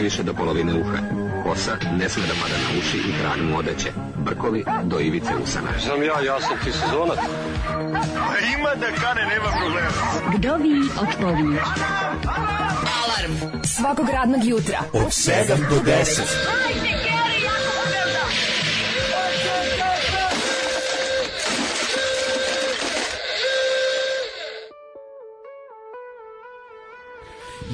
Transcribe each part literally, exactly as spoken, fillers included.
najviše do polovine uha. Kosa ne sme da pada na uši i trag mu odeće. Brkovi do ivice usana. Znam ja, ja sam ti sezonac. Ima da kane, nema problema. Vdovi otpovi. Alarm svakog radnog jutra od sedam do deset.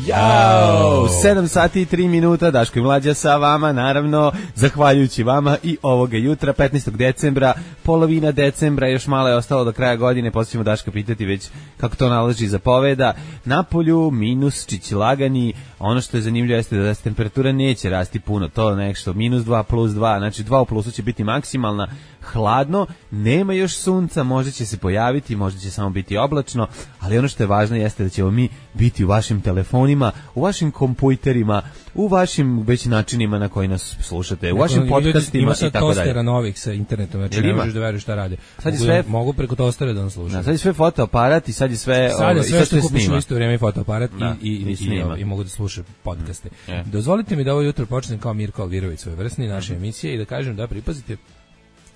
Jao, sedam sati i tri minuta, Daško i Mlađa sa vama, naravno, zahvaljujući vama i ovoga jutra, petnaestog decembra, polovina decembra, još malo je ostalo do kraja godine, poslije ćemo Daška pitati već kako to nalaži zapoveda. Napolju, minus, čići lagani, ono što je zanimljivo jeste da se temperatura neće rasti puno, to nešto, minus dva, plus dva, znači dva u plusu će biti maksimalna, hladno, nema još sunca, možda će se pojaviti, možda će samo biti oblačno, ali ono što je važno jeste da ćemo mi biti u vašim telefonima, u vašim kompjuterima, u vašim već načinima na koji nas slušate, u vašim podcastima i tako dalje. Ima sad tostera novih sa internetom, znači ne možeš da veruješ šta rade. Sad je sve, mogu preko tostera da nas slušaju. Sad je sve fotoaparat i sad je sve... Sad je sve ovo, što kupiš u isto vrijeme i fotoaparat da, i, i, i, i, i mogu da slušaju podcaste. Mm. Yeah. Dozvolite mi da ovo jutro počnem kao Mirko Alvirović svoje vrstni naše emisije i da kažem da pripazite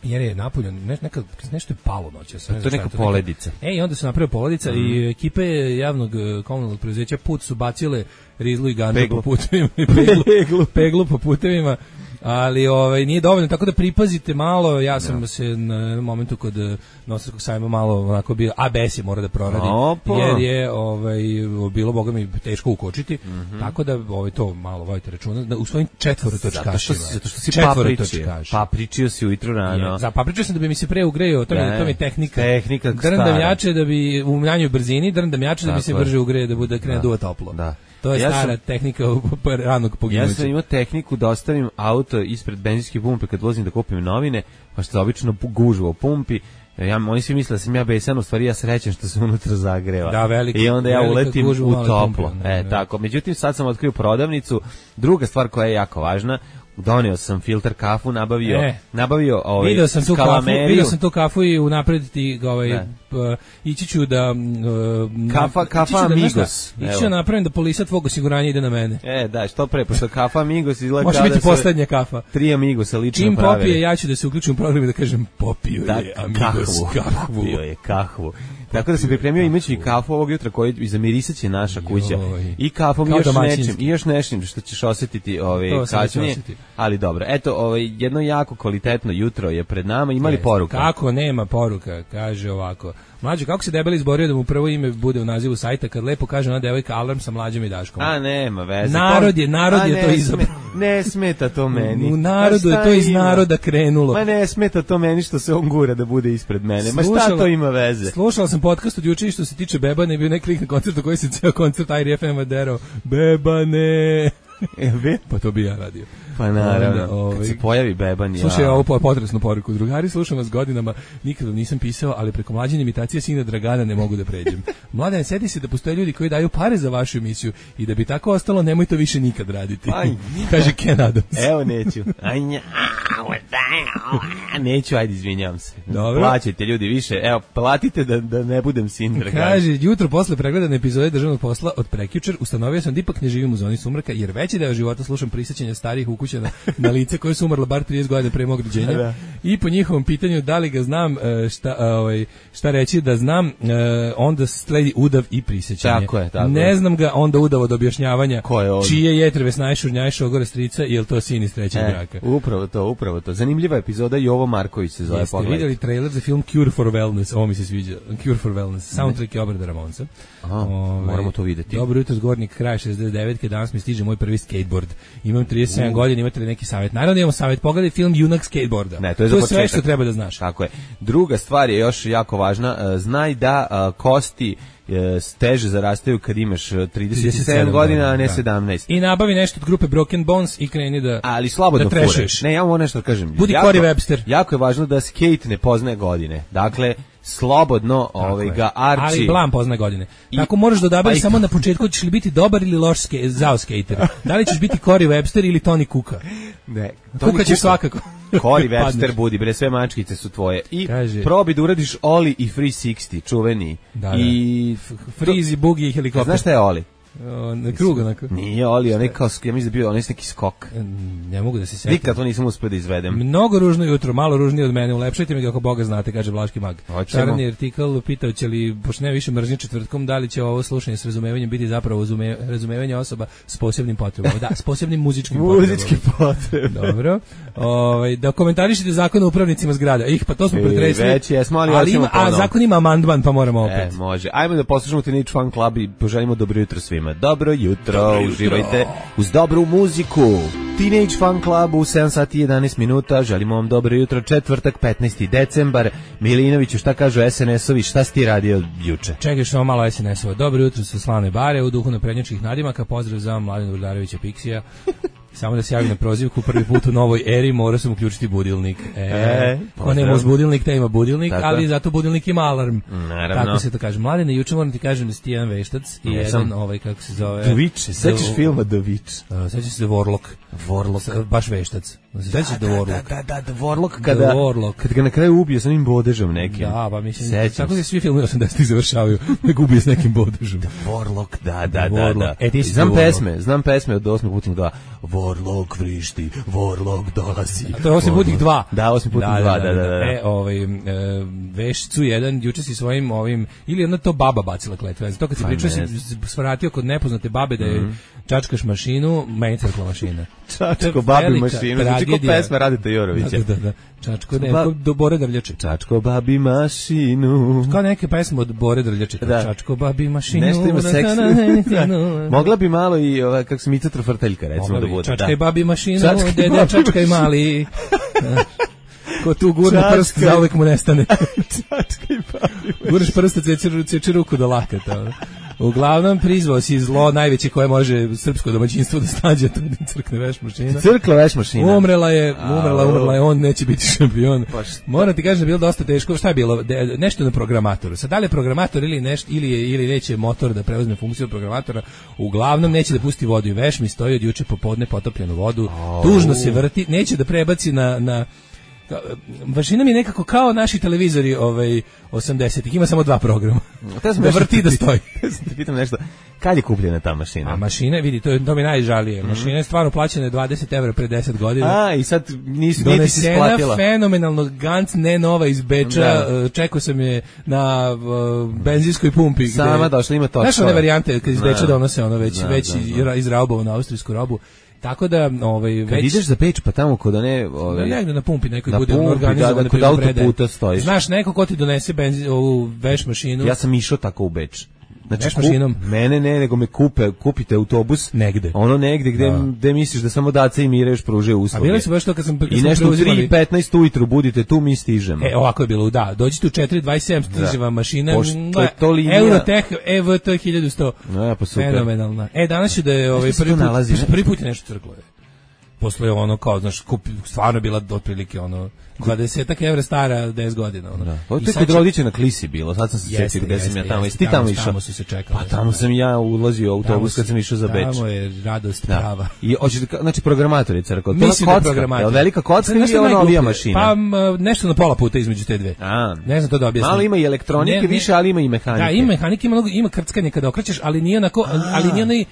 jer je napolje ne, neka, nešto je palo noće. To je neka poledica. E, i onda se napravio poledica mm. i ekipe javnog komunalnog preduzeća Put su bacile rizlu i ganđu po putevima. Peglu, peglu. peglu po putevima. Ali ovaj nije dovoljno, tako da pripazite malo. Ja sam no. se na momentu kod Novosadskog sajma malo onako bio A B S je mora da proradi Opa. jer je ovaj bilo bogami teško ukočiti. Mm-hmm. Tako da ovaj to malo vodite računa da u svojim četvorotočkašima. Zato što, zato što si papričio. Papričio si ujutro rano. Je, za papričio sam da bi mi se pre ugreo, to mi to mi tehnika. Tehnika drndam jače da bi u manjoj brzini, drndam jače da bi se brže ugreje da bude krene duva toplo. Da. To je ja stara sam, tehnika ranog poginuća. Ja sam imao tehniku da ostavim auto ispred benzinske pumpe kad vozim da kupim novine, pa što obično gužu o pumpi. Ja, oni svi misle da sam ja besan, u stvari ja srećen što se unutra zagreva. Da, velika, I onda ja uletim u toplo. Pumpe, e, tako. Međutim, sad sam otkrio prodavnicu. Druga stvar koja je jako važna, doneo sam filter kafu, nabavio, e, nabavio ovaj video sam tu kafu, video sam tu kafu i unapred ti ovaj uh, ići ću da uh, kafa kafa Amigos. Ići ću napravim da polisa tvog osiguranja ide na mene. E, da, što pre, pošto kafa Amigos izgleda može biti poslednja kafa. Tri Amigosa lično čim pravili. popije, ja ću da se uključim u program i da kažem popio da, je Amigos kafu. Popio je kahvu. Tako da se pripremio imajući i kafu ovog jutra koji izamirisat će naša kuća. Joj. I kafom i još nečim, i još nečim što ćeš osjetiti ovaj kasnije. Ali dobro, eto, ovaj jedno jako kvalitetno jutro je pred nama. Imali poruka? Kako nema poruka, kaže ovako. Mlađo, kako se Debeli izborio da mu prvo ime bude u nazivu sajta kad lepo kaže ona devojka Alarm sa Mlađom i Daškom? A nema veze. Narod je, narod A je to izabrao. Ne smeta to meni. U narodu je to iz naroda krenulo. Ma ne smeta to meni što se on gura da bude ispred mene. Ma šta to ima veze? Slušala sam podcast od juče što se tiče Bebane, bio neki lik na koncertu koji se ceo koncert I R F M derao. Bebane. Ebe? Pa to bi ja radio. Pa naravno, ovaj, kad se pojavi Beban. Slušaj, ja. Ovo potresnu poruku. Drugari, slušam vas godinama, nikad vam nisam pisao, ali preko Mlađine imitacije sina Dragana ne mogu da pređem. Mladene, sedi se da postoje ljudi koji daju pare za vašu emisiju i da bi tako ostalo, nemoj to više nikad raditi. Kaže Ken Adams. Evo neću. Neću, ajde, izvinjavam se. Dobro. Plaćajte ljudi više, evo, platite da, da ne budem sin Dragana. Kaže, jutro posle pregledane epizode državnog posla od prekjučer ustanovio sam da ipak ne živim u zoni sumraka, jer veći deo života slušam prisjećanja starih ukućana na lice koje su umrle bar trideset godina pre mog rođenja. Da. I po njihovom pitanju da li ga znam, šta, ovaj, šta reći da znam, onda sledi udav i prisjećanje. Tako je, tako ne je. znam ga onda udav od objašnjavanja ko je on? Čije jetrve snajšu gnjajšu ogore strica, je li to sin iz trećeg e, braka. Upravo to, upravo to. Zanimljiva epizoda, Jovo Marković se zove. Jeste vidjeli trailer za film Cure for Wellness, ovo mi se sviđa, Cure for Wellness, soundtrack je obrada Ramonsa. Aha, Ove, moramo to videti. Dobro jutro, Zgornik, kraj šezdeset devetke, danas mi stiže moj prvi skateboard. Imam trideset sedam godina, imate li neki savjet? Naravno imamo savjet, pogledaj film Junak skateboarda. Ne, to je, to je sve što treba da znaš. Tako je. Druga stvar je još jako važna, znaj da uh, kosti teže zarastaju kad imaš trideset sedam godina, a ne sedamnaest. I nabavi nešto od grupe Broken Bones i kreni da ali slobodno da trešuješ. Ne, ja vam nešto kažem. Budi Corey Webster. Jako je važno da skate ne poznaje godine. Dakle, slobodno ovaj ga arči. Ali blam poznaje godine. I, tako možeš da odabereš samo na početku hoćeš li biti dobar ili loš ske, zao skater. Da li ćeš biti Corey Webster ili Tony Kuka? Ne. Kuka ćeš svakako. Corey Webster budi, bre, sve mačkice su tvoje. I kaže, probi da uradiš Oli i Free šezdeset, čuveni. Da, i Freezy, Boogie i helikopter. Znaš šta je Oli? O, na krug onako. Nije Oli, onaj kao, ja mislim da bio onaj neki skok. Ne mogu da se setim. Nikad to nisam uspio da izvedem. Mnogo ružno jutro, malo ružnije od mene. Ulepšajte mi ga ako Boga znate, kaže Vlaški mag. Hoćemo. Šarani artikl pitao će li, pošto ne više mržnje četvrtkom, da li će ovo slušanje s razumevanjem biti zapravo razume, razumevanje osoba s posebnim potrebama. Da, s posebnim muzičkim potrebama. Muzički potrebe. Dobro. Ovaj da komentarišete zakon o upravnicima zgrada. Ih, pa to smo pretresli. Već jesmo, ali, ali ima, a zakon ima amandman, pa moramo opet. E, može. Ajmo da poslušamo Teenage Fan Club i poželimo dobro jutro svima. Dobro jutro, dobro jutro. Uživajte uz dobru muziku. Teenage Fan Club u sedam sati i jedanaest minuta. Želimo vam dobro jutro. Četvrtak, petnaesti decembar. Milinoviću, šta kažu es en es ovi? Šta si ti radio juče? Čekaj što malo es en es-ova. Dobro jutro sa Slavne bare u duhu naprednjačkih nadimaka. Pozdrav za Mladena Urdarevića Piksija. Samo da se javi na prozivku, prvi put u novoj eri mora sam uključiti budilnik. E, e ko nema uz budilnik, te ima budilnik, tako, ali zato budilnik ima alarm. Naravno. Tako se to kaže. Mladene, juče moram ti kažem da si ti jedan veštac i Jesam. jedan, ovaj, kako se zove... The Witch, sećaš filma The Witch? Uh, sećaš se The Warlock. Warlock. Baš veštac. Sećaš se The Warlock? Da, da, da, The Warlock, kada, Warlock. kada ga na kraju ubije sa onim bodežom nekim. Da, pa mislim, sećam tako da svi filmi osamdesetih završavaju, nek ubije s nekim bodežom. The Warlock, da, da, da, Warlock. da. E, ti si znam The pesme, znam pesme od osmi putnik dva. Warlock vrišti, Warlock dolazi. A to je osmi putnik dva. Da, osmi putnik da, dva, da, da, da, da. E, ovaj, e, vešcu jedan, juče si svojim ovim, ili jedna to baba bacila kletve. Zato kad si pričao si svratio kod nepoznate babe da je mm. čačkaš mašinu, meni crkla mašina. Čačko babi mašinu, znači ko pesme Radita Jorovića. Da, da, da. Čačko, ne, ba... do Bore Drljače. Čačko babi mašinu. Kao neke pesme od Bore Drljače. Da. Čačko babi mašinu. Nešto ima seksi. Mogla bi malo i, ova, kako se Mica Trofrteljka, recimo da bude. Čačkaj babi mašinu, dede čačkaj mali. Ko tu gurne prst, zauvek mu nestane. Čačkaj babi mašinu. Gurneš prst, ceči ruku do lakata. Uglavnom prizvao si zlo najveće koje može srpsko domaćinstvo da snađe, to je crkne veš mašina. Crkla veš mašina. Umrela je, umrela, umrela je, on neće biti šampion. Moram ti kažem da je bilo dosta teško. Šta je bilo? De, nešto na programatoru. Sad da li je programator ili nešto ili je, ili neće motor da preuzme funkciju programatora, uglavnom neće da pusti vodu i veš mi stoji od juče popodne potopljenu vodu. Oh. Tužno se vrti, neće da prebaci na na mašina mi je nekako kao naši televizori ovaj osamdesetih, ima samo dva programa. Da vrti da stoji. Te pitam nešto, kad je kupljena ta mašina? A mašina, vidi, to, je, to mi najžalije. Mm. Mašina je stvarno plaćena dvadeset evra pre deset godina. A, i sad nisu niti se isplatila. Donesena fenomenalno, Gantz, ne nova iz Beča, da. Čekao sam je na uh, benzinskoj pumpi. Sama gde, došla, ima to. Znaš one varijante, kad iz Beča donose ono već, da, već da, da. izraubovano austrijsku robu. Tako da, ovaj već kad ideš za Beč pa tamo kod one, ovaj negde na pumpi nekoj na bude pumpi, organizovan, da, da, kod autoputa stojiš. Znaš neko ko ti donese benzin, ovu veš mašinu. Ja sam išao tako u Beč. Znači, kup, mašinom. Mene ne, nego me kupe, kupite autobus negde. Ono negde gde, da. Gde misliš da samo Daca i Mira još pružaju usluge. A bili su baš to kad sam kad i nešto u tri petnaest ujutru budite tu, mi stižemo. E, ovako je bilo, da. Dođite u četiri dvadeset sedam, stiže vam mašina. Pošto je to linija. Eurotech E V T hiljadu sto. Ja, pa super. Fenomenalna. E, danas će da je ovaj prvi put, nalazi, prvi put je nešto crklo. Posle ono kao, znaš, kup, stvarno bila otprilike ono dvadeset evra stara deset godina. Ono. Da. Ovo je kod Rodića na Klisi bilo, sad sam se sjetio gde sam ja tamo. Jesi ti tamo išao? Tamo su se čekali. Pa tamo sam ja ulazio u autobus kad sam išao za Beč. Tamo je radost prava. I hoćete, znači programator je crkva. Mislim da programator. Velika kocka ili ona novija mašina? Pa nešto na pola puta između te dve. A, ne znam to da objasnim. Malo ima i elektronike, ne, više, ali ima i mehanike. Da, ima mehanike, ima, ima krckanje kada okrećeš, ali nije onako, ali nije onaj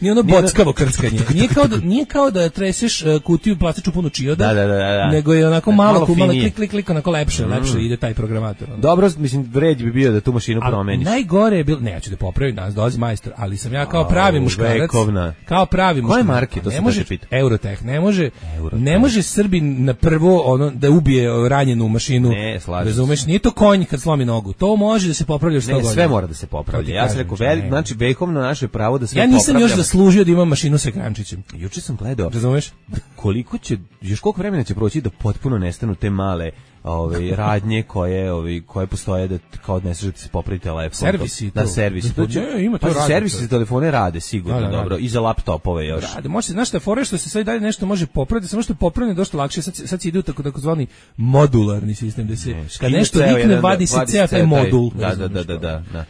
Nije ono bockavo krckanje. Nije kao da, nije kao da treseš uh, kutiju plastičnu punu čioda, da, da, da, da. nego je onako malo, malo, malo klik, klik, klik, onako lepše, mm. lepše ide taj programator. Ono. Dobro, mislim, vred bi bio da tu mašinu a promeniš. Najgore je bilo, ne, ja ću da popravim, nas dolazi majstor, ali sam ja kao pravi muškarac. Vekovna. Kao pravi muškarac. Koje marke, to se može pita? Eurotech, ne može, Eurotech. Ne može Srbin na prvo ono da ubije ranjenu mašinu. Ne, slažem. Razumeš, nije to konj kad slomi nogu. To može da se popravlja sto godina. Ne, sve mora da se popravlja. Ja sam rekao, znači vekovno naše pravo da sve ja nisam još zaslužio da imam mašinu sa ekrančićem. Juče sam gledao. Razumeš? Koliko će, još koliko vremena će proći da potpuno nestanu te male ove radnje koje ove koje postoje da kao odneseš da ti se popravi telefon. Servisi da servisi. To će, ne, ima to pa radi, servisi za telefone rade sigurno, da, da, dobro, radi. I za laptopove još. Rade, može se, znaš šta, fore što se sad dalje nešto može popraviti, samo što je popravljeno dosta lakše, sad, sad se ide u tako takozvani modularni sistem, da se, ne, kad nešto nikne, vadi se ceo taj modul. Da, da, da, da, da.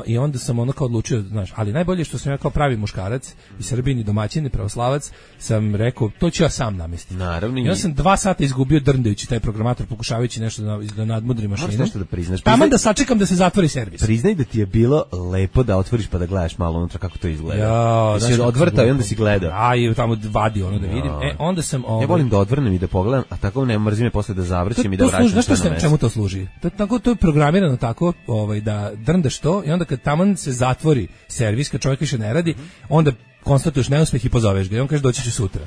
i onda sam ono kao odlučio, znaš, ali najbolje što sam ja kao pravi muškarac i Srbin i domaćin i pravoslavac sam rekao, to ću ja sam namestiti. Naravno. Ja sam dva sata izgubio drndajući taj programator, pokušavajući nešto da, da nadmudri mašinu. Moraš nešto da priznaš. Taman da sačekam da se zatvori servis. Priznaj da ti je bilo lepo da otvoriš pa da gledaš malo unutra kako to izgleda. Ja, si odvrtao i onda si gledao. A i tamo vadi ono da vidim. E, onda sam... Ovaj, ja volim da odvrnem i da pogledam, a tako ne mrzim me posle da zavrćem i da vraćam služi, sve na mesto. Čemu to služi? To, tako, to je programirano tako ovaj, da drndaš to i onda kad taman se zatvori servis, kad čovjek više ne radi, onda konstatuješ neuspeh i pozoveš ga i on kaže doći ću sutra.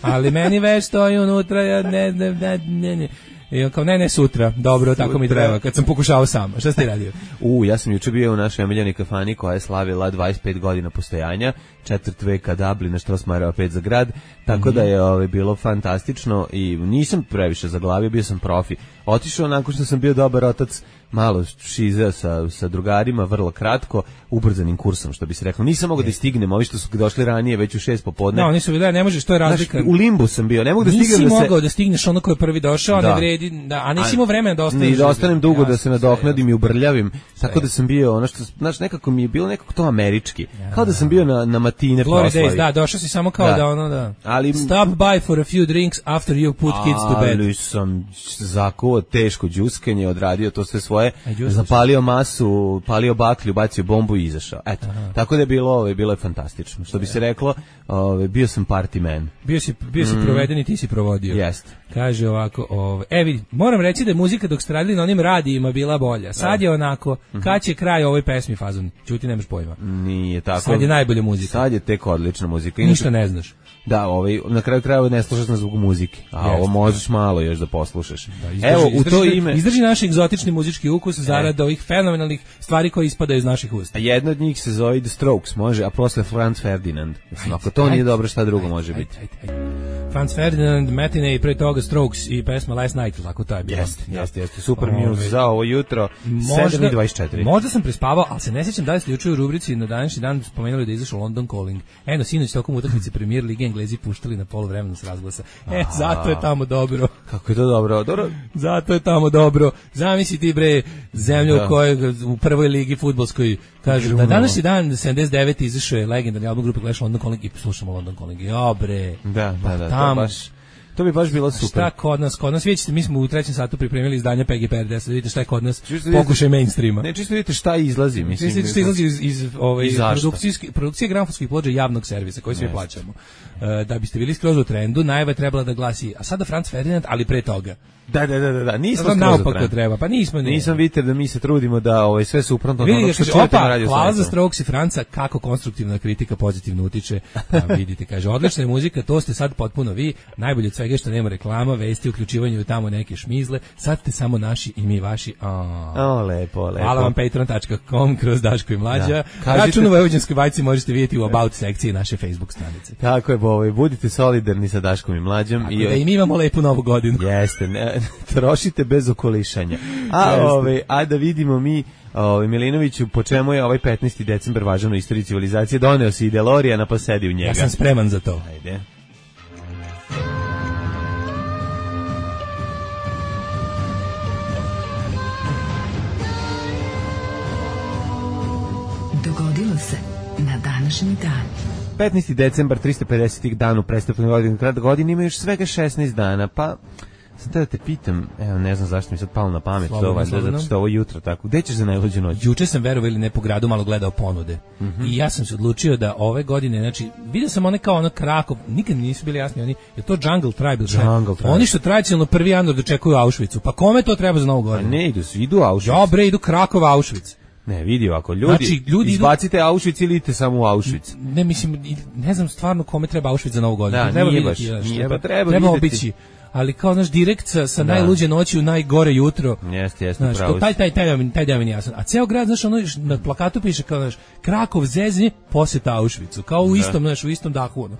Ali meni već stoji unutra, ja ne, ne, ne, ne, ne. I on kao, ne, ne, sutra, dobro, sutra. Tako mi treba, kad sam pokušao sam. Šta ste radio? U, ja sam juče bio u našoj omiljenoj kafani koja je slavila dvadeset pet godina postojanja, četvrt veka Dublina, Štrosmajerova pet za grad, tako mm-hmm. da je ove, bilo fantastično i nisam previše zaglavio, bio sam profi. Otišao nakon što sam bio dobar otac, malo šizeo sa, sa drugarima, vrlo kratko, ubrzanim kursom, što bi se reklo. Nisam mogao da stignem, ovi što su došli ranije, već u šest popodne. Da, oni su bili, ne možeš, to je razlika. Znaš, u limbu sam bio, ne mogu da nisi stignem da se... Nisi mogao da stigneš ono ko je prvi došao, da. Ne vredi, da, a nisi imao vremena da ostaneš. Ni da ostanem dugo, jasno, da se nadoknadim i ubrljavim, sve tako da sam bio, ono što, znaš, nekako mi je bilo nekako to američki. Ja, kao da sam bio na, na matine proslavi. Glory Days, da, došao si samo kao da, da ono, da. Ali, stop by for a few drinks after you put kids to bed. Ali sam zakuo teško đuskanje, odradio to sve svoje, zapalio masu, palio baklju, bacio bombu i izašao. Eto, aha. Tako da je bilo, ove, bilo je fantastično. Što bi se reklo, ove, bio sam party man. Bio si, bio si mm. proveden i ti si provodio. Jeste. Kaže ovako, ove, e vidi, moram reći da je muzika dok ste radili na onim radijima bila bolja. Sad je onako, mm-hmm. kad će kraj ovoj pesmi fazon? Ćuti, nemaš pojma. Nije tako. Sad je najbolja muzika. Sad je tek odlična muzika. Inače, ništa ne znaš. Da, ovaj, na kraju krajeva ne slušaš na zbog muzike, a yes, ovo možeš malo još da poslušaš. Da, izdrži, evo, u to ime... Izdrži naš egzotični muzički ukus zarad ovih fenomenalnih stvari koje ispadaju iz naših usta. A jedna od njih se zove The Strokes, može, a posle Franz Ferdinand. Mislim, ako to ajde, nije dobro, šta drugo ajde, može ajde, biti? Ajde, ajde. Franz Ferdinand, Matinee i pre toga Strokes i pesma Last Night, tako to je bilo. Jeste, jeste, jeste. Super news za ovo jutro, sedam i dvadeset četiri. Možda sam prespavao, ali se ne sjećam da li ste juče u rubrici na današnji dan spomenuli da je izašao London Calling. Eno, sinoć tokom utakmice Premier Lige Englezi puštali na poluvremenu s razglasa. E, zato je tamo dobro. Kako je to dobro? Dobro. Zato je tamo dobro. Zamisli ti bre zemlju u kojoj u prvoj ligi fudbalskoj kaže na današnji dan sedamdeset devete izašao je legendarni album grupe Clash London Calling i slušamo London Calling. Jo bre. Da, da, da. Tam, to baš to bi baš bilo super. Šta kod nas, kod nas vidite, mi smo u trećem satu pripremili izdanje P G P R D, da vidite šta je kod nas. Pokušaj mainstreama. Ne, čisto vidite šta izlazi, mislim. Vidite šta izlazi iz iz ove produkcijske produkcije gramofonskih ploča javnog servisa koji svi plaćamo. Uh, da biste bili skroz u trendu, najava je trebala da glasi, a sada Franz Ferdinand, ali pre toga. Da, da, da, da, nismo skroz naopako treba, pa nismo. Ne. Nisam vidite da mi se trudimo da ovaj sve suprotno od onog što čujete na radiju. Hvala za Strokes i Franca, kako konstruktivna kritika pozitivno utiče. Pa vidite, kaže, odlična je muzika, to ste sad potpuno vi, najbolje od svega što nema reklama, vesti, uključivanje u tamo neke šmizle, sad ste samo naši i mi vaši. O, lepo, lepo. Hvala vam patreon tačka com kroz Daško i Mlađa. Račun u Vojvođanskoj bajci možete vidjeti u About sekciji naše Facebook stranice. Tako je, ovaj, budite solidarni sa Daškom i Mlađom. Tako i da i mi imamo lepu novu godinu. Jeste, ne, trošite bez okolišanja. A, ovaj, a da vidimo mi, ovaj, Milinoviću, po čemu je ovaj petnaesti decembar važan u istoriji civilizacije, doneo si DeLoreana pa sedi u njega. Ja sam spreman za to. Ajde. Dogodilo se na današnji dan. petnaesti decembar, tristo pedeseti dan u prestupnoj godini, krad godine ima još svega šesnaest dana, pa sad da te pitam, evo ne znam zašto mi sad palo na pamet, to ovaj, zato što ovo jutro tako, gde ćeš za najluđu noć? Juče sam verovao ili ne po gradu malo gledao ponude mm-hmm. i ja sam se odlučio da ove godine, znači, vidio sam one kao ono Krakov, nikad nisu bili jasni, oni, je to Jungle Tribe, Jungle Tribe. Oni što tradicionalno prvi januar dočekuju Auschwitzu, pa kome to treba za novu godinu? A ne idu, idu Auschwitz. Ja bre, idu Krakov Auschwitz. Ne, vidi ovako, ljudi, znači, ljudi izbacite idu... Auschwitz ili idite samo u Auschwitz. Ne, mislim, ne znam stvarno kome treba Auschwitz za novu godinu. Da, treba nije baš, vidjeti, nije, treba, pa treba, treba vidjeti. obići. Ali kao naš direkt sa, sa najluđe noći u najgore jutro. Jeste, jeste, pravo. Taj, taj, taj, taj dan mi jasan. A ceo grad, znaš, ono, na plakatu piše kao, znaš, Krakov zezni, posjeta Auschwitzu. Kao u istom, znaš, u istom dahu, ono.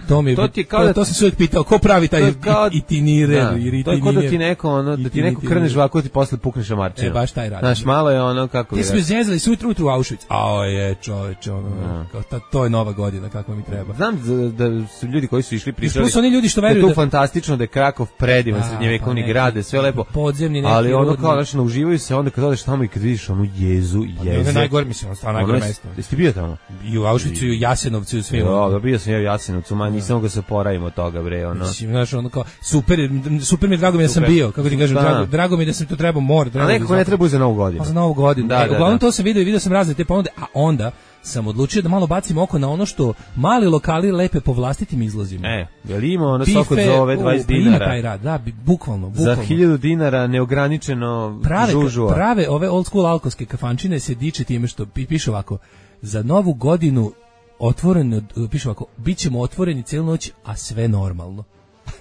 To mi to, ti kao to, da, to sam se uvijek pitao, ko pravi taj itinirer? Da, to je kao da ti neko, ono, da ti neko krneš ovako, ti posle pukneš amarčinu. E, baš taj rad. Znaš, malo je ono, kako ti smo zezali sutru utru u Auschwitz. A je, čoveče, ono, kao, ta, to je nova godina, kako mi treba. Znam da, da su ljudi koji su išli pričali. Plus oni ljudi što veruju da je to fantastično, da je Krakov predivan Da, srednjevekovni pa neki grad, sve lepo. Podzemni neki ali ono rudnik. kao znači uživaju se onda kad odeš tamo i kad vidiš onu jezu, Ono je jeze. najgore, mislim, ono stvarno najgore mesto. Jesi ti bio tamo? I u Auschwitzu i u Jasenovcu i u svim. Jo, da bio sam ja u Jasenovcu, ma nisam mogao se poravim od toga, bre, ono. Mislim, znaš, ono kao, super, super mi je, drago mi je da sam Super. bio, kako ti kažem, Da. drago, drago mi je da sam to trebao, mora. A trebao nekako da ne treba za Novu godinu. Pa za Novu godinu. Da, e, da, uglavnom da. to sam video i video sam razne te ponude, a onda sam odlučio da malo bacim oko na ono što mali lokali lepe po vlastitim izlozima. E, jel ima ono sok od zove dvadeset u, ima dinara? taj rad, da, bi- bukvalno, Za bukvalno. hiljadu dinara neograničeno prave, žužua. prave ove old school alkoholske kafančine se diče time što pi- piše ovako, za Novu godinu otvoreno, piše ovako, bit ćemo otvoreni celu noć, a sve normalno.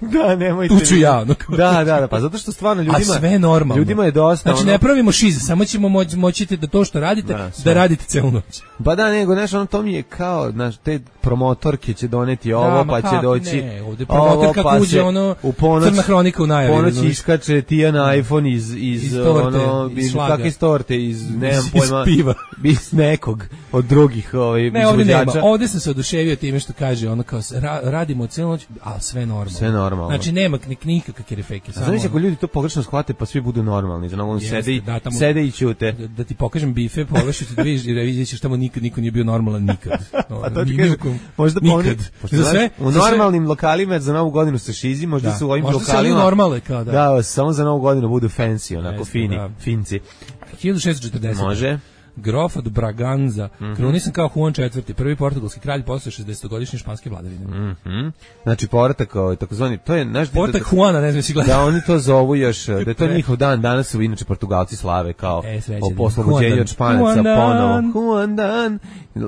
Da, nemojte. Tu ću ja, ono kao- Da, da, da, pa zato što stvarno ljudima a sve je normalno. Ljudima je dosta. Znači ono, ne pravimo šiz, samo ćemo moći moćite da to što radite, Da, da, sve. radite celu noć. Pa da, nego, znaš, ono, to mi je kao, znaš, te promotorke će doneti ovo, ma pa će kako doći ne, ovde promotor kako pa uđe, se ono, u ponoć, Crna hronika u najavi, ponoć razumeš? iskače Tijana iPhone iz, iz, Iz torte, ono, iz iz, šlaga. kakve iz torte, iz, nemam Iz pojma, piva. iz nekog od drugih ovaj, Ne, ovdje nema. izvođača. Ovdje sam se oduševio time što kaže, ono kao, ra, radimo celu noć, a sve normalno. Sve normalno. Znači nema ni nikakve kerefeke. A znaš ako ljudi to pogrešno shvate, pa svi budu normalni, za ono, Jeste, sede, i, da, tamo- sede i ćute. Da, da ti pokažem bife, pogledaš da vidiš i da vidjet ćeš tamo nikad niko nije bio normalan nikad. No, A to ti ni- kažem, nikom- možda pa nikad. oni, pošto Za znaš, sve, u za sve- normalnim lokalima za Novu godinu se šizi, možda Da. su u ovim Možda se lokalima. oni normale, kao da. Da, samo za Novu godinu budu fancy, onako Jeste, fini, da. finci. hiljadu šessto četrdeset. Može. Grof od Braganza, Mhm. krunisan kao Juan četvrti, prvi portugalski kralj posle šezdesetogodišnje španske vladavine. Mhm. Znači povratak, ovaj, takozvani, to je naš Povratak Juana, ne znam si gledao. da oni to zovu još, da je to njihov dan, danas su inače Portugalci slave kao E, srećan o dan. poslobođenju Juan od Španaca dan. ponovo. Juan dan.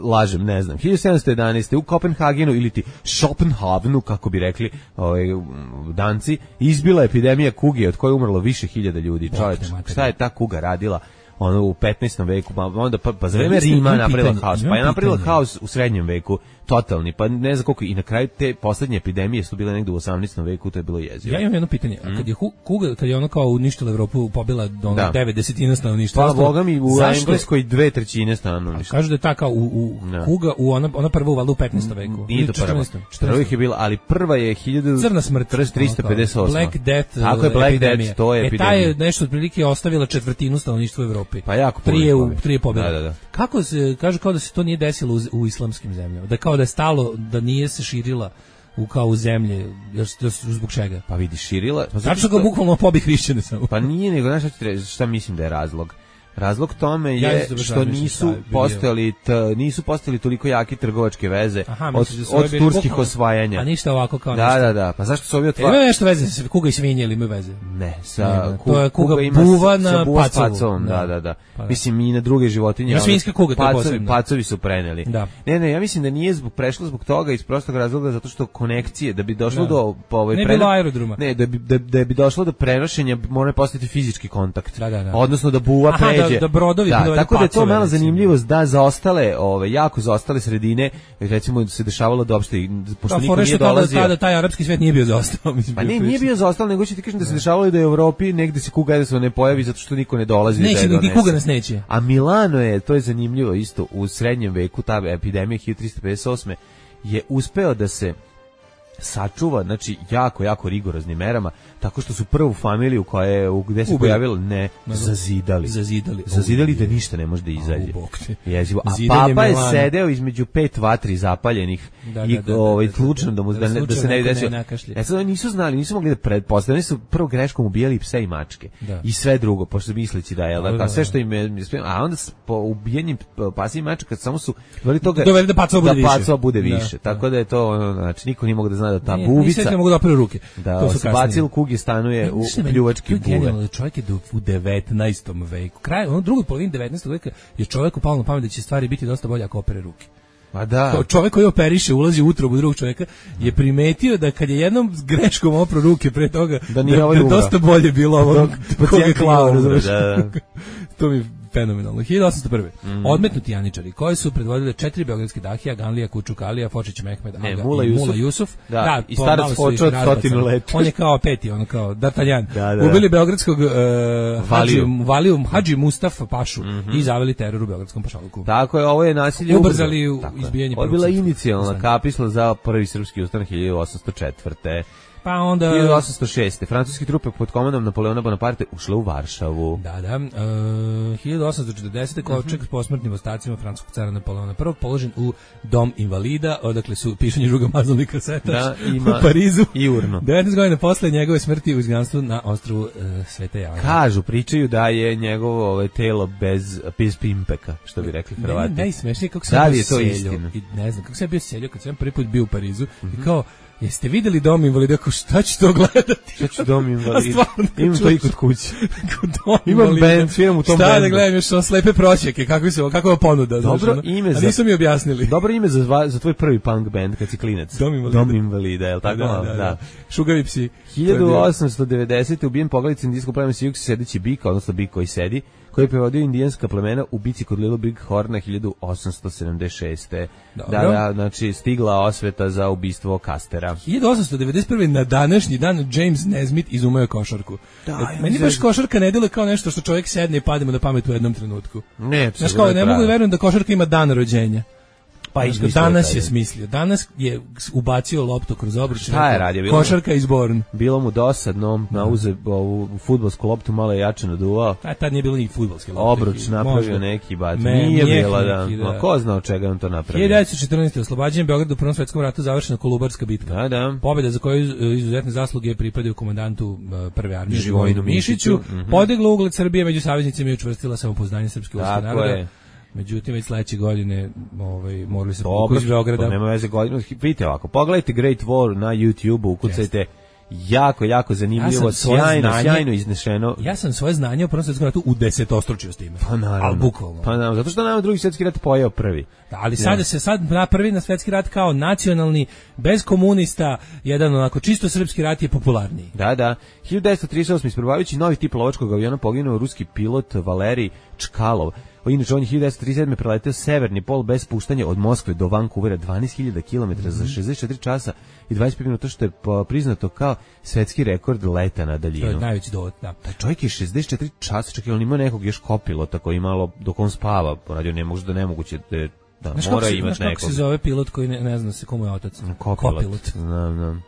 Lažem, ne znam. hiljadu sedamsto jedanaeste u Kopenhagenu ili ti Schopenhavenu, kako bi rekli ovaj, Danci, izbila epidemija kuge od koje je umrlo više hiljada ljudi. Čovječ, te materine. šta je ta kuga radila? Ono u petnaestom veku, pa onda pa, pa za vreme Ja mislim, Rima imam napravila pitanje, haos, imam pa je napravila pitanje. haos u srednjem veku, totalni, pa ne znam koliko, i na kraju te poslednje epidemije su bile negde u osamnaestom veku, to je bilo jezivo. Ja imam jedno pitanje, a kad je hu- kuga, kad je ono kao uništila Evropu, pobila do ono Da. devet desetina stanovništva. Pa ostalo- boga mi u zašto- Engleskoj dve trećine stanovništva. Kažu da je ta kao u, u Da. kuga, u ona, ona prva uvala u petnaestom veku. Nije Ili to prva. četrnaestom, Prva četrnaestom. ih je bila, ali prva je hiljadu Crna smrt, tristo pedeset osam. Black Death, Tako je, Black epidemija. Death, to je E, ta je epidemija. nešto otprilike ostavila četvrtinu stanovništva u Evropi. Pa jako puno Prije ih u pobila. prije pobjede. Da, da, da. Kako se kaže kao da se to nije desilo u, u islamskim zemljama? Da kao da je stalo, da nije se širila u kao u zemlje, jer s- zbog čega? Pa vidi, širila. Pa zato Tačno ga što- bukvalno pobi hrišćane samo. Pa nije, nego znaš šta, ti re- šta mislim da je razlog? Razlog tome Ja je isto baš što razmišljam nisu šta je bio. postojali t, nisu postojali toliko jake trgovačke veze Aha, od, misliš da su ovi od bili turskih bukvalno- osvajanja. A ništa ovako kao Da, nešto. da, da. Pa zašto su ovi E, otvarali? ima nešto veze sa kuga i svinje ili imaju veze? Ne, sa Nema. ku- To je kuga ima buva s- na sa buva s pacovu. pacovom, da, Da. da, da. Pa da. Mislim i na druge životinje. Ima ali svinjska kuga, to je pacovi, posebno. pacovi su preneli. Da. Ne, ne, ja mislim da nije zbog prešlo zbog toga iz prostog razloga zato što konekcije da bi došlo Da. do po ovaj Ne preno- bilo aerodroma. Ne, da bi da, da bi došlo do prenošenja mora postojati fizički kontakt. Da, da, da. Odnosno da buva Aha, da- pređe. da brodovi da, dovedu tako da je to pacove, malo recimo. zanimljivost da za ostale, ove jako za ostale sredine, recimo se dešavalo da uopšte pošto Pa niko fore nije što tada, dolazio. tada taj arapski svet nije bio zaostao. Mislim, Pa bio ne, nije prilično. bio zaostalo, nego ću ti kažem da se dešavalo da je u Evropi negde se kuga jednostavno ne pojavi zato što niko ne dolazi da Neće, je ni donese. kuga nas neće. A Milano je, to je zanimljivo isto, u srednjem veku, ta epidemija hiljadu tristo pedeset osme je uspeo da se sačuva, znači jako, jako rigoroznim merama, tako što su prvu familiju koja je, u- gde se Ubili. pojavilo, ne, zazidali. Zazidali. Zazidali da ništa ne može da izađe. Au, bog te. Jezivo. A Zidanje papa je Milana. sedeo između pet vatri zapaljenih Da, i da, da, da, ovaj, da, da, slučajno da, mu, da da, ne, da se slučajno ne bi neko ne desio. nakašlje. E sad oni nisu znali, nisu mogli da pretpostavljaju, oni su prvo greškom ubijali pse i mačke. Da. I sve drugo, pošto misleći da je, Da, da, a sve da. što im je, a onda s- po ubijanjem pasa i mačaka samo su doveli toga Doveli da pacova bude više. da pacova bude Da, više. da. Tako da je to, ono, znači niko nije mogao da zna da ta Nije- buvica Nisam ne mogu da operu ruke. da To su se kasnije. bacil u kugi stanuje u Znaš šta je meni- pljuvački to je genijalno buve. da čovjek je do, u devetnaestom veku. Kraj, ono drugoj polovini devetnaestog veka je čovjeku palo na pamet da će stvari biti dosta bolje ako opere ruke. Pa da. Kao čovjek koji operiše, ulazi u utrobu drugog čovjeka, je primetio da kad je jednom s greškom opro ruke pre toga, Da nije da, ovaj da je umro. dosta bolje bilo ovo Dok koga pacijent je klao, nije umro, razumeš? da, da. To mi je fenomenalno. hiljadu osamsto prve. Mhm. Odmetnuti janičari, koji su predvodili četiri beogradski dahija, Ganlija, Kučuk, Alija, Fočić, Mehmed, Ne, Aga Mula i Jusuf. Mula Jusuf. Da, i po- starac malo su Fočo ih od razbacali. stotinu leta. On je kao peti, ono kao D'Artagnan. Da, da. Ubili beogradskog uh, Valiju. Hadži, Valiju, Hadži Mustafa Pašu i zaveli teror u beogradskom pašaluku. Tako je, ovo je nasilje Ubrzali ubrzo. u Tako je. izbijanje Ovo je prvog bila srpskog inicijalna ustana. kapisla za prvi srpski ustanak hiljadu osamsto četvrte. Pa onda hiljadu osamsto šeste. Francuski trupe pod komandom Napoleona Bonaparte ušle u Varšavu. Da, da. Uh, hiljadu osamsto četrdesete. kovčeg s posmrtnim ostacima francuskog cara Napoleona prvog položen u dom invalida, odakle su pišanje žuga mazalni kasetač da, ima u Parizu. I urno. devetnaest godina posle njegove smrti u izgnanstvu na ostrvu uh, Svete Jane. Kažu, pričaju da je njegovo ovaj, telo bez, bez pimpeka, što bi rekli Hrvati. Meni najsmešnije kako da sam je bio to seljo. istina? I ne znam, kako sam bio seljo kad sam prvi put bio u Parizu mm-hmm. i kao, jeste videli dom invalida, kao šta ću to gledati? Šta ću dom invalida? Imam to i kod kuće. Dom Imam band, sviram u tom šta bandu. Šta da gledam, još sam slepe prosjeke, kako se, kakva ponuda. Dobro znaš, ime za... A nisu mi objasnili. Dobro ime za, za tvoj prvi punk band kad si klinac. Dom invalida. Dom invalida, je li tako? Da, da, da. da. Šugavi psi. hiljadu osamsto devedesete. ubijen poglavicom indijskog plemena Sijuks sedeći bik, odnosno bik koji sedi, koji je prevodio indijanska plemena u bici kod Little Big Horna hiljadu osamsto sedamdeset šeste. Dobro. Da, da, znači stigla osveta za ubistvo Kastera. hiljadu osamsto devedeset prve. na današnji dan James Nesmith izumeo je košarku. Da, e, meni baš košarka ne deluje kao nešto što čovjek sedne i padne na pamet u jednom trenutku. Ne, znaš kao, ne mogu da verujem da košarka ima dan rođenja. Pa izmislio danas je smislio. Danas je ubacio loptu kroz obruč. Šta je radio? Bilo košarka izborn. Bilo mu dosadno, nauze ovu fudbalsku loptu, malo je jače naduvao. A tad nije bilo ni fudbalske lopte. Obruč napravio možda neki bat. Me, nije bila, da. Neki, da. Ma, ko zna od čega on to napravio? hiljadu devetsto četrnaeste. oslobađanje Beograda u Prvom svetskom ratu, završena Kolubarska bitka. Da, da. Pobjeda za koju izuzetne zasluge pripadaju komandantu prve armije Živojinu Mišiću. Mm-hmm. Podigla ugled Srbije među saveznicima i učvrstila samopouzdanje srpske vojske naroda. Međutim, već sledeće godine ovaj, morali se pokući iz Beograda. Nema veze godinu. Vidite ovako, pogledajte Great War na YouTube-u, ukucajte. Jako, jako zanimljivo, ja sjajno, znanje, sjajno iznešeno. Ja sam svoje znanje o Prvom svetskom ratu u desetostručio s time. Pa naravno. Ali bukvalno. Pa naravno, zato što nama drugi svjetski rat pojeo prvi. Da, ali sada ja. se sad na prvi na svetski rat kao nacionalni, bez komunista, jedan onako čisto srpski rat je popularniji. Da, da. hiljadu devetsto trideset osme. isprobavajući novi tip lovačkog aviona poginuo ruski pilot Valerij Čkalov. Inače, on je hiljadu devetsto trideset sedme. preleteo severni pol bez puštanja od Moskve do Vancouvera dvanaest hiljada kilometara za šezdeset četiri časa i dvadeset pet minuta, što je priznato kao svetski rekord leta na daljinu. To je najveći dovod, da. Taj čovjek je šezdeset četiri časa, čak i on ima nekog još kopilota koji malo dok on spava, poradio ne možda nemoguće da, da znaš mora se, imati nekog. Znaš kako se zove pilot koji ne, ne zna se komu je otac? Kopilot. Kopilot. Znam, znam.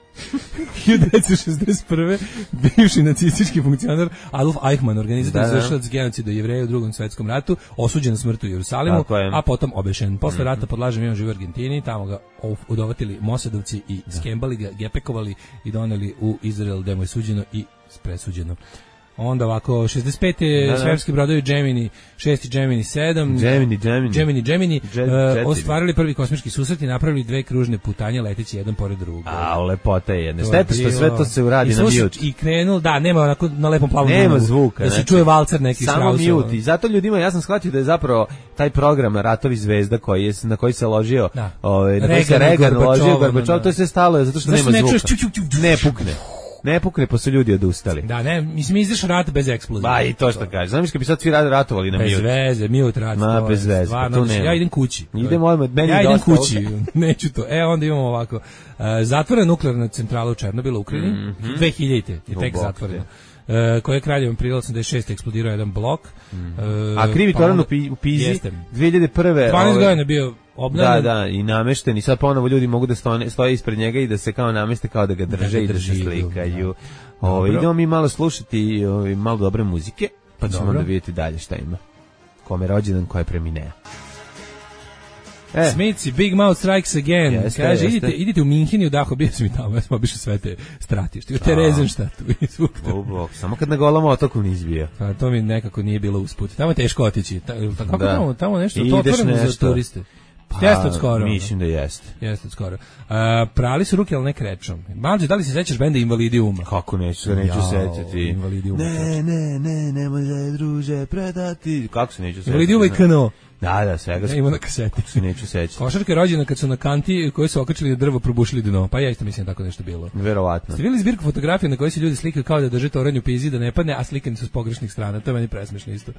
hiljadu devetsto šezdeset prve. bivši nacistički funkcionar Adolf Eichmann, organizator izvršilac genocida Jevreja u Drugom svetskom ratu, osuđen na smrt u Jerusalimu, a potom obešen. Posle rata pod lažem imenom živi u Argentini, tamo ga udovatili Mosadovci i da. skembali ga, gepekovali i doneli u Izrael, gde mu je suđeno i presuđeno. Onda ovako, šezdeset pete. Da, da. Svemirski brodovi Gemini šest i Gemini sedam. Gemini, Gemini. Gemini, Gemini. Jet, uh, ostvarili prvi kosmički susret i napravili dve kružne putanje leteći jedan pored drugog. A, lepota je jedne. Šteta što sve to se uradi na mute. I krenuo, da, nema onako na lepom plavom. Nema drugu, zvuka. Da se znači, čuje valcer neki samo mute. I zato ljudima, ja sam shvatio da je zapravo taj program Ratovi zvezda koji je, na koji se ložio, da. ovaj, na koji se Reagan ložio, Gorbačov, da. to je sve stalo zato što nema ne zvuka. Čuš, ču, ču, ču, ne pukne. Ne pukne, pa su ljudi odustali. Da, ne, mislim, izdeš rat bez eksplozije. Ba, i to što kaže. Znam kad bi sad svi ratovali na mute. Bez veze, mute rat. Ma, bez veze, stvarno, pa ja idem kući. Idem odmah, meni ja idem dosta, kući, neću to. E, onda imamo ovako. Uh, zatvorena nuklearna centrala u Černobilu, u Ukrajini, mm-hmm. dve hiljadite je tek zatvorena. Uh, koje je kraljevom aprila osamdeset šeste. eksplodirao jedan blok. Mm. Uh, A krivi pa toran u Pizi, dve hiljade prve. dvanaest ove, godina bio obnavljen. Da, da, i namešten. I sad ponovo ljudi mogu da stoje, stoje ispred njega i da se kao nameste, kao da ga drže da i da se slikaju. Ove, idemo mi malo slušati ove, malo dobre muzike, pa ćemo Dobro. da vidjeti dalje šta ima. Kome rođendan, ko je premineo. E. Smici, Big Mouth Strikes Again. Jeste, kaže, jeste. idite, idite u Minhen i u Dahu, bio sam i tamo, ja sam obišao sve te stratište, u Terezenštatu. Samo kad na golom otoku nisi bio. Pa to mi nekako nije bilo usput. Tamo je teško otići. Ta, kako da. tamo, tamo nešto, I to otvoreno za turiste. Pa, jeste od skoro. Mislim da jeste. Jeste od skoro. Uh, prali su ruke, ali ne krečom. Malđe, da li se sećaš benda Invalidiuma? Kako neću se, neću sećati. Invalidiuma. Ne, ne, ne, nemoj se druže predati. Kako se neću sećati? Invalidiuma i K N O. Da, da, svega ja, ima na kaseti. Se neću sećati. Košarka je rođena kad su na kanti koji su okačili drvo probušili dno. Pa ja isto mislim da tako nešto bilo. Verovatno. Ste vidjeli zbirku fotografija na kojoj se ljudi slikaju kao da drže toranj u pizi da ne padne, a slikani su s pogrešnih strana. To je meni presmešno isto.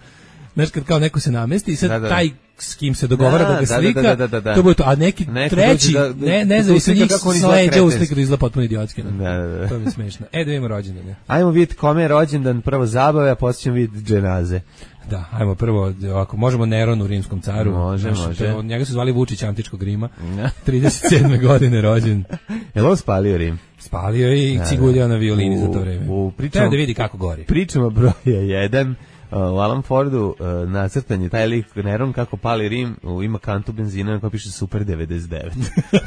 Znaš, kad kao neko se namesti i sad da, da. taj s kim se dogovara da, da ga slika, da, da, da, da. to bude to. A neki neko treći, da, da, ne, ne znam, se njih sleđa u sliku da izgleda potpuno idiotski. Da, da, da. To mi je smešno. E, da vidimo rođendan. Ajmo vidjeti kome je rođendan, prvo zabave, a poslije ćemo vidjeti dženaze. Da, ajmo prvo, ovako, možemo Neron u rimskom caru. Može, Naš, može. Njega su zvali Vučić antičkog Rima. trideset sedme godine rođen. Je li on spalio Rim? Spalio je i ciguljao na violini za to vreme. U, u Treba da vidi kako gori. Pričamo broja jedan. Uh, u Alan Fordu uh, nacrtan je taj lik Neron kako pali Rim, uh, ima kantu benzina na kojoj piše Super devedeset devet.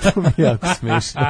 To mi je jako smiješno.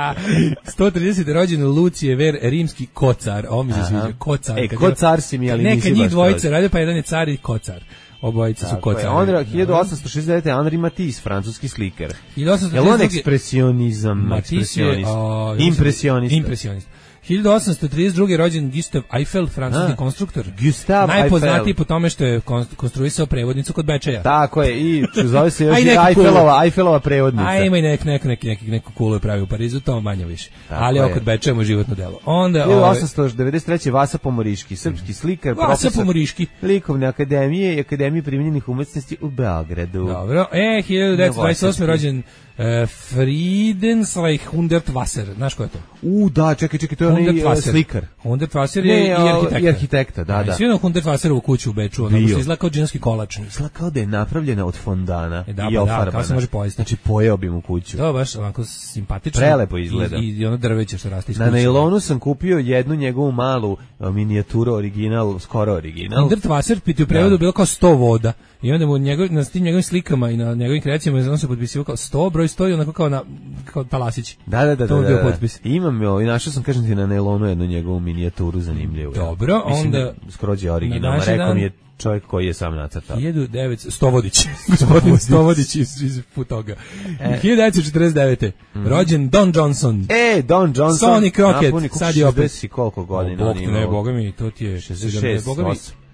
sto tridesete rođen Lucije Ver, rimski kocar. Ovo mi se sviđa, kocar. E, kocar si mi, ali nisi baš. Neka njih dvojice rade, pa jedan je car i kocar. Obojice su kocari. Onda hiljadu osamsto šezdeset devete. Henri Matisse, francuski sliker. hiljadu osamsto Je li on ekspresionizam? Ekspresionist. Impresionist. Impresionist. hiljadu osamsto trideset druge. rođen Gustav Eiffel, francuski A, konstruktor. Gustav Najpoznatiji Eiffel. po tome što je konstruisao prevodnicu kod Bečeja. Tako je, i zove se još Eiffelova, Eiffelova prevodnica. A ima i nek, nek, nek, nek, neku kulu je pravi u Parizu, to manje više. Tako ali je. Kod Bečeja mu je životno delo. Onda, hiljadu osamsto devedeset treće. Vasa Pomoriški, srpski slikar, Vasa profesor Pomoriški. Likovne akademije i Akademije primjenjenih umetnosti u Beogradu. Dobro, e, hiljadu devetsto dvadeset osme. rođen Uh, Friedensreich Hundertwasser, znaš ko je to? U, da, čekaj, čekaj, to je onaj slikar. Hundertwasser je i arhitekta. I arhitekta, da, da. Svi ono Hundertwasserovu kuću u Beču, ono što izgleda kao džinovski kolač. Izgleda kao da je napravljena od fondana e, da, i ofarbana. Da, kao se može pojesti. Znači, pojeo bi mu kuću. To baš onako simpatično. Prelepo izgleda. I, i ono drveće što raste iz kuće. Na nailonu sam kupio jednu njegovu malu minijaturu, original, skoro original. Hundertwasser, piti u prevodu, bilo kao sto voda. I onda mu njegov, na tim njegovim slikama i na njegovim kreacijama on se potpisivao kao sto, broj sto i onako kao na kao talasić. Da, da, da. To da, bio da, potpis. Imam jo, i našao sam, kažem ti, na nailonu jednu njegovu minijaturu zanimljivu. Dobro, mislim onda... Da skrođe originalno, rekao dan, mi je čovjek koji je sam nacrtao. hiljadu devetsto Stovodić, gospodin Stovodić iz, iz Putoga. E. hiljadu devetsto četrdeset devete. Mm. Rođen Don Johnson. E, Don Johnson. Sonic Rocket, sad je opet. šezdeset koliko godina on ima? Ne, boga mi, to ti je... šezdeset šest,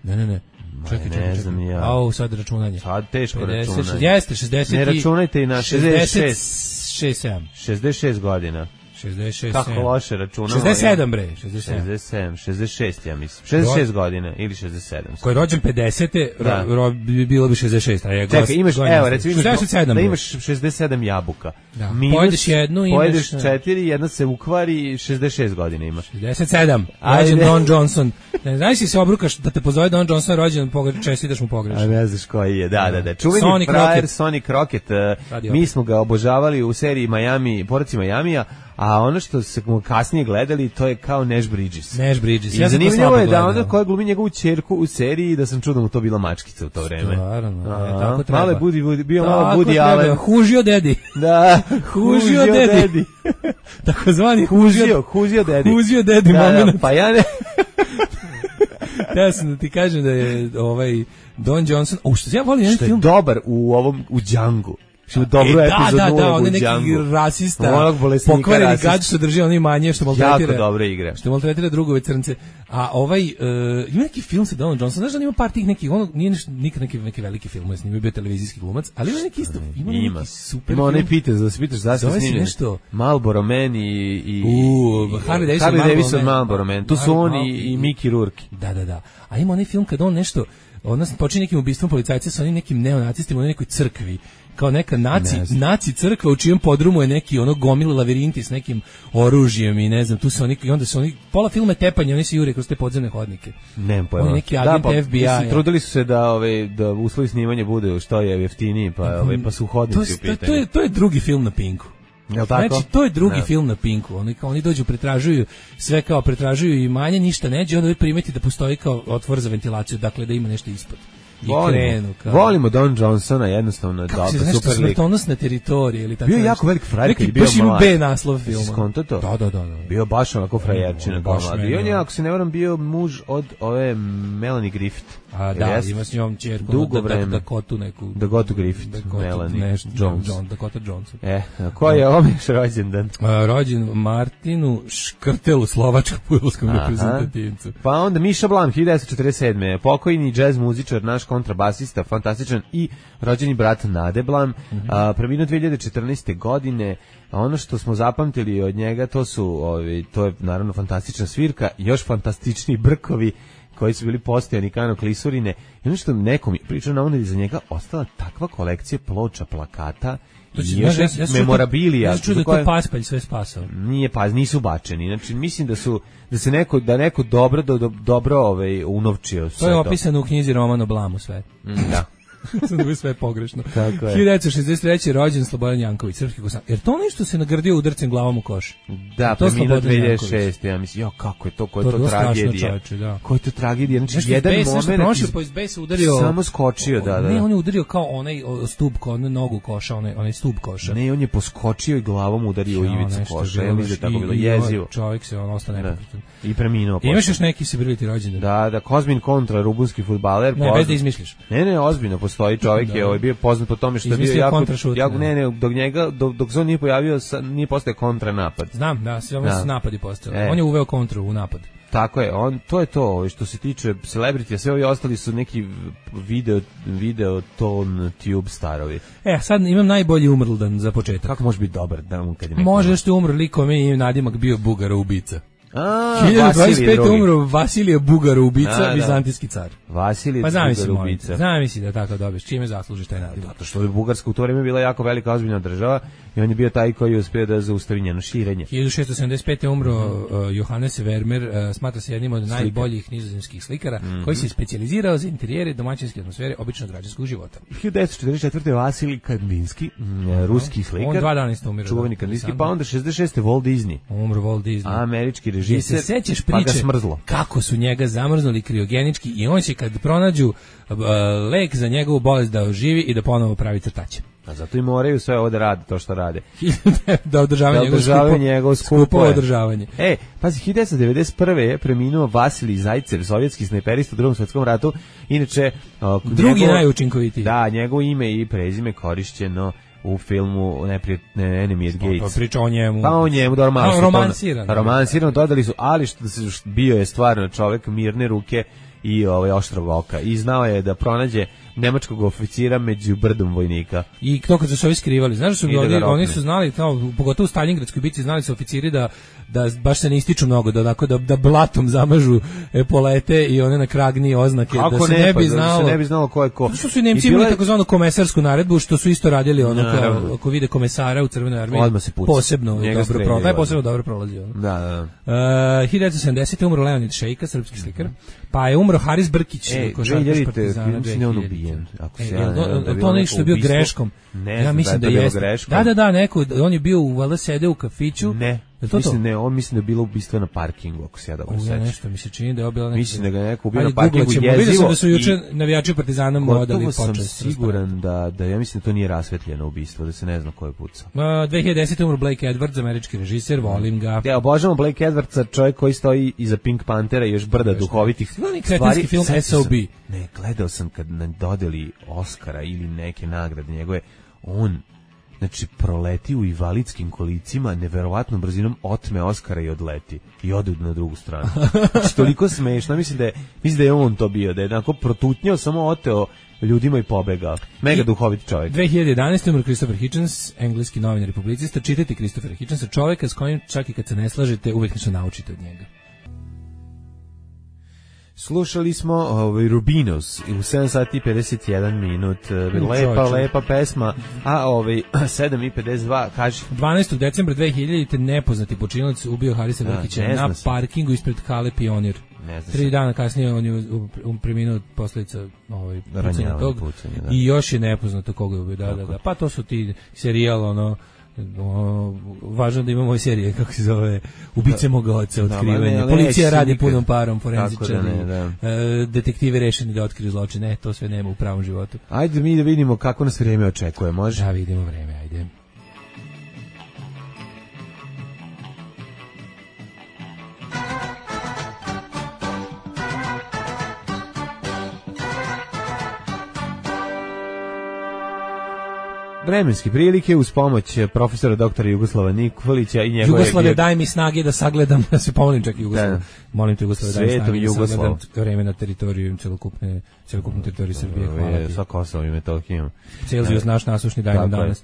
Ne, ne, ne. Čekaj, čekaj, čekaj. Ja. Au, sad računanje. Sad teško pedeset, računanje. Jeste, šezdeset. Ne računajte i na šezdeset šest. sedam. šezdeset šest godina. šezdeset šest. Kako loše računamo. šezdeset sedam bre, šezdeset sedam. šezdeset sedam, šezdeset šest ja mislim. šezdeset šest godina ili šezdeset sedam. Ko je rođen pedesete, da. ro, ro, bilo bi šezdeset šest. A je Čekaj, imaš, evo, recimo imaš, šezdeset sedam, da imaš šezdeset sedam jabuka. Da. Minus, pojedeš jednu, imaš... Pojedeš četiri, jedna se ukvari, šezdeset šest godina imaš. šezdeset sedam, rođen Don Johnson. Ne znaš si se obrukaš da te pozove Don Johnson rođen, čestitaš mu pogrešno. A ne znaš koji je, da, da, da. Čuveni Sonic frajer Rocket. Sonic Rocket, mi smo ga obožavali u seriji Miami, Poraci Majamija, a ono što se kasnije gledali, to je kao Nash Bridges. Nash Bridges. I ja zanimljivo je da onda koja glumi njegovu ćerku u seriji, da sam čuo da mu to bila mačkica u to vreme. Stvarno, je, tako treba. Malo je budi, budi, bio tako malo Budi Allen. Hužio dedi. Da, hužio dedi. Tako zvani hužio, hužio dedi. Hužio dedi da, moment. Da, pa ja ne... Ja sam da ti kažem da je ovaj Don Johnson, o što ja volim jedan što film. Što je dobar u ovom, u Django. Što je dobro e, epizod da, da, da, on je neki Django. rasista, pokvareni gad što drži oni manje, što maltretira. Jako dobra igra. Što maltretira drugove crnce. A ovaj, uh, ima neki film sa Donom Johnsonom, znaš da ima par tih nekih, ono nije neš, nikad neki, neki veliki film, s njim je bio televizijski glumac, ali ima neki isto, ima, ima neki super ima onaj Peters, da se pitaš zašto je snimljen. Nešto... Marlboro Man i... i uh, Harley Davidson, Harley Davidson Marlboro Man, tu su on i, i Mickey Rourke. Da, da, da. A ima onaj film kad on nešto, on počinje nekim ubistvom policajca sa onim nekim neonacistima u nekoj crkvi, kao neka naci, naci crkva u čijem podrumu je neki ono gomil lavirinti s nekim oružjem i ne znam, tu se oni, i onda su oni, pola filma tepanje, oni se jure kroz te podzemne hodnike. Nemam pojma. Oni neki agent da, pa, F B I. Mislim, trudili su se da, ove, da uslovi snimanja bude što je jeftiniji, pa, ove, pa su hodnici u pitanju. To je, to je drugi film na Pinku. Jel tako? Znači, to je drugi no. film na Pinku. Oni, kao, oni dođu, pretražuju, sve kao pretražuju i manje, ništa neđe, onda primeti da postoji kao otvor za ventilaciju, dakle da ima nešto ispod. Volimo, krenu, kao... volimo Don Johnsona, jednostavno kako se nešto smrtonosna teritorija ili tako. Bio jako velik frajer kad je bio mlad. Baš ima B naslov filma. Skonto to? Da, da, da, da. Bio baš onako frajerčina kao mlad. I on je, ako se ne varam, bio muž od ove Melanie Griffith. A da, jest? Ima s njom čerku. Dugo vreme. Dakotu neku. Dakotu Griffith, Dakota, Melanie ne, Jones. John, Dakota Johnson. E, a ko je ovom još rođendan? A, rođen Martinu Škrtelu, slovačkom fudbalskom reprezentativcu. Pa onda Miša Blan, hiljadu devetsto četrdeset sedme pokojni džez muzičar, naš kontrabasista, fantastičan i rođeni brat Nade Blan, mm-hmm. a, preminuo dve hiljade četrnaeste godine. A ono što smo zapamtili od njega, to su, ovi, to je naravno fantastična svirka, još fantastičniji brkovi koji su bili postojani Kano Klisurine. I ono što nekom je pričao na ono za njega ostala takva kolekcija ploča, plakata i još ja, ja memorabilija. Ja čuo da je to Paspalj sve spasao. Nije pas, nisu bačeni. Znači, mislim da su da se neko, da neko dobro, do, dobro ovaj, unovčio sve to. To je opisano u knjizi Romano Blamu sve. Mm, da. Sam da sve pogrešno. Tako je. hiljadu devetsto šezdeset treće rođen Slobodan Janković, srpski kosanac. Jer to nešto se nagrdio udarcem glavom u koš. Da, to preminuo dve hiljade šeste. Ja mislim, jo, kako je to, koja je to, to tragedija. Čovječe, da. Koja je to tragedija. Znači, nešto jedan base, moment... Prošao po iz besa udario... Samo skočio, da, da. Ne, on je udario kao onaj stup, kao onaj nogu koša, onaj, onaj stup koša. Ne, on je poskočio i glavom udario u ivicu koša. Ja mislim da je tako bilo jezivo. Čovjek se on ostane nepokretan. I preminuo. Imaš još neki sebriti rođendan? Da, da, Kozmin Kontra, rumunski fudbaler. Ne, bez da izmišljaš. Ne, ne, ozbiljno postoji čovjek, je ovaj bio poznat po tome što je bio jako, jako ne, ne, dok njega, dok, dok se on nije pojavio, nije postao kontranapad. Znam, da, sve ono su napadi postali. E. On je uveo kontru u napad. Tako je, on, to je to, što se tiče celebrity, a sve ovi ostali su neki video, video ton tube starovi. E, sad imam najbolji umrldan za početak. Kako može biti dobar dan kad je neko... Može što je umro likom i nadimak bio Bugara ubica. A, hiljadu dvadeset pete. umro Vasilije Bugara ubica, a, vizantijski car. Vasilije pa Bugara ubica. Zamisli da tako dobiješ, čime zaslužiš taj narod. Zato što je Bugarska u to vreme bila jako velika ozbiljna država i on je bio taj koji je uspio da zaustavi njeno širenje. hiljadu šessto sedamdeset pete. umro uh, Johannes Vermeer, uh, smatra se jednim od Slika. najboljih nizozemskih slikara, mm-hmm. koji se specijalizirao za interijere domaćinske atmosfere običnog građanskog života. hiljadu devetsto četrdeset četvrte. Vasilij Kandinski, mm, ruski slikar. On dva dana isto umiro. Čuveni Kandinski, pa onda šezdeset šeste. Walt Disney. Umro Walt Disney. Američki režiser. Sećaš priče kako su njega zamrznuli kriogenički i on će kad pronađu uh, lek za njegovu bolest da oživi i da ponovo pravi crtače. A zato i moraju sve ovo da rade, to što rade. da održavaju da njegovo njegov skupo održavanje. E, pazi, hiljadu devetsto devedeset prve. je preminuo Vasilij Zajcev, sovjetski snajperista u Drugom svjetskom ratu. Inače, uh, drugi njegov, najučinkovitiji. Da, njegovo ime i prezime korišćeno u filmu Neprijat, ne, Enemy at Gates. Pa priča o njemu. Pa o njemu, dobro, malo no, romansirano. Romansirano, dodali su, ali što bio je stvarno čovjek mirne ruke i ovaj oštrog oka. I znao je da pronađe nemačkog oficira među brdom vojnika. I to kad su se ovi skrivali, znaš su oni, da oni su znali, kao, pogotovo u Stalingradskoj bici, znali su oficiri da da baš se ne ističu mnogo, da onako da, da blatom zamažu epolete i one na kragni oznake, kako da se ne, ne bi pa, znalo. Da se ne bi znalo ko je ko. Što su i Nemci imali bila... takozvanu komesarsku naredbu, što su isto radili ono kao, ako vide komesara u Crvenoj armiji, posebno dobro prolazi, posebno dobro prolazi. Ono. Da, da. Uh, hiljadu devetsto sedamdesete. umro Leonid Šejka, srpski slikar. Pa je umro Haris Brkić, e, košarkaš Partizana. Ne on ubijen. Ako se e, ja, to, to nešto je bio greškom. Ne, ja mislim da, da jeste. Greškom. Da, da, da, neko, on je bio u valjda sede u kafiću. Ne. To mislim to? Ne, on mislim da je bilo ubistvo na parkingu, ako se ja dobro sećam. Ja nešto mi se čini da je obila neki. Mislim da ga neko ubio na parkingu jezivo. Vidio sam da su juče i... navijači Partizana mu odali počast. Gotovo sam siguran da, da ja mislim da to nije rasvetljeno ubistvo, da se ne zna ko je pucao. Uh, dve hiljade desete. umro Blake Edwards, američki režiser, volim ga. Ja obožavam Blake Edwardsa, čovjek koji stoji iza Pink Panthera i još brda Veš, duhovitih stvari. Film S O B. Ne, gledao sam kad nam dodeli Oscara ili neke nagrade njegove, on znači proleti u invalidskim kolicima neverovatnom brzinom, otme Oskara i odleti i ode na drugu stranu. Znači toliko smešno, mislim da je mislim da je on to bio, da je onako protutnjao, samo oteo ljudima i pobegao. Mega I, duhovit čovjek. dve hiljade jedanaeste. umro Christopher Hitchens, engleski novinar i publicista. Čitajte Christopher Hitchensa, čovjeka s kojim čak i kad se ne slažete uvijek nešto naučite od njega. Slušali smo ovaj Rubinos u sedam sati i pedeset jedan minut. Lepa, lepa pesma. A ovaj sedam i pedeset dva, kaži. dvanaestog decembra dve hiljadite. nepoznati počinilac ubio Harisa Brkića na parkingu ispred Hale Pionir. Tri dana kasnije on je preminuo od posljedica ovaj pucanja tog. Pucanje, da. I još je nepoznato koga je ubio. Da, da, da. Pa to su ti serijal, ono, O, važno da imamo ove serije, kako se zove, Ubice moga oca, otkrivanje. Da, policija radi nikad. Punom parom, forenzičari, da da. E, detektivi rešeni da otkriju zločine, to sve nema u pravom životu. Ajde mi da vidimo kako nas vreme očekuje, može? Da, vidimo vreme, ajde. Vremenske prilike uz pomoć profesora doktora Jugoslava Nikolića i njegove... Jugoslave, daj mi snage da sagledam, da se pomolim čak i Jugoslavu. Da. Molim te, Jugoslave, daj mi snage da sagledam vreme na teritoriju celokupne, celokupne teritorije Srbije. Hvala ti. Sa Kosovom i Metohijom. Celzijus naš nasušni daj nam danas.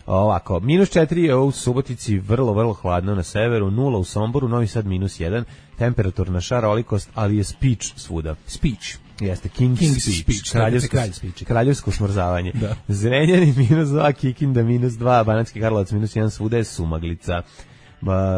Ovako, minus četiri je u Subotici, vrlo, vrlo hladno na severu, nula u Somboru, Novi Sad minus jedan, temperaturna šarolikost, ali je speech svuda. Speech. Jeste, King's, King's Speech, speech kraljevsko, kralj speech. kraljevsko smrzavanje. Zrenjanin minus dva, Kikinda minus dva, Banatski Karlovac minus jedan, svuda je sumaglica.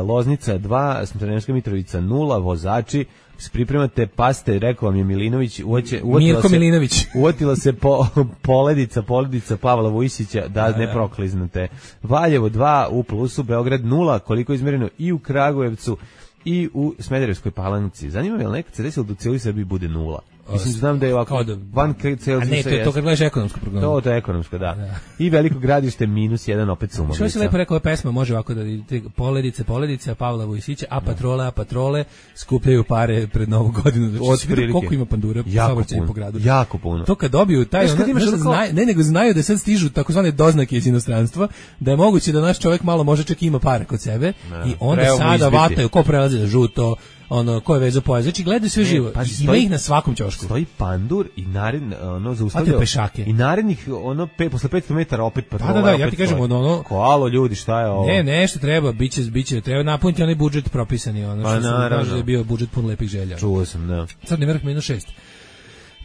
Loznica dva, Smederevska Mitrovica nula, vozači, se pripremate, paste, rekao vam je Milinović, uoće, Mirko se, Milinović. Uotila se po, poledica, poledica Pavla Vujsića, da, da ne prokliznete. Valjevo dva u plusu, Beograd nula, koliko je izmjereno i u Kragujevcu i u Smederevskoj Palanci. Zanima me, jel nekad se desilo da u cijeloj Srbiji bude nula? Mislim, znam da je ovako da, van celzijusa. A ne, to je to kad gledaš ekonomsku prognozu. To, to je ekonomsko, da. da. I Veliko Gradište minus jedan, opet Sumovica. Što si lepo rekao, ova pesma može ovako da vidite, poledice, poledice, Pavla Vujsića, a patrole, a patrole skupljaju pare pred Novu godinu. Znači, od koliko ima pandura saobraćaja po gradu. Jako puno. To kad dobiju taj, ono, znaš, ono, znaju, ne, nego znaju da sad stižu takozvane doznake iz inostranstva, da je moguće da naš čovjek malo može čak ima pare kod sebe ne, i onda sada izbiti. Vataju, ko prelazi na žuto, ono ko je vezao pojas, znači gledaju sve živo. Pa, ima stoji, ih na svakom ćošku. Stoji pandur i naredni ono zaustavljao pešake. I narednih ono pe, posle petsto metara opet patrola. Da, da, da, ja ti kažem ono, ono koalo ljudi, šta je ovo? Ne, nešto treba, biće biće treba napuniti onaj budžet propisani, ono pa, što kaže da je bio budžet pun lepih želja. Čuo sam, da. Crni vrh minus šest.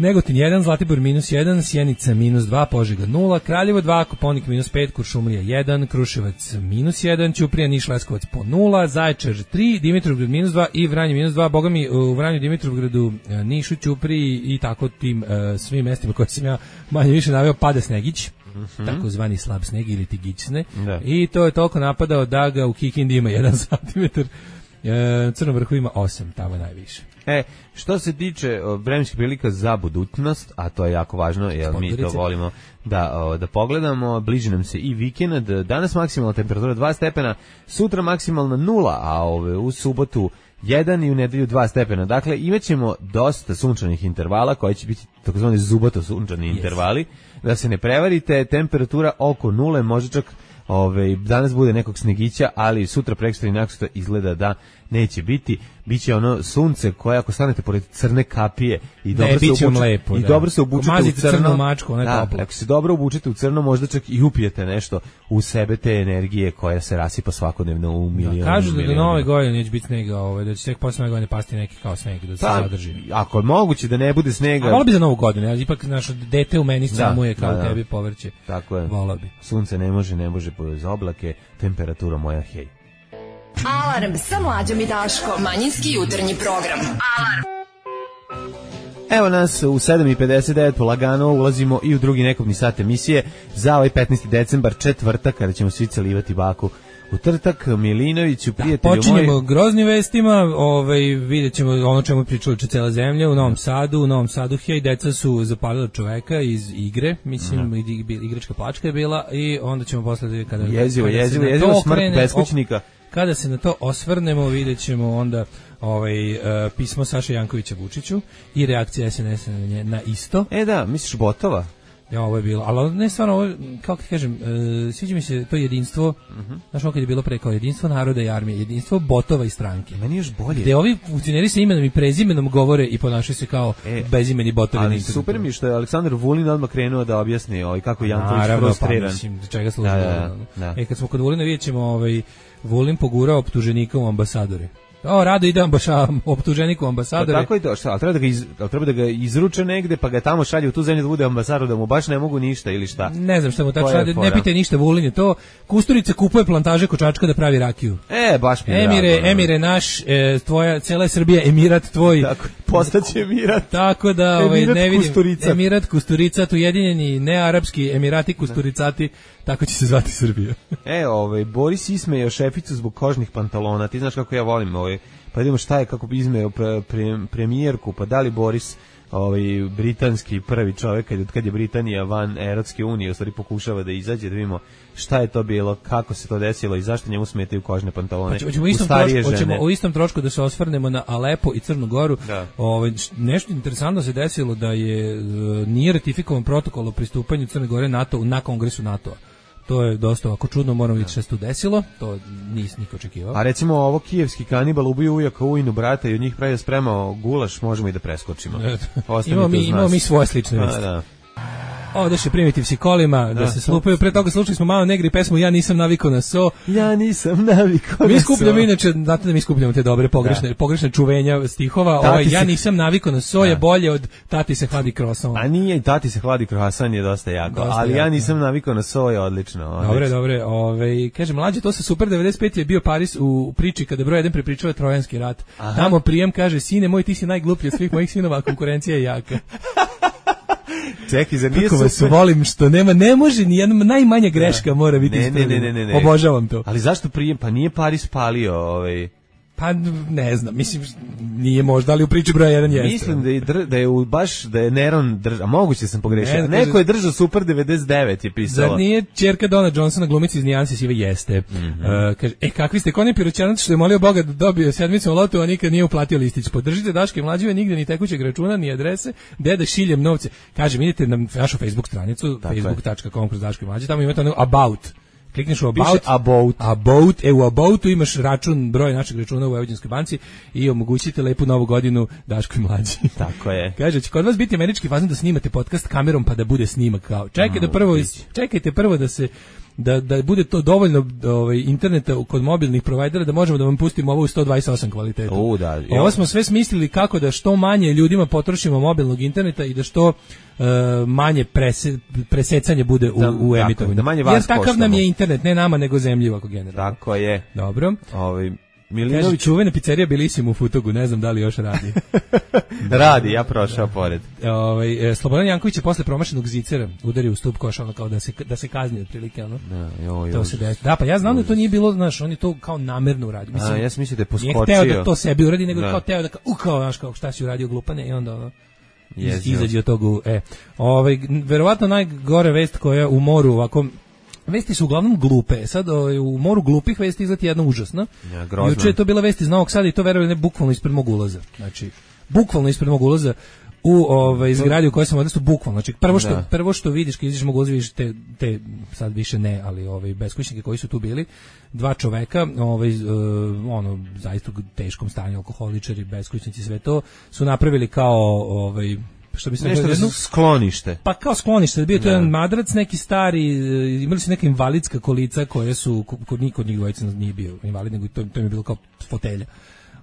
Negotin jedan, Zlatibor minus jedan, Sjenica minus dva, Požega nula, Kraljevo dva, Koponik minus pet, Kuršumlija jedan, Kruševac minus jedan, Ćuprija, Niš, Leskovac po nula, Zaječar tri, Dimitrovgrad minus dva i Vranje minus dva. Boga mi u Vranju, Dimitrovgradu, Nišu, Ćupriji i tako tim uh, svim mestima koje sam ja manje više naveo pada snegić. Mm-hmm. Takozvani slab sneg ili tigićne. Da. I to je toliko napadao da ga u Kikindi ima jedan santimetar, e, Crnom vrhu ima osam, tamo najviše. E, što se tiče vremenskih prilika za budućnost, a to je jako važno, jer mi to volimo da, o, da pogledamo, bliži nam se i vikend, danas maksimalna temperatura dva stepena, sutra maksimalna nula, a ove, u subotu jedan i u nedelju dva stepena. Dakle, imaćemo dosta sunčanih intervala, koji će biti takozvani zubato sunčani yes. intervali, da se ne prevarite, temperatura oko nule, može čak ove, danas bude nekog snegića, ali sutra, prekstra i naksutra izgleda da neće biti. Biće ono sunce koje ako stanete pored crne kapije i dobro ne, se obučete lepo, i da. dobro se obučete u crno mačku, da, ako se dobro obučete u crno, možda čak i upijete nešto u sebe te energije koja se rasipa svakodnevno u milion. Da, kažu da do nove godine neće biti snega, ovaj, da će tek posle nove godine pasti neki kao sneg da se pa, zadrži. Ako je moguće da ne bude snega. A volio bi za novu godinu, ja ipak naše dete u meni samuje kao da, da. tebi povrće. Tako je. Volio bi. Sunce ne može, ne može bez oblake, temperatura moja hej. Alarm sa Mlađom i Daškom. Manjinski jutarnji program. Alarm. Evo nas u sedam i pedeset devet polagano ulazimo i u drugi nekobni sat emisije za ovaj petnaesti decembar, četvrtak, kada ćemo svi celivati baku u Trtak, Milinoviću, prijatelju da, počinjemo moj. groznim vestima, ovaj, vidjet ćemo ono čemu pričali če cela zemlja, u Novom Sadu, u Novom Sadu, hej, deca su zapalila čoveka iz igre, mislim, mm. igračka plačka je bila i onda ćemo posle kada... Jezivo, kada jezivo, jezivo, smrt beskućnika. Kada se na to osvrnemo, vidjet ćemo onda ovaj, uh, pismo Saše Jankovića Vučiću i reakcija S N S na, nje, na isto. E da, misliš Botova? Ja, ovo je bilo, ali ne stvarno, ovo, kako ti kažem, uh, sviđa mi se to jedinstvo, uh-huh. znaš ovo kad je bilo pre kao jedinstvo naroda i armije, jedinstvo botova i stranke. Meni još bolje. Gde ovi funkcioneri sa imenom i prezimenom govore i ponašaju se kao e, bezimeni botovi. Ali super mi što je Aleksandar Vulin odmah krenuo da objasni ovaj, kako je Janković frustriran. Pa, mislim, čega služi. Da, da, da. E, kad smo kod Vulina vidjet ćemo ovaj, Vulin pogurao optuženika u ambasadore. O, rado ide ambaša, optuženiku ambasadore. Pa tako i to, šta, ali treba da ga, iz, ali treba da ga izruče negde, pa ga tamo šalje u tu zemlju da bude ambasador, da mu baš ne mogu ništa ili šta. Ne znam šta mu tako šalje, ne pitaj ništa Vulin je to. Kusturica kupuje plantaže kočačka da pravi rakiju. E, baš mi je Emire, drago, Emire naš, e, tvoja, cela je Srbija, emirat tvoj. Tako, postaće emirat. Tako da, ovaj, emirat ne vidim. Kusturica. Emirat Kusturicat, ujedinjeni nearapski emirati Kusturicati, tako će se zvati Srbija. E, ovaj, Boris ismejao šeficu zbog kožnih pantalona, ti znaš kako ja volim ovaj. Pa vidimo šta je, kako bi izmeo pre, pre, premijerku, pa da li Boris, ovaj, britanski prvi čovjek, kad, kad je Britanija van Evropske unije, u stvari pokušava da izađe, da vidimo šta je to bilo, kako se to desilo i zašto njemu smetaju kožne pantalone pa ćemo u, istom u starije trošku, žene. Hoćemo u istom trošku da se osvrnemo na Alepo i Crnu Goru. Da. Ovaj, nešto interesantno se desilo da je nije ratifikovan protokol o pristupanju Crne Gore NATO na kongresu NATO-a. To je dosta ovako čudno, moramo vidjeti šta se tu desilo, to nis niko očekivao. A recimo ovo kijevski kanibal ubio ujaka ujinu brata i od njih pravi spremao gulaš, možemo i da preskočimo. imamo mi, imamo mi svoje slične vesti. Da. Odeše Primitivci kolima, da, da se slupaju. Pre toga slušali smo Malo Negri pesmu Ja nisam navikao na so. Ja nisam navikao na so. Mi skupljamo inače, znate da mi skupljamo te dobre pogrešne, da. pogrešne čuvenja stihova. Ovaj, ja nisam navikao na so da. je bolje od Tati se hladi krosan. A nije i Tati se hladi krosan je dosta jako, dosta ali jako. Ja nisam navikao na so je odlično. odlično. Dobre, dobre. Ovaj, kaže, mlađe, to sa Super devedeset pet je bio Paris u priči kada broj jedan prepričava Trojanski rat. Aha. Tamo prijem kaže, sine moj, ti si najgluplji od svih mojih sinova, konkurencija je jaka. Čekaj, za nije kako vas volim što nema, ne može ni jedna najmanja greška mora biti ne, ne, ne, ne, ne, ne. Obožavam to. Ali zašto prijem? Pa nije Paris palio ovaj... Pa ne znam, mislim nije možda, ali u priči broja jedan jeste. Mislim da je dr, da je u, baš da je Neron držao, moguće sam pogrešio. Ne, neko je držao Super devedeset devet je pisalo. Zar nije ćerka Dona Johnsona glumica iz Nijanse sive jeste. Mm -hmm. uh, kaže, e kakvi ste Koni Piroćanac što je molio Boga da dobije sedmicu u lotu, a nikad nije uplatio listić. Podržite Daške mlađe, nigde ni tekućeg računa, ni adrese, deda šiljem novce. Kaže, vidite na našu Facebook stranicu facebook tačka com kroz Daške mlađe, tamo imate ono about. Klikneš u about, about, about, e u aboutu imaš račun, broj našeg računa u Vojvodinskoj banci i omogućite lepu novu godinu Daško i mlađi. Tako je. Kaže, će kod vas biti američki fazon da snimate podcast kamerom pa da bude snimak kao. Čekajte da prvo, čekajte prvo da se da da bude to dovoljno ovaj interneta kod mobilnih provajdera da možemo da vam pustimo ovo u sto dvadeset osam kvalitetu. U, da. Ovo smo sve smislili kako da što manje ljudima potrošimo mobilnog interneta i da što uh, manje prese, presecanje bude u, da, u emitovanju. Da manje vas jer takav koštamo. Nam je internet, ne nama nego zemlji ovako generalno. Tako je. Dobro. Ovaj Milinović, kaže, čuvena pizzerija Bellissimo u Futogu, ne znam da li još radi. Radi, ja prošao da. pored. Ovaj Slobodan Janković je posle promašenog zicera udario u stup koša, ono kao da se da se kazni otprilike, ono. Da, joj, to se desi. Da, pa ja znam da to nije bilo, znaš, on je to kao namerno uradio. Mislim, a ja sam mislio da je poskočio. Nije hteo da to sebi uradi, nego da. kao teo da u kao, znaš, kao šta si uradio glupane i onda ono iz, izađe od toga. E, ovaj verovatno najgore vest koja u moru ovako. Vesti su uglavnom glupe. Sad o, u moru glupih vesti izleti jedna užasna. Ja, juče je to bila vest iz Novog Sada i to verujem ne bukvalno ispred mog ulaza. Znači, bukvalno ispred mog ulaza u ovaj zgradi u kojoj sam odrastao, bukvalno. Znači, prvo što, da. prvo što vidiš kad izađeš mog ulaza, vidiš te, te, sad više ne, ali ovaj, beskućnike koji su tu bili, dva čoveka, ovaj, uh, ono, zaista u teškom stanju, alkoholičari, beskućnici, sve to, su napravili kao, ovaj, što bi se nešto jednu, sklonište. Pa kao sklonište, bio to jedan madrac, neki stari, imali su neka invalidska kolica koje su, kod niko od njih dvojica nije bio invalid, nego to, to im je bilo kao fotelja.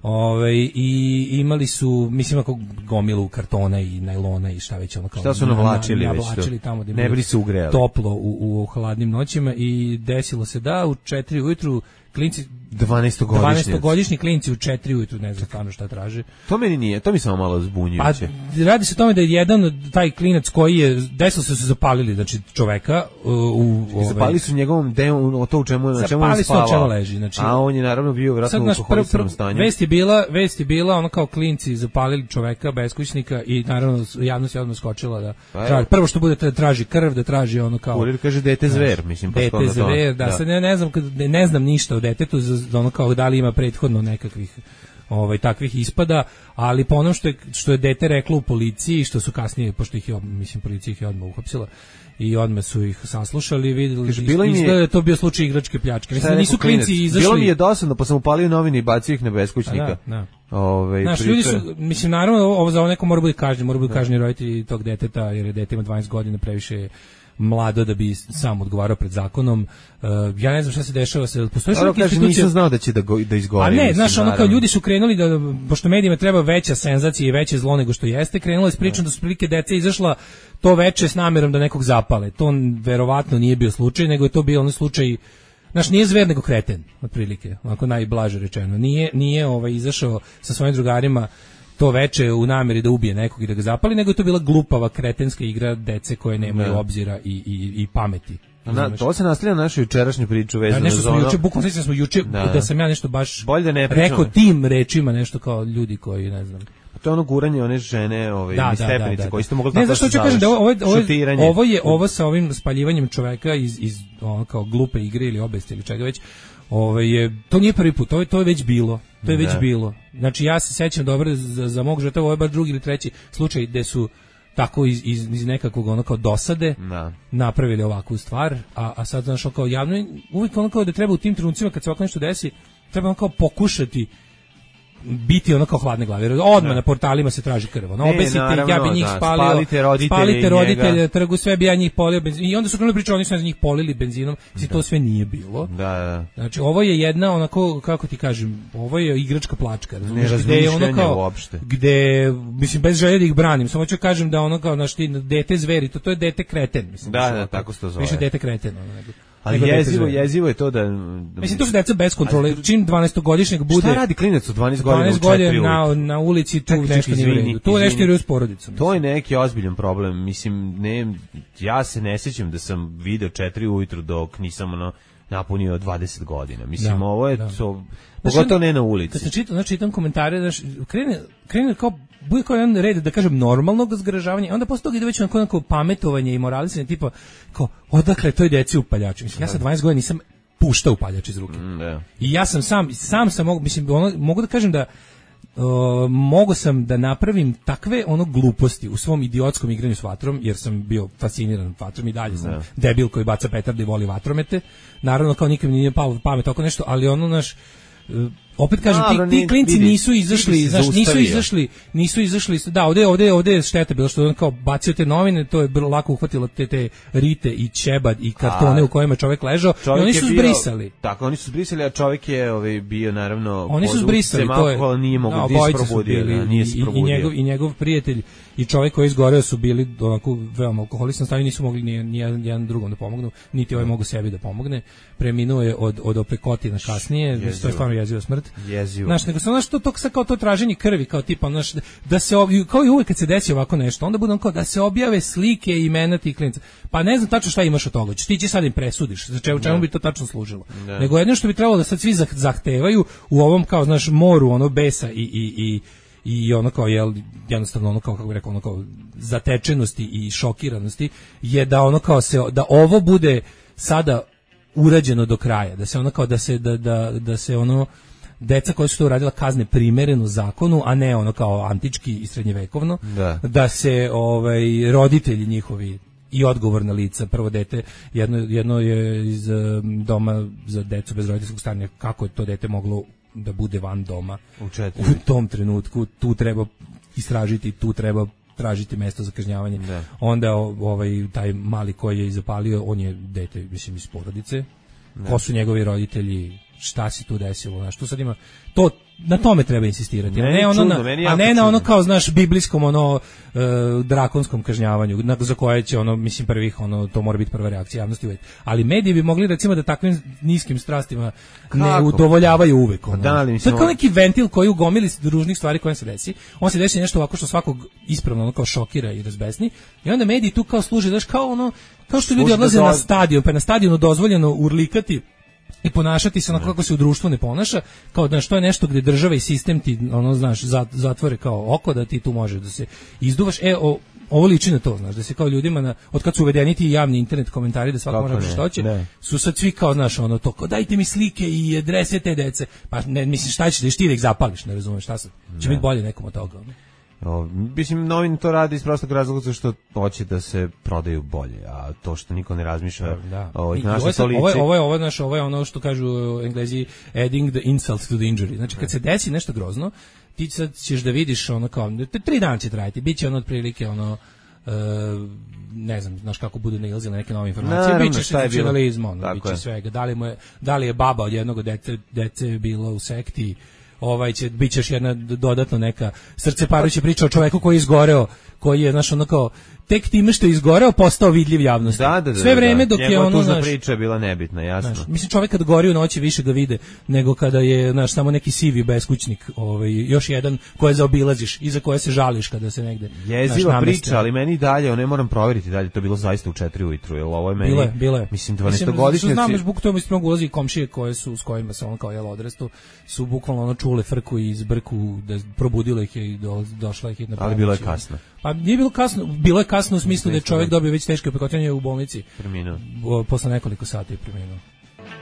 Ove, i imali su, mislim, ako gomilu kartona i najlona i šta već ono kao. Šta su navlačili na, već navlačili tamo gde ne bili se ugrejali. Toplo u, u hladnim noćima i desilo se da u četiri ujutru klinci dvanaestogodišnji dvanaestogodišnji klinci u četiri ujutru, ne znam stvarno šta traže. To meni nije, to mi samo malo zbunjujuće. Pa radi se o tome da je jedan taj klinac koji je desilo se su zapalili, znači čoveka u, u ovaj, zapalili su njegovom demu, to u čemu na čemu on spavao. Zapalili su leži, znači. A on je naravno bio vjerojatno u alkoholičnom stanju. Vest je bila, vest je bila ono kao klinci zapalili čoveka beskućnika i naravno javnost je odmah skočila da traži, prvo što bude da traži krv, da traži ono kao. Kurir kaže dete zver, mislim pa dete zver, da, da. Sad ne, ne znam ne, ne znam ništa o detetu za ono kao da li ima prethodno nekakvih ovaj takvih ispada, ali po onom što je što je dete reklo u policiji, što su kasnije, pošto ih je, mislim, policija ih je odmah uhapsila i odmah su ih saslušali, videli da je to bio slučaj igračke pljačke. Mislim, nisu klinci izašli. Bilo mi je dosadno, pa sam upalio novine i bacio ih na beskućnika. Da, da. Ove, Znaš, ljudi su, mislim, naravno, ovo za ovo neko mora biti kažnjen, mora biti kažnjen roditelji tog deteta, jer je dete ima dvanaest godina, previše mlado da bi sam odgovarao pred zakonom. Uh, ja ne znam šta se dešava, se postoji neka institucija. Nisam znao da će da go, da izgovori. A ne, znaš, ono kao ljudi su krenuli da, pošto medijima treba veća senzacija i veće zlo nego što jeste, krenula je s pričom da su prilike deca izašla to veče s namerom da nekog zapale. To verovatno nije bio slučaj, nego je to bio onaj slučaj. Znaš, nije zver nego kreten, otprilike, onako najblaže rečeno. Nije, nije ovaj, izašao sa svojim drugarima to veče u nameri da ubije nekog i da ga zapali, nego je to bila glupava kretenska igra dece koje nemaju ne. obzira i, i, i pameti. Na, to se nastavlja na našu jučerašnju priču vezano da, nešto za ono. Juče, bukvalno smo juče da. da sam ja nešto baš da ne rekao tim rečima, nešto kao ljudi koji, ne znam. To je ono guranje one žene, ove da, stepenice da, da, koje ste mogli tako. Ne, zašto ću kažem da ovo, ovo, ovo je ovo ovo sa ovim spaljivanjem čoveka iz iz ono kao glupe igre ili obesti ili čega već. Ovaj je to nije prvi put, to je to je već bilo. To je već da. bilo. Znači ja se sećam dobro za, za mog žrtva, ovo je bar drugi ili treći slučaj gde su tako iz, iz, iz nekakvog ono kao dosade da. napravili ovakvu stvar, a, a sad znaš kao javno, uvijek ono kao da treba u tim trenucima kad se ovako nešto desi, treba ono kao pokušati biti ono kao hladne glave. Odmah na portalima se traži krv. Ono, obesite, naravno, ja bi njih da, spalio, spalite roditelje, spalite roditelje trgu, sve bi ja njih polio benzinom. I onda su krenuli pričati, oni su njih polili benzinom. Mislim, to sve nije bilo. Da, da. Znači, ovo je jedna, onako, kako ti kažem, ovo je igračka plačka. Ne razmišljanje ono uopšte. Gde, mislim, bez želje da ih branim, samo ću kažem da ono kao, znaš, ti, dete zveri, to, to je dete kreten. Mislim, da, da, tako se to zove. Više dete kreten, ono, nego. Ali jezivo, jezivo je to da... Mislim, to su deca bez kontrole. Čim dvanaestogodišnjeg bude... Šta radi klinac u dvanaest godina dvanaest godina na, na ulici, tu Ček, nešto nije u redu. Tu nešto je s porodicom. To je neki ozbiljan problem. Mislim, ne, ja se ne sjećam da sam video četiri ujutru dok nisam ono, napunio dvadeset godina. Mislim, da, ovo je da. to... Pogotovo ne na ulici. Kad sam čitao, znači, čitam komentare, znači, krene, krene kao, bude kao jedan red, da kažem, normalnog zgražavanja, onda posle toga ide već onako, onako pametovanje i moralisanje, tipa, kao, odakle toj deci upaljač. Mislim, ja sa dvanaest godina nisam puštao upaljač iz ruke. Mm, da. I ja sam sam, sam sam mogu, mislim, ono, mogu da kažem da Uh, mogu sam da napravim takve ono gluposti u svom idiotskom igranju s vatrom, jer sam bio fasciniran vatrom i dalje sam ne. debil koji baca petarde i voli vatromete. Naravno, kao nikom nije palo pamet oko nešto, ali ono naš uh, opet kažem, Dobro, ti, ti klinci vidi, nisu izašli, znaš, nisu izašli, nisu izašli, da, ovde, ovde, ovde je šteta bilo što on kao bacio te novine, to je bilo lako uhvatilo te, te rite i ćebad i kartone a, u kojima čovjek ležao i oni su zbrisali. Tako, oni su zbrisali, a čovjek je ovaj, bio naravno... Oni su zbrisali, to je... Ali nije mogu, no, nije se probudio, da, nije se probudio. I, i, njegov, I njegov prijatelj i čovjek koji je izgoreo su bili onako veoma alkoholistan stanju, nisu mogli ni, ni jedan, jedan drugom da pomognu, niti ovaj mogu sebi da pomogne. Preminuo je od, od opekotina kasnije, jezivo. To je stvarno jeziva smrt. Jezivo. Znaš, nego sam znaš to, to kao to traženje krvi, kao tipa, znaš, da se, kao i uvijek kad se desi ovako nešto, onda bude on kao da se objave slike i imena tih klinica. Pa ne znam tačno šta imaš od toga, ti će sad im presudiš, za čemu, čemu bi to tačno služilo. Ne. Nego jedno što bi trebalo da sad svi zahtevaju u ovom, kao, znaš, moru, ono, besa i, i, i i ono kao jel jednostavno ono kao kako bih rekao ono kao zatečenosti i šokiranosti je da ono kao se da ovo bude sada urađeno do kraja, da se ono kao da se da da da se ono deca koja su to uradila kazne primereno zakonu, a ne ono kao antički i srednjevekovno, da, da se ovaj roditelji njihovi i odgovorna lica, prvo dete, jedno, jedno je iz um, doma za decu bez roditeljskog staranja, kako je to dete moglo da bude van doma u, u tom trenutku, tu treba istražiti, tu treba tražiti mesto za kažnjavanje. Da. Onda ovaj taj mali koji je zapalio, on je dete, mislim, iz porodice. Da. Ko su njegovi roditelji, šta se tu desilo, znaš, tu sad ima to, na tome treba insistirati, ne, a ne ono čudno, na, a ne na ono kao, znaš, biblijskom ono e, drakonskom kažnjavanju, na, za koje će ono, mislim, prvih ono, to mora biti prva reakcija javnosti uvijek. Ali mediji bi mogli recimo da takvim niskim strastima kako? Ne udovoljavaju uvijek. Ono. Da, to je kao neki ventil koji ugomili ružnih stvari koje se desi. On se desi nešto ovako što svakog ispravno ono kao šokira i razbesni. I onda mediji tu kao služe, znaš, kao ono, kao što ljudi odlaze na stadion, pa na stadionu dozvoljeno urlikati i ponašati se onako kako se u društvu ne ponaša, kao da što je nešto gdje država i sistem ti ono, znaš, zatvore kao oko da ti tu može da se izduvaš. E, o, ovo liči na to, znaš, da se kao ljudima na, od kad su uvedeni ti javni internet komentari da svako može što hoće, su sad svi kao, znaš, ono to, kao dajte mi slike i adrese te dece, pa ne, mislim, šta ćeš da ti da ih zapališ, ne razumeš, šta sad, će biti bolje nekom od toga, ono. O, mislim, novin to radi iz prostog razloga što hoće da se prodaju bolje, a to što niko ne razmišlja, da. O, I, ovo, je, ovo, je, ovo, je, ovo, je, znaš, ovo je ono što kažu Englezi adding the insult to the injury. Znači, kad se desi nešto grozno, ti sad ćeš da vidiš ono kao, tri dana će trajati, bit će ono otprilike ono, uh, ne znam, znaš kako bude nailazile neke nove informacije, bit će senzacionalizma, ono, bit će svega, da li, mu je, da li je baba od jednog dece, dece bila u sekti, ovaj će biće još jedna dodatno neka srceparujuća priča o čoveku koji je izgoreo, koji je, znaš, ono kao tek time što je izgoreo postao vidljiv javnosti. Da, da, da, sve vreme dok da. je ono, znaš, priča je bila nebitna, jasno. Znaš, mislim, čovjek kad gori u noći više ga vide nego kada je, znaš, samo neki sivi beskućnik, ovaj, još jedan koje zaobilaziš i za koje se žališ kada se negde. Jeziva priča, ali meni dalje, ne moram provjeriti dalje, to je bilo zaista u četiri ujutru, jel ovo je meni. Bilo je, bilo je. Mislim dvanaestogodišnjaci. Znam još bukvalno to mislim ulazi komšije koje su s kojima se on kao jel odrastu, su bukvalno ono čule frku i zbrku, da probudilo ih je i do, došla ih hitna pomoć. Ali bilo je kasno. Pa nije bilo kasno, bilo je kasno u smislu da je čovjek dobio već teške opekotine u bolnici. Preminuo. Posle nekoliko sati je preminuo.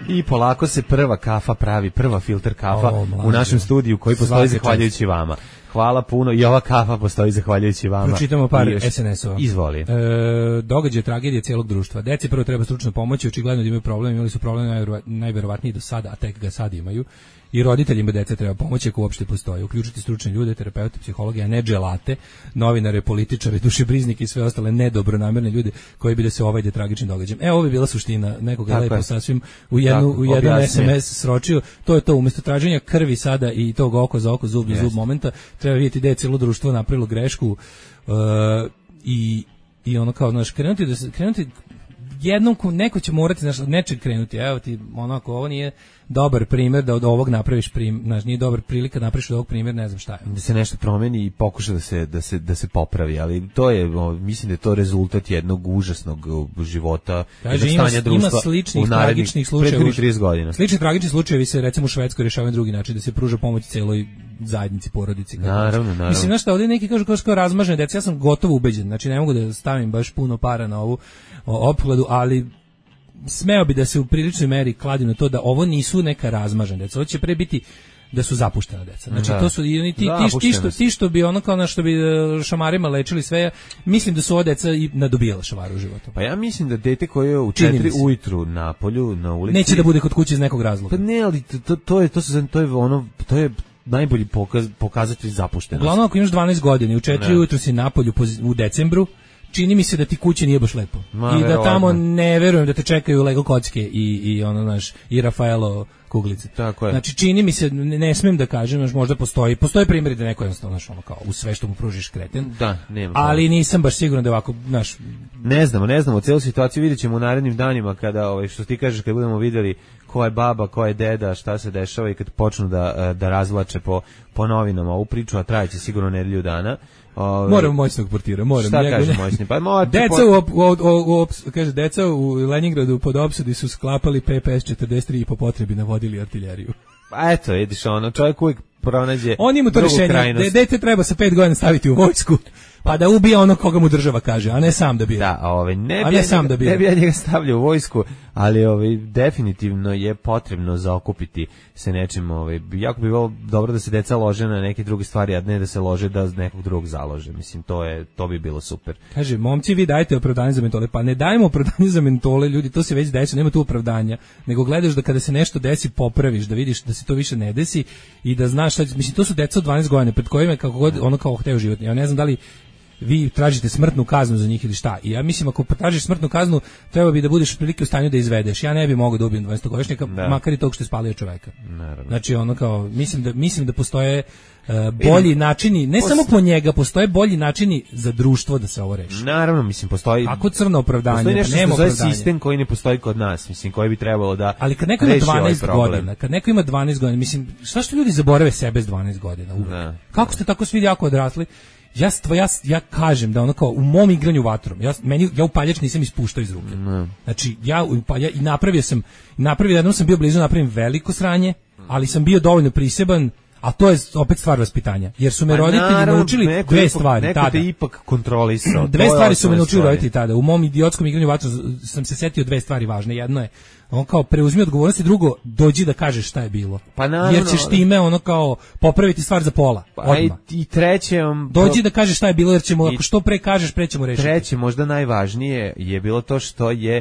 I polako se prva kafa pravi, prva filter kafa o, u našem studiju koji postoji zahvaljujući vama. Hvala puno i ova kafa postoji zahvaljujući vama. Pročitamo par es en esova. Izvoli. E, događaj tragedije cijelog društva. Deci prvo treba stručno pomoći, očigledno da imaju problem, imali su problem najverova, najverovatniji do sada, a tek ga sad imaju. I roditeljima dece treba pomoći ako uopšte postoji. Uključiti stručne ljude, terapeute, psihologe, a ne dželate, novinare, političare, dušebriznike i sve ostale nedobronamerne ljude koji bi da se ovajde tragičnim događajem. E, ovo bi bila suština, nekoga je lepo sasvim u, jednu, u jedan es em es sročio. To je to, umjesto traženja krvi sada i tog oko za oko, zub za zub momenta, treba vidjeti da je cijelo društvo napravilo grešku uh, i, i ono kao, znaš, krenuti da se, krenuti jednom, neko će morati, znaš, nečeg krenuti, evo ti, onako, ovo nije dobar primjer da od ovog napraviš primjer, znaš, nije dobar prilika da napraviš od ovog primjer, ne znam šta je. Da se nešto promeni i pokuša da se, da se, da se popravi, ali to je, mislim da je to rezultat jednog užasnog života, kaže, ima, stanja društva ima sličnih tragičnih slučajeva. trideset godina. Slični tragični slučajevi se, recimo, u Švedskoj rješavaju na drugi način, da se pruža pomoć celoj zajednici, porodici. Naravno, naravno. Mislim, znaš šta, ovdje neki kažu kao što razmažene deca, ja sam gotovo ubeđen, znači ne mogu da stavim baš puno para na ovu opkladu, ali smeo bi da se u priličnoj meri kladim na to da ovo nisu neka razmažena deca, ovo će pre biti da su zapuštena deca. Znači da. To su i ti, ti, ti, što, ti što bi ono kao na što bi šamarima lečili sve, mislim da su ova deca i nadobijala šamaru u životu. Pa ja mislim da dete koje je u četiri ujutru na polju, na ulici, neće da bude kod kuće iz nekog razloga. Pa ne, ali to, to je to se to je ono to je najbolji pokaz, pokazatelj zapuštenosti. Uglavnom ako imaš dvanaest godina i u četiri ujutru si na polju u decembru, čini mi se da ti kuće nije baš lepo. Ma, i da tamo ne verujem da te čekaju Lego kocke i, i ono, znaš, i Rafaelo kuglice. Tako je. Znači, čini mi se, ne, ne smijem da kažem, znaš, možda postoji, postoji primjeri da neko jednostavno, znaš, ono, kao, u sve što mu pružiš kreten. Da, nema. Ali nisam baš siguran da ovako, znaš... Ne znamo, ne znamo, celu situaciju vidjet ćemo u narednim danima kada, ovaj, što ti kažeš, kad budemo vidjeli ko je baba, ko je deda, šta se dešava i kad počnu da, da razvlače po, po novinama ovu priču, a trajeće sigurno nedelju dana. Ove, moram moćnog portira, moram. Šta kaže moćni? Pa mo, deca po... u, u, u, u, kaže deca u Leningradu pod opsadi su sklapali pe pe es četrdeset tri i po potrebi navodili artiljeriju. Pa eto, vidiš, ono, čovjek uvijek pronađe. On ima to rješenje, de, dete treba sa pet godina staviti u vojsku. Pa da ubije ono koga mu država kaže, a ne sam da bije. Da, ovaj ne bi ja sam da bije. Ne bi ja njega stavljao u vojsku, ali ovaj definitivno je potrebno zaokupiti se nečim, ovaj jako bi bilo dobro da se deca lože na neke druge stvari, a ne da se lože da nekog drugog založe. Mislim to je to bi bilo super. Kaže, momci, vi dajte opravdanje za mentole, pa ne dajemo opravdanje za mentole, ljudi, to se već desi, nema tu opravdanja, nego gledaš da kada se nešto desi popraviš, da vidiš da se to više ne desi i da znaš šta, mislim to su deca od dvanaest godina pred kojima kako god ono kao hteo život. Ja ne znam da li vi tražite smrtnu kaznu za njih ili šta. I ja mislim ako potražiš smrtnu kaznu, treba bi da budeš prilike u stanju da izvedeš. Ja ne bih mogao da ubijem dvanaestogodišnjaka, makar i tog što je spalio čoveka. Naravno. Znači ono kao mislim da mislim da postoje uh, bolji načini, ne Post... samo po njega, postoje bolji načini za društvo da se ovo reši. Naravno, mislim postoji. Ako crno opravdanje, postoji nešto nema opravdanja. Sistem koji ne postoji kod nas, mislim koji bi trebalo da. Ali kad neko ima dvanaest godina, kad neko ima dvanaest godina, mislim šta što ljudi zaborave sebe s dvanaest godina? Kako ste tako svi jako odrasli? Ja, stva, ja, ja kažem da ono kao u mom igranju vatrom, ja, meni, ja upaljač nisam ispuštao iz ruke. Mm. Znači, ja, upalja, i napravio sam, napravio, jednom sam bio blizu napravim veliko sranje, ali sam bio dovoljno priseban, a to je opet stvar vaspitanja. Jer su me pa roditelji naravno, naučili dve ipak, stvari neko tada. Neko te ipak kontrolisao. Dve stvari su me naučili roditelji tada. U mom idiotskom igranju vatrom sam se setio dve stvari važne. Jedno je, on kao preuzmi odgovornost i drugo, dođi da kažeš šta je bilo. Pa naravno, jer ćeš time ono kao popraviti stvar za pola. Pa i, i treće... Um, dođi da kažeš šta je bilo jer ćemo, ako što pre kažeš, pre ćemo rešiti. Treće, možda najvažnije je bilo to što je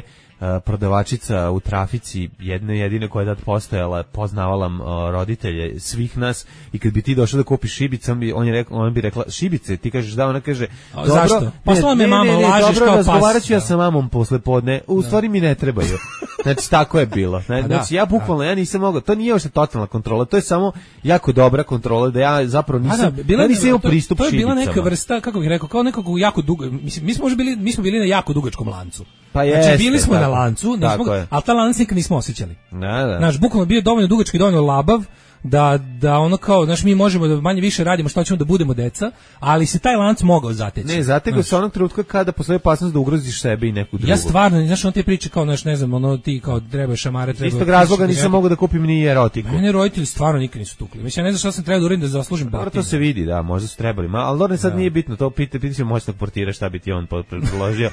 prodavačica u trafici, jedno jedino koja je tad postojala, poznavala uh, roditelje svih nas i kad bi ti došao da kupiš šibice, on bi, on je rekla, on bi rekla šibice, ti kažeš da, ona kaže dobro, zašto? Poslala me mama, lažeš kao pas. Razgovarat ću ja sa mamom posle podne, u da. Stvari mi ne trebaju. Znači, tako je bilo. Znači, da, ja bukvalno, da. Ja nisam mogao, to nije još totalna kontrola, to je samo jako dobra kontrola, da ja zapravo nisam, da, bila, ja nisam imao pristup šibicama. To je bila šibicama. neka vrsta, kako bih rekao, kao nekog jako dugo, mislim, mi smo možda bili, mi smo bili na jako dugačkom lancu. Pa znači, jeste, bili smo tako, na lancu, nismo, ali ta lanac nikad nismo osjećali. Da, da. Znaš, bukvalno bio dovoljno dugački, dovoljno labav, da, da ono kao, znaš, mi možemo da manje više radimo što ćemo da budemo deca, ali se taj lanac mogao zateći. Ne, zatego se onog trenutka kada postoji opasnost da ugroziš sebe i neku drugu. Ja stvarno, znaš, on te priče kao, znaš, ne znam, ono ti kao treba šamare, treba... Istog razloga nisam mogao da kupim ni erotiku. Mene roditelji stvarno nikad nisu tukli. Mislim, ja ne znam šta sam trebao da uradim da zaslužim batinu. To se vidi, da, možda su trebali, ma, ali dobro, sad da. Nije bitno, to pita, pita ćemo moćnog portira šta bi ti on predložio.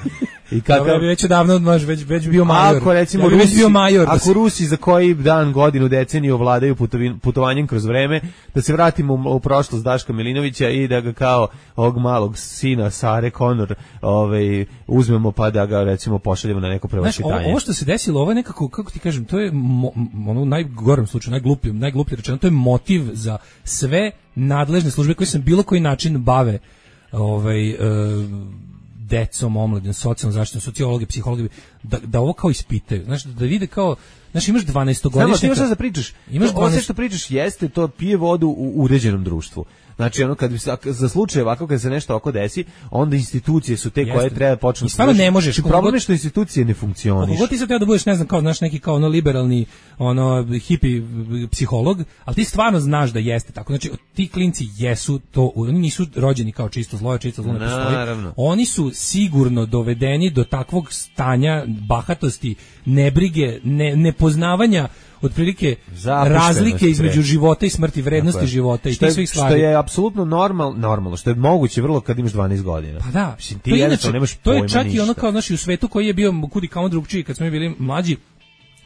I kako ja bi već odavno odmaš, već već bio major. Ako recimo ja Rusi, bio major, ako Rusi za koji dan, godinu, deceniju ovladaju putovin, puto, putovanjem kroz vreme, da se vratimo u, u prošlost Daška Milinovića i da ga kao ovog malog sina Sare Connor ovaj, uzmemo pa da ga recimo pošaljemo na neko prevaspitanje. Ovo, ovo što se desilo, ovo je nekako, kako ti kažem, to je mo, ono u najgorem slučaju, najglupljijem, najgluplje rečeno, to je motiv za sve nadležne službe koje se na bilo koji način bave ovaj, e, decom, omladin, socijalnom zaštitom, sociologi, psihologi, da, da ovo kao ispitaju. Znaš, da vide kao, znaš, imaš dvanaestogodišnjaka. Samo, ti imaš šta da pričaš. Imaš Ovo sve što pričaš jeste, to pije vodu u uređenom društvu. Znači, ono, kad bi, za slučaj ovako, kad se nešto oko desi, onda institucije su te Jeste. koje treba počnu. I stvarno ne možeš. Problem je što institucije ne funkcionišu. Kako ti sad treba da budeš, ne znam, kao, znaš, neki kao ono liberalni, ono, hipi psiholog, ali ti stvarno znaš da jeste tako. Znači, ti klinci jesu to, oni nisu rođeni kao čisto zlo, čisto zlo ne postoji. Naravno. Oni su sigurno dovedeni do takvog stanja bahatosti, nebrige, ne, nepoznavanja otprilike razlike između života i smrti, vrednosti života i tih svih stvari. Što je apsolutno normal, normalno, što je moguće vrlo kad imaš dvanaest godina. Pa da, Mislim, ti jednostavno nemaš to pojma je čak ništa. i ono kao, znaš, i u svetu koji je bio kudi kao drugčiji kad smo mi bili mlađi,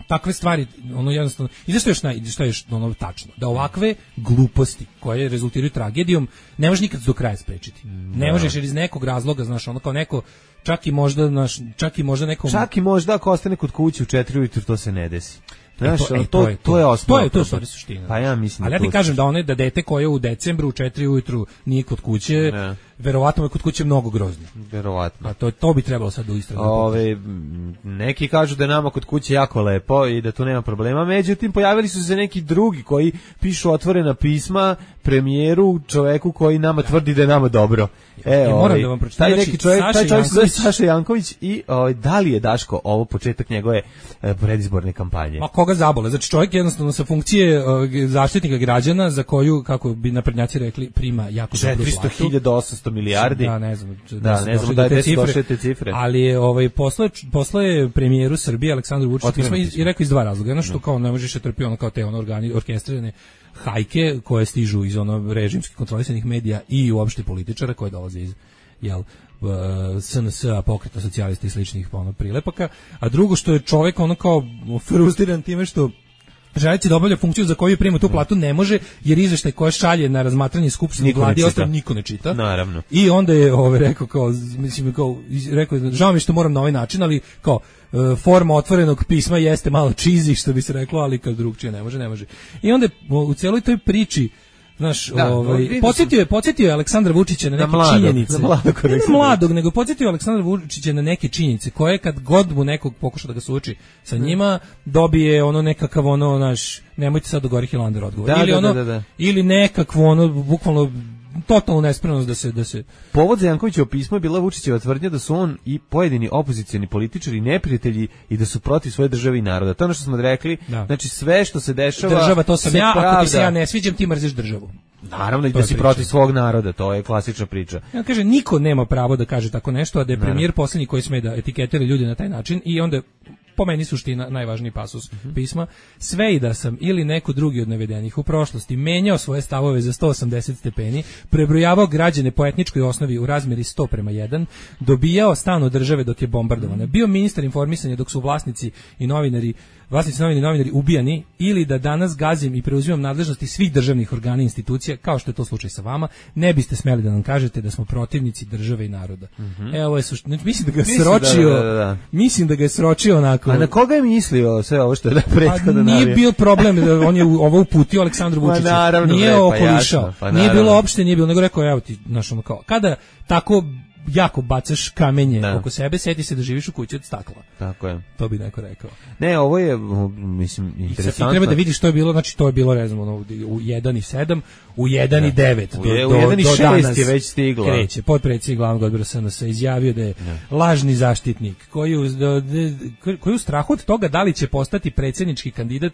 takve stvari, ono jednostavno, i zašto još, naj, što je još ono tačno, da ovakve gluposti koje rezultiraju tragedijom ne možeš nikad do kraja sprečiti. Ne možeš jer iz nekog razloga, znaš, ono kao neko, čak i možda, znaš, čak i možda nekom... Čak i možda ako ostane kod kuće u četiri ujutru, to se ne desi. Znaš, E to, e, to, to, je, to je osnova. To je to stvari suština. Pa ja mislim. Ali ja ti kažem da one da dete koje u decembru u četiri ujutru nije kod kuće, ne. verovatno je kod kuće mnogo groznije. Verovatno. A to to bi trebalo sad u istragu. Ove, neki kažu da je nama kod kuće jako lepo i da tu nema problema, međutim pojavili su se neki drugi koji pišu otvorena pisma premijeru, čoveku koji nama tvrdi da je nama dobro. E, ja, ovaj, da vam pročitam. taj Znači, neki čovjek, Saša taj čovjek se zove Janković- Saša Janković i ovaj, da li je, Daško, ovo početak njegove e, predizborne kampanje? Ma koga zabole? Znači čovjek jednostavno sa funkcije uh, zaštitnika građana za koju, kako bi naprednjaci rekli, prima jako dobru četiristo platu. hiljada osamsto milijardi. Da, ne znam. Da, su ne znam došli da je do te gde su cifre, došle te cifre. Ali je ovaj posle posle premijeru Srbije Aleksandru Vučiću Otvoreno pismo i, pismo. i rekao iz dva razloga. Jedno što kao ne možeš da trpi ono kao te ono organi orkestrirane hajke koje stižu iz ono režimski kontrolisanih medija i uopšte političara koji dolaze iz jel S N S-a, Pokreta socijalista i sličnih ono prilepaka, a drugo što je čovjek ono kao frustriran time što želeći da obavlja funkciju za koju prima tu platu ne može, jer izveštaj koje šalje na razmatranje skupštine Niko ne vladi čita. ostalo niko ne čita. Naravno. I onda je ovaj rekao kao mislim kao iz- rekao je, žao mi je što moram na ovaj način, ali kao e, forma otvorenog pisma jeste malo cheesy što bi se reklo, ali kad drugčije ne može, ne može. I onda je u celoj toj priči znaš, Da, ovaj, vidim podsjetio je, podsjetio je Aleksandra Vučića na neke mladog, činjenice. na mladog, ne, ne Aleksandra. mladog, nego podsjetio Aleksandra Vučića na neke činjenice koje kad god mu nekog pokuša da ga suoči sa njima, dobije ono nekakav ono naš, nemojte sad do Gori Hilander odgovor. Da, ili da, ono, da, da. ili nekakvo ono, bukvalno totalnu nespremnost da se da se Povod za Jankovićevo pismo je bila Vučićeva tvrdnja da su on i pojedini opozicioni političari neprijatelji i da su protiv svoje države i naroda. To je ono što smo rekli. Da. Znači sve što se dešava država, to sam se ja, ako ti se pravda. ja ne sviđam, ti mrziš državu. Naravno i To da je si priča. protiv svog naroda, to je klasična priča. Ja kažem, niko nema pravo da kaže tako nešto, a da je premijer posljednji koji sme da etiketira ljude na taj način i onda po meni suština, najvažniji pasus pisma, sve i da sam ili neko drugi od navedenih u prošlosti menjao svoje stavove za sto osamdeset stepeni, prebrojavao građane po etničkoj osnovi u razmjeri sto prema jedan, dobijao stan od države dok je bombardovana, bio ministar informisanja dok su vlasnici i novinari vlasnici novine i novinari ubijani, ili da danas gazim i preuzimam nadležnosti svih državnih organa i institucija, kao što je to slučaj sa vama, ne biste smeli da nam kažete da smo protivnici države i naroda. Evo, ovo je suština. Mislim da ga je Mislim sročio, da, da, da, da. mislim da ga je sročio onako. A na koga je mislio sve ovo što je da Pa prethodno nije navio? bio problem, da on je u- ovo uputio Aleksandru Ma Vučiću. naravno, Nije bre, pa okolišao. jasno, pa nije naravno. bilo opšte, nije bilo, nego rekao, evo ti, znaš, ono kao, kada tako jako bacaš kamenje Da. oko sebe, sjeti se da živiš u kući od stakla. Tako je. To bi neko rekao. Ne, ovo je, mislim, I sad ti interesantno. treba da vidiš što je bilo, znači to je bilo, ne znam, ono, u jedan i sedam, u jedan i devet U do, je- u do, jedan i do šest danas je već stiglo. kreće. Potpredsjednik glavnog odbora S N S izjavio da je lažni zaštitnik koji u, da- da- koji u strahu od toga da li će postati predsjednički kandidat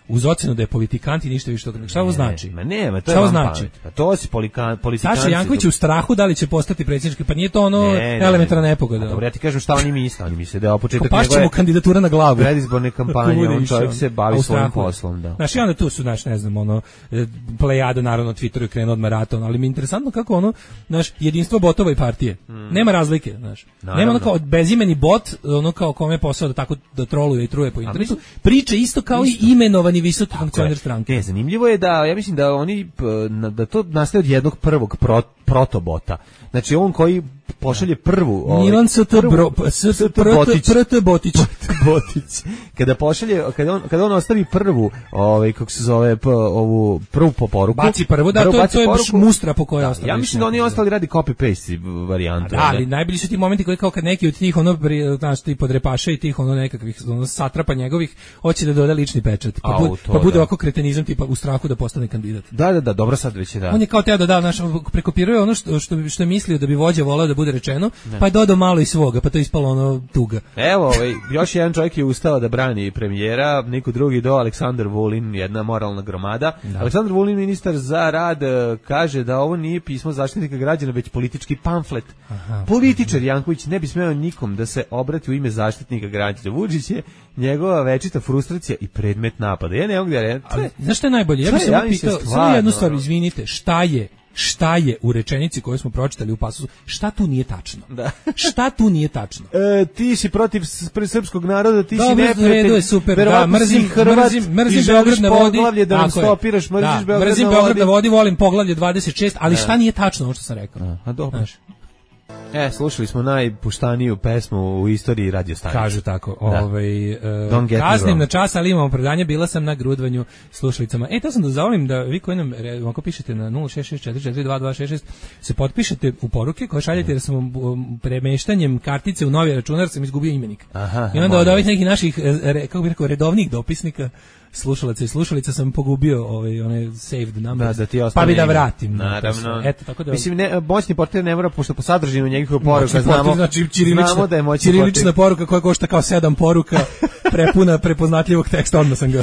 uz ocenu da je politikant i ništa više od toga. Šta ovo znači? Ma nema, to je Šta ovo vam znači? pamet. Pa to si polikan, politikanci. Saša Janković je u strahu da li će postati predsjednički, pa nije to ono Ne, ne, elementarna ne. nepogoda. A dobro, ja ti kažem šta oni misle. Oni misle da je ovo početak Pašće mu njegove kandidatura na glavu. predizborne kampanje, Bude on išao. čovjek se A bavi u svojim strahu je. poslom, da. Znaš, i onda tu su, znaš, ne znam, ono, e, plejada, naravno, na Twitteru je krenuo od maraton, ali mi je interesantno kako ono, znaš, jedinstvo botova i partije. Nema razlike, znaš. Naravno. Nema ono kao bezimeni bot, ono kao kome je posao da tako da troluje i truje po internetu. Priče isto kao i imenovani ni visoki funkcioner stranke. Ne, zanimljivo je da, ja mislim da oni, da to nastaje od jednog prvog pro, protobota. Znači on koji pošalje prvu... Ovaj, Milan S T Botić. Botić. Kada pošalje, kada on, kada on ostavi prvu, ovaj, kako se zove, p, ovu prvu po poruku... Baci prvu, da, prvu, to, to je baš mustra po kojoj ostavi. Ja mislim da oni ostali radi copy-paste varijante. Da, ali najbolji su ti momenti koji kao kad neki od tih, ono, znaš, ti podrepaša i tih, ono, nekakvih, ono, satrapa njegovih, hoće da doda lični pečat. Pa, bud, to, pa bude da. Ovako kretenizam, tipa u strahu da postane kandidat. Da, da, da, dobro sad već je da. On je kao teo da da, znaš, prekopiruje ono što, što, što je mislio da bi vođa volao da bude rečeno, ne. Pa je dodao malo i svoga, pa to je ispalo ono tuga. Evo, ovaj, još jedan čovjek je ustao da brani premijera, niko drugi do Aleksandar Vulin, jedna moralna gromada. Da. Aleksandar Vulin, ministar za rad, kaže da ovo nije pismo Zaštitnika građana, već politički pamflet. Aha. Političar Janković ne bi smeo nikom da se obrati u ime Zaštitnika građana. Vučić je njegova večita frustracija i predmet napada. Ja ne mogu da reći. Znaš šta je najbolje? Ja bih samo pitao, samo jednu stvar, izvinite, šta je šta je u rečenici koju smo pročitali u pasusu, šta tu nije tačno? Da. Šta tu nije tačno? E, ti si protiv srpskog naroda, ti Dobre, si neprijatelj. Je super, da, mrzim, Hrvat, mrzim, mrzim Beograd na vodi. Poglavlje da nam stopiraš, mrziš da, Beograd, mrzim na, Beograd vodi. na vodi, volim poglavlje dvadeset šest, ali da. Šta nije tačno ovo što sam rekao? A, a dobro. Znaš. E, slušali smo najpuštaniju pesmu u istoriji radio stanice. Kažu tako. Ovaj uh, kaznim na čas, ali imamo predanje, bila sam na grudvanju slušalicama. E, to sam da zamolim da vi koji nam, ako pišete na nula šest šest četiri četiri dva dva šest šest, se potpišete u poruke koje šaljete da sam premeštanjem kartice u novi računar sam izgubio imenik. Aha, i onda od ovih nekih naših, kako bih rekao, redovnih dopisnika, slušalaca i slušalica sam pogubio ovaj one saved numbers. Da, da pa bi da vratim. Naravno. Eto, tako da. Mislim, ne, moćni portir ne mora, pošto po sadržinu njegovih poruka znamo, znači ćirilična, znamo da je moćni ćirilična poruka koja košta kao sedam poruka, prepuna prepoznatljivog teksta, odmah sam ga.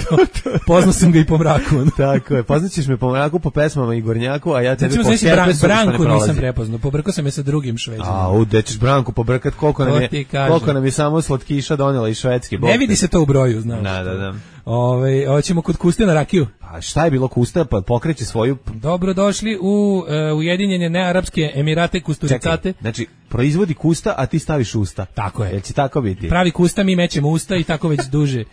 Poznao sam ga i po mraku. Tako je. Poznaćeš me po mraku, po pesmama i Gornjaku, a ja tebe po Herpesu. Branku nisam prepoznao. Pobrkao sam je sa drugim Šveđanom. A, u dećeš Branku pobrkat, koliko nam je, koliko nam je samo slatkiša donela iz Švedske. Ne vidi se to u broju, znaš. Da, da, da. Ove, hoćemo kod Kuste na rakiju. Pa šta je bilo Kusta, pa pokreće svoju... Dobrodošli u uh, Ujedinjene Nearapske Emirate Kusturicate. Čekaj, znači, proizvodi Kusta, a ti staviš usta. Tako je. Jel će tako biti? Pravi Kusta, mi mećemo usta i tako već duže,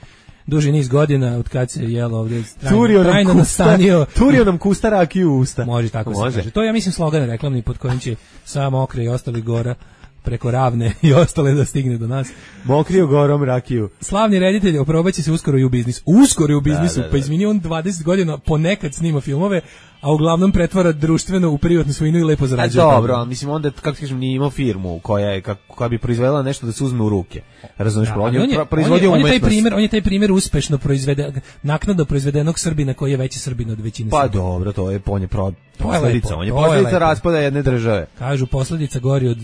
duži niz godina od kad se jelo ovdje trajno, trajno nastanio. Turio nam Kusta rakiju u usta. Može tako Može. Se kaže. To je, ja mislim, slogan reklamni pod kojim će sam Okre i ostali gora preko Ravne i ostale da stigne do nas. Mokrio gorom rakiju. Slavni reditelj oprobaće se uskoro i u biznis. Uskoro i u biznisu, da, da, da. Pa izvini, on dvadeset godina ponekad snima filmove, a uglavnom pretvara društveno u privatnu svojinu i lepo zarađuje. A dobro, mislim onda, kako kažem, nije imao firmu koja je, koja bi proizvedela nešto da se uzme u ruke. Razumiješ, da, on, on je proizvodio umetnost. On je taj primjer, on je taj primjer uspešno proizvede, naknadno proizvedenog Srbina koji je veći Srbin od većine Pa Srbina. dobro, to je on je pro, posledica, on je posledica raspada jedne države. Kažu, posledica gori od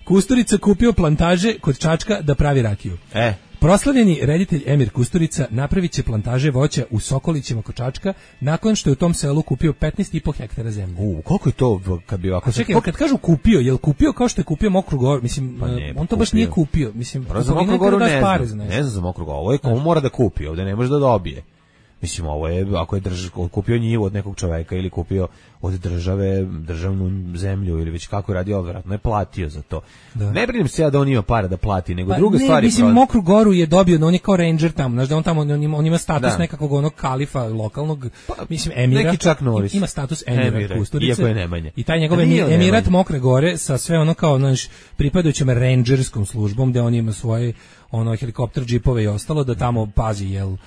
Kusturica kupio plantaže kod Čačka da pravi rakiju. E. Proslavljeni reditelj Emir Kusturica napravit će plantaže voća u Sokolićima kod Čačka nakon što je u tom selu kupio petnaest i po hektara zemlje. U, koliko je to kad bi ovako... Čekaj, kad kažu kupio, je li kupio kao što je kupio Mokru Goru? Mislim, pa ne, on to kupio. Baš nije kupio. Mislim, za Mokru Goru ne znam, ne znam za Mokru Goru. Ovo je komu mora da kupi, ovdje ne može da dobije. Mislim, ovo je, ako je drž, kupio njivu od nekog čoveka ili kupio od države, državnu zemlju ili već kako je radio, vjerojatno je platio za to. Da. Ne brinem se ja da on ima para da plati, nego pa, druga stvar je... Mislim, Mokru Goru je dobio, on je kao ranger tamo, znaš da on tamo, on ima, on ima status da. Nekakvog onog kalifa lokalnog, pa, mislim, emira. Neki čak Noris. Ima status emira, emira Kusturice. Iako je Nemanja. I taj njegov emirat Nemanja. Mokre Gore sa sve ono kao, znaš, pripadajućem rangerskom službom, gde on ima svoje ono helikopter, džipove i ostalo, da tamo pazi, jel...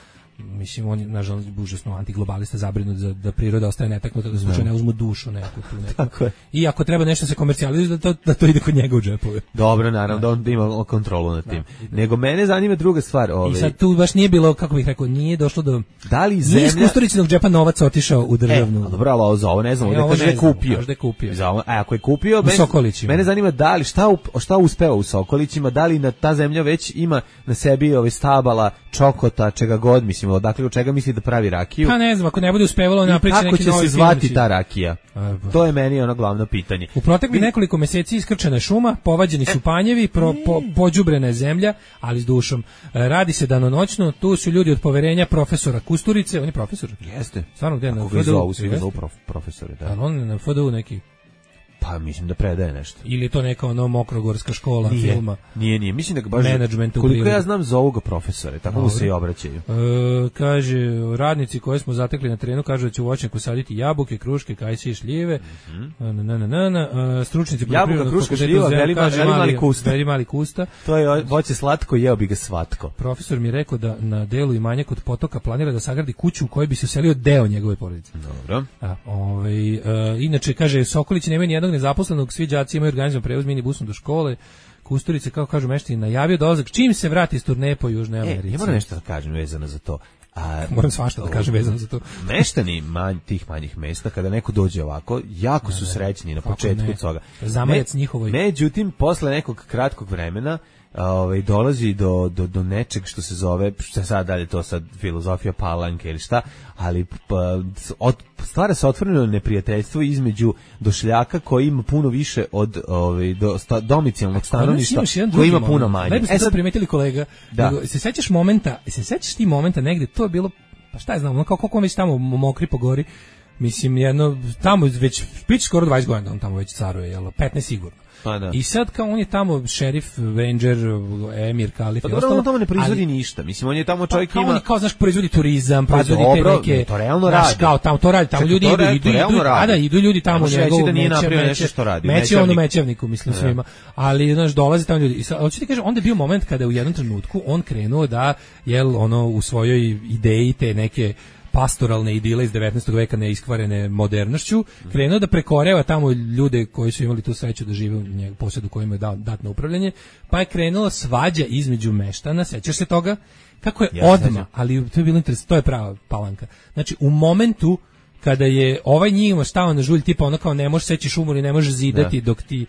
Mislim, on je, nažalost, užasno antiglobalista, zabrinut za da priroda ostaje netaknuta, da slučajno ne uzmu dušu neku tu neku. Tako je. I ako treba nešto se komercijalizuje, da to, da to ide kod njega u džepove. Dobro, naravno, da on ima kontrolu nad tim. Da, da. Nego mene zanima druga stvar. Ovaj. I sad tu baš nije bilo, kako bih rekao, nije došlo do... Da li zemlja... Nije iz Kusturičinog džepa novac otišao u državnu... E, dobro, ali za ovo ne znam, ovdje kaže je kupio. Možda je kupio. Za ovo, a ako je kupio... U mene, Sokolićima. Mene zanima da li, šta, šta uspeo u Sokolićima, da li na ta zemlja već ima na sebi ove stabala, čokota, čega god, mislim, odakle od čega misli da pravi rakiju. Pa ne znam, ako ne bude uspevalo napriči neki novi film. Kako će se zvati ta rakija? A, to je meni ono glavno pitanje. U proteklih nekoliko meseci iskrčena je šuma, povađeni su panjevi, pro, po, pođubrena je zemlja, ali s dušom. Radi se danonoćno, tu su ljudi od poverenja profesora Kusturice, on je profesor. Jeste. Stvarno gde na F D U? Svi ga zovu profesore, da. Ali on na F D U neki... Pa mislim da predaje nešto. Ili je to neka ono mokrogorska škola nije, filma? Nije, nije. Mislim da ga baš... Menadžmenta u koliko prirodi. ja znam za ovoga profesore, tako mu se i obraćaju. E, kaže, radnici koje smo zatekli na terenu kažu da će u voćnjaku saditi jabuke, kruške, kajsije i šljive. Mm-hmm. na, na, na, na, na. Stručnici jabuka, kruška, šljiva, veli mali, mali kusta. Veli mali kusta. To je voće slatko, jeo bi ga svatko. Profesor mi je rekao da na delu Imanja kod potoka planira da sagradi kuću u kojoj bi se uselio deo njegove porodice. Dobro. A, ovaj, e, inače, kaže, Sokolić nema ni jednog nezaposlenog, svi đaci imaju organizovan prevoz minibusom do škole. Kusturice, kao kažu meštani, najavio dolazak čim se vrati iz turneje po Južnoj Americi. E, ja moram nešto da kažem vezano za to. A, moram svašta da kažem vezano za to. Meštani manj, tih manjih mesta, kada neko dođe ovako, jako su srećni na početku toga. Zamajac njihovoj. Međutim, posle nekog kratkog vremena, ovaj dolazi do, do, do nečeg što se zove, šta sad dalje to sad filozofija palanke ili šta, ali pa, od, stvara se otvoreno neprijateljstvo između došljaka koji ima puno više od ovaj, do, sta, domicilnog stanovništva koji ima puno manje. Lepo ste to primetili kolega, da. Nego, se sećaš momenta, se sećaš ti momenta negde, to je bilo, pa šta je znam, ono kao koliko već tamo mokri po gori, mislim jedno, tamo već, prič skoro dvadeset godina on tamo već caruje, jel, petnaest sigurno. Pa da. I sad kao on je tamo šerif, ranger, emir, kalif pa i dobro, ostalo. On tamo ne proizvodi ali, ništa. Mislim, on je tamo čovjek pa, ima... On je kao, znaš, proizvodi turizam, pa proizvodi dobro, te neke... to realno znaš, radi. Kao, tamo to radi, tamo Čekaj, ljudi to idu, radi, idu, to realno idu, radi. a da, idu ljudi tamo u njegovu da nije meće, napravio meće, nešto što radi. meće on u mećevniku, mislim, da. svima. Ali, znaš, dolazi tamo ljudi. I sad, hoću ti kažem, onda je bio moment kada u jednom trenutku on krenuo da, jel, ono, u svojoj ideji te neke pastoralne idile iz devetnaestog veka neiskvarene modernošću, krenuo da prekoreva tamo ljude koji su imali tu sreću da žive u njegovom posjedu kojima je dao dat na upravljanje, pa je krenula svađa između meštana, sećaš se toga? Kako je ja, odmah, ali to je bilo interesantno, to je prava palanka. Znači, u momentu kada je ovaj njima stao na žulj, tipa ono kao ne možeš seći šumu ili ne možeš zidati da. dok ti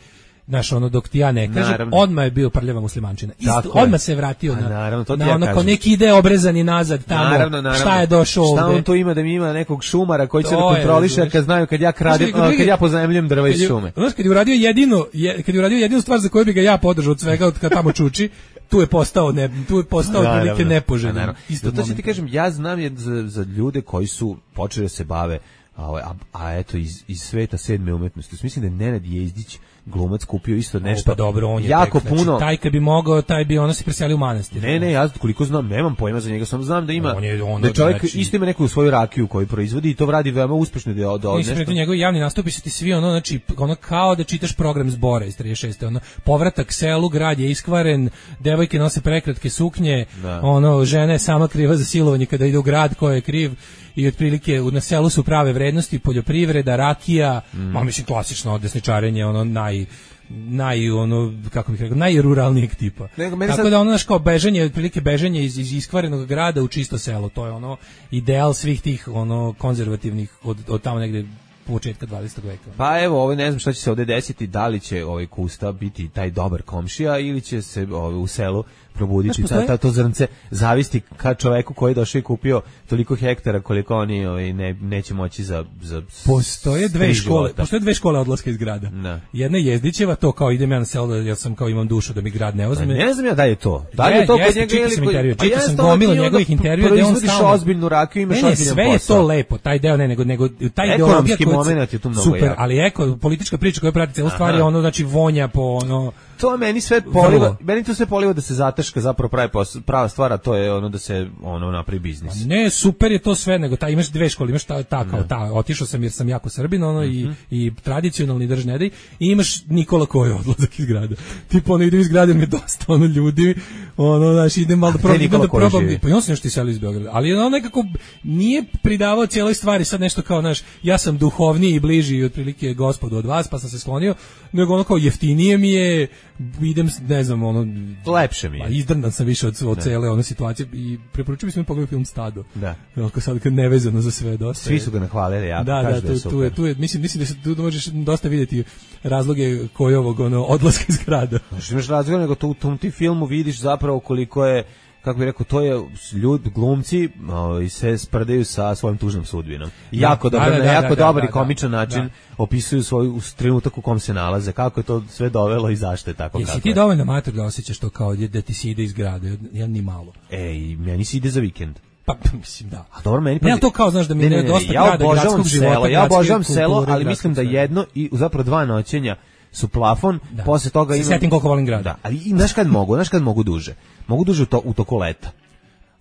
znaš, ono, dok ti ja ne kažem, naravno. Odmah je bio prljava muslimančina. Isto, odmah se vratio na, naravno, to na ja ono, kažem. Kao neki ide obrezani nazad tamo, naravno, naravno. Šta je došao ovde. Šta on to ima da mi ima nekog šumara koji će to da kontroliše, kad znaju kad ja kradim, znaš, kad ja pozajmljujem drva iz šume. Znaš, kad je uradio jedino, je, kad je uradio jedinu stvar za koju bi ga ja podržao od svega, od kad tamo čuči, tu je postao ne, tu je postao prilike nepoželjan. Isto to ti kažem, ja znam je za, za ljude koji su počeli da se bave a, a, a eto iz, iz sveta sedme umetnosti. Mislim da je Nenad Jezdić glumac kupio isto nešto. O, pa dobro, on je jako tek, puno. Znači, taj kad bi mogao, taj bi ono se preselio u manastir. Ne, ne, ja koliko znam, nemam pojma za njega, samo znam da ima on je, ono, da čovjek znači, isto ima neku svoju rakiju koju proizvodi i to radi veoma uspešno da od nešto. Mislim, njegovi javni nastupi su ti svi ono, znači, ono kao da čitaš program Zbora iz trideset šeste ono, povratak selu, grad je iskvaren, devojke nose prekratke suknje, da. Ono, žena je sama kriva za silovanje kada ide u grad, ko je kriv, i otprilike na selu su prave vrednosti, poljoprivreda, rakija, mm. ma mislim klasično desničarenje, ono naj naj ono kako bih rekao najruralnijeg tipa. Nego, tako sad... da ono naš kao bežanje, otprilike bežanje iz, iz iskvarenog grada u čisto selo, to je ono ideal svih tih ono konzervativnih od, od tamo negde početka dvadesetog veka. Pa evo, ovaj ne znam šta će se ovde desiti, da li će ovaj Kusta biti taj dobar komšija ili će se ovaj, u selu probuditi ta, ta, to zrnce zavisti ka čoveku koji je došao i kupio toliko hektara koliko oni ovaj, ne, neće moći za, za postoje dve škole, života. Postoje dve škole odlaska iz grada. Da. Jedna je Jezdićeva, to kao idem ja na selo, ja sam kao imam dušu da mi grad ne uzme. Ne znam ja da je to. Da li je to kod njega ili kod njega? Čitao sam gomilu njegovih intervjua gde on stalno ozbiljnu rakiju, imaš ozbiljan posao. Sve je to lepo, taj deo ne, nego nego taj ideologija momenat je tu mnogo super, ali eko politička priča koja prati celu stvar je ono znači vonja po ono to meni sve poliva, meni to sve poliva da se zataška zapravo pravi prava stvar, a to je ono da se ono napravi biznis. Ne, super je to sve, nego ta imaš dve škole, imaš ta, ta kao ta, otišao sam jer sam jako Srbin, ono, mm-hmm. i, i tradicionalni drž ne daj, i imaš Nikola koji odlazak iz grada. Tipo, ono, idem iz grada, mi je dosta, ono, ljudi, ono, znaš, idem malo da probam, idem da probam, pa i on se nešto iselio iz Beograda, ali ono nekako nije pridavao cijeloj stvari, sad nešto kao, znaš, ja sam duhovniji i bliži otprilike gospodu od vas, pa sam se sklonio, nego ono kao jeftinije mi je, idem, ne znam, ono, lepše mi je. Izdrndan sam više od, od cele one situacije i preporučujem mi smo pogledati film Stado. Da. Onako sad kad nevezano za sve dosta. Svi su ga nahvalili, ja da, kažu da, da je tu, super. Tu je, tu je, mislim, mislim da se tu možeš dosta vidjeti razloge koji ovog ono, odlaska iz grada. Znači, imaš razloga, nego tu, u tom ti filmu vidiš zapravo koliko je, kako bih rekao, to je ljud, glumci o, se sprdaju sa svojom tužnom sudbinom. I da, jako dobar, da, da, na jako da, dobar da, i komičan da, način da. opisuju svoj trenutak u kom se nalaze, kako je to sve dovelo i zašto je tako. Jesi kako ti je. dovoljno mater da osjećaš to kao da ti se ide iz grada, ja ni malo. Ej, meni se ide za vikend. Pa mislim da. A dobro, meni ne, to kao znaš da mi ne, je dosta ja grada, gradskog života, selo, ja obožavam selo, kulture, ali mislim da jedno i zapravo dva noćenja su plafon, da. Posle toga imam... Se setim koliko volim grad. Da, ali i znaš kad mogu, znaš kad mogu duže. Mogu duže u, to, u toku leta.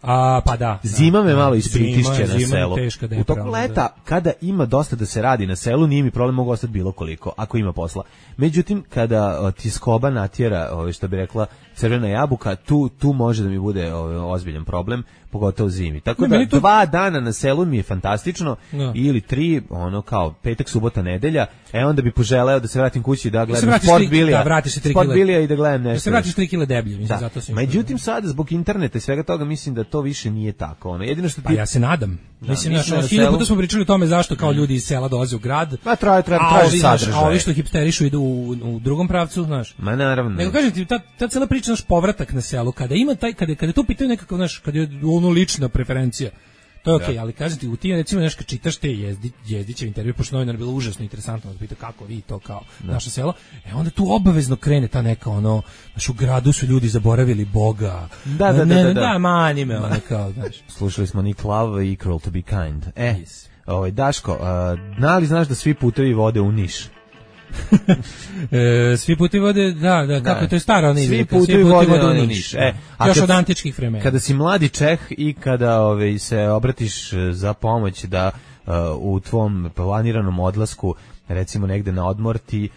A, pa da. Zima me da, malo ispritišće na zima selu. Teška u toku leta, da. Kada ima dosta da se radi na selu, nije mi problem, mogu ostati bilo koliko, ako ima posla. Međutim, kada o, ti skoba natjera, o, što bi rekla crvena jabuka, tu, tu može da mi bude o, ozbiljan problem, pogotovo zimi. Tako ne, da to... dva dana na selu mi je fantastično, no. Ili tri, ono kao petak, subota, nedelja, e onda bi poželeo da se vratim kući da gledam da sport bilija, da vratiš se tri sport bilija i da gledam nešto. Da se vratiš tri kile deblje, mislim, da. Zato se. Međutim, sada zbog interneta i svega toga mislim da to više nije tako. Ono, jedino što ti... Pa ja se nadam. Da, mislim, mislim na hiljadu puta smo pričali o tome zašto kao ljudi iz sela dolaze u grad. Pa traje, traje, traže sadržaj. A ovi što hipsterišu idu u, u drugom pravcu, znaš. Ma naravno. Nego kažem ti, ta, ta cela priča, naš povratak na selu, kada ima taj, kada, kada to pitaju nekakav, naš, kada je ono lična preferencija, to je okej, okay, ali kažem ti, u tim, recimo, nešto čitaš te jezdi, jezdićev intervju, pošto novinar je bilo užasno interesantno, da pita kako vi to kao da. Naše selo, e onda tu obavezno krene ta neka, ono, znaš, u gradu su ljudi zaboravili Boga. Da, da, ne, da, da, da. Da, manji me, ono, kao, znaš. Slušali smo Nick Love i Cruel to be kind. E, yes. Ovaj, Daško, uh, li znaš da svi putevi vode u Niš? e, svi putevi vode, da, da, kako da. To je stara ona izreka. Svi putevi vode, vode u Niš. E, a još kad, od antičkih vremena. Kada si mladi Čeh i kada ove, se obratiš za pomoć da uh, u tvom planiranom odlasku, recimo negde na odmor, ti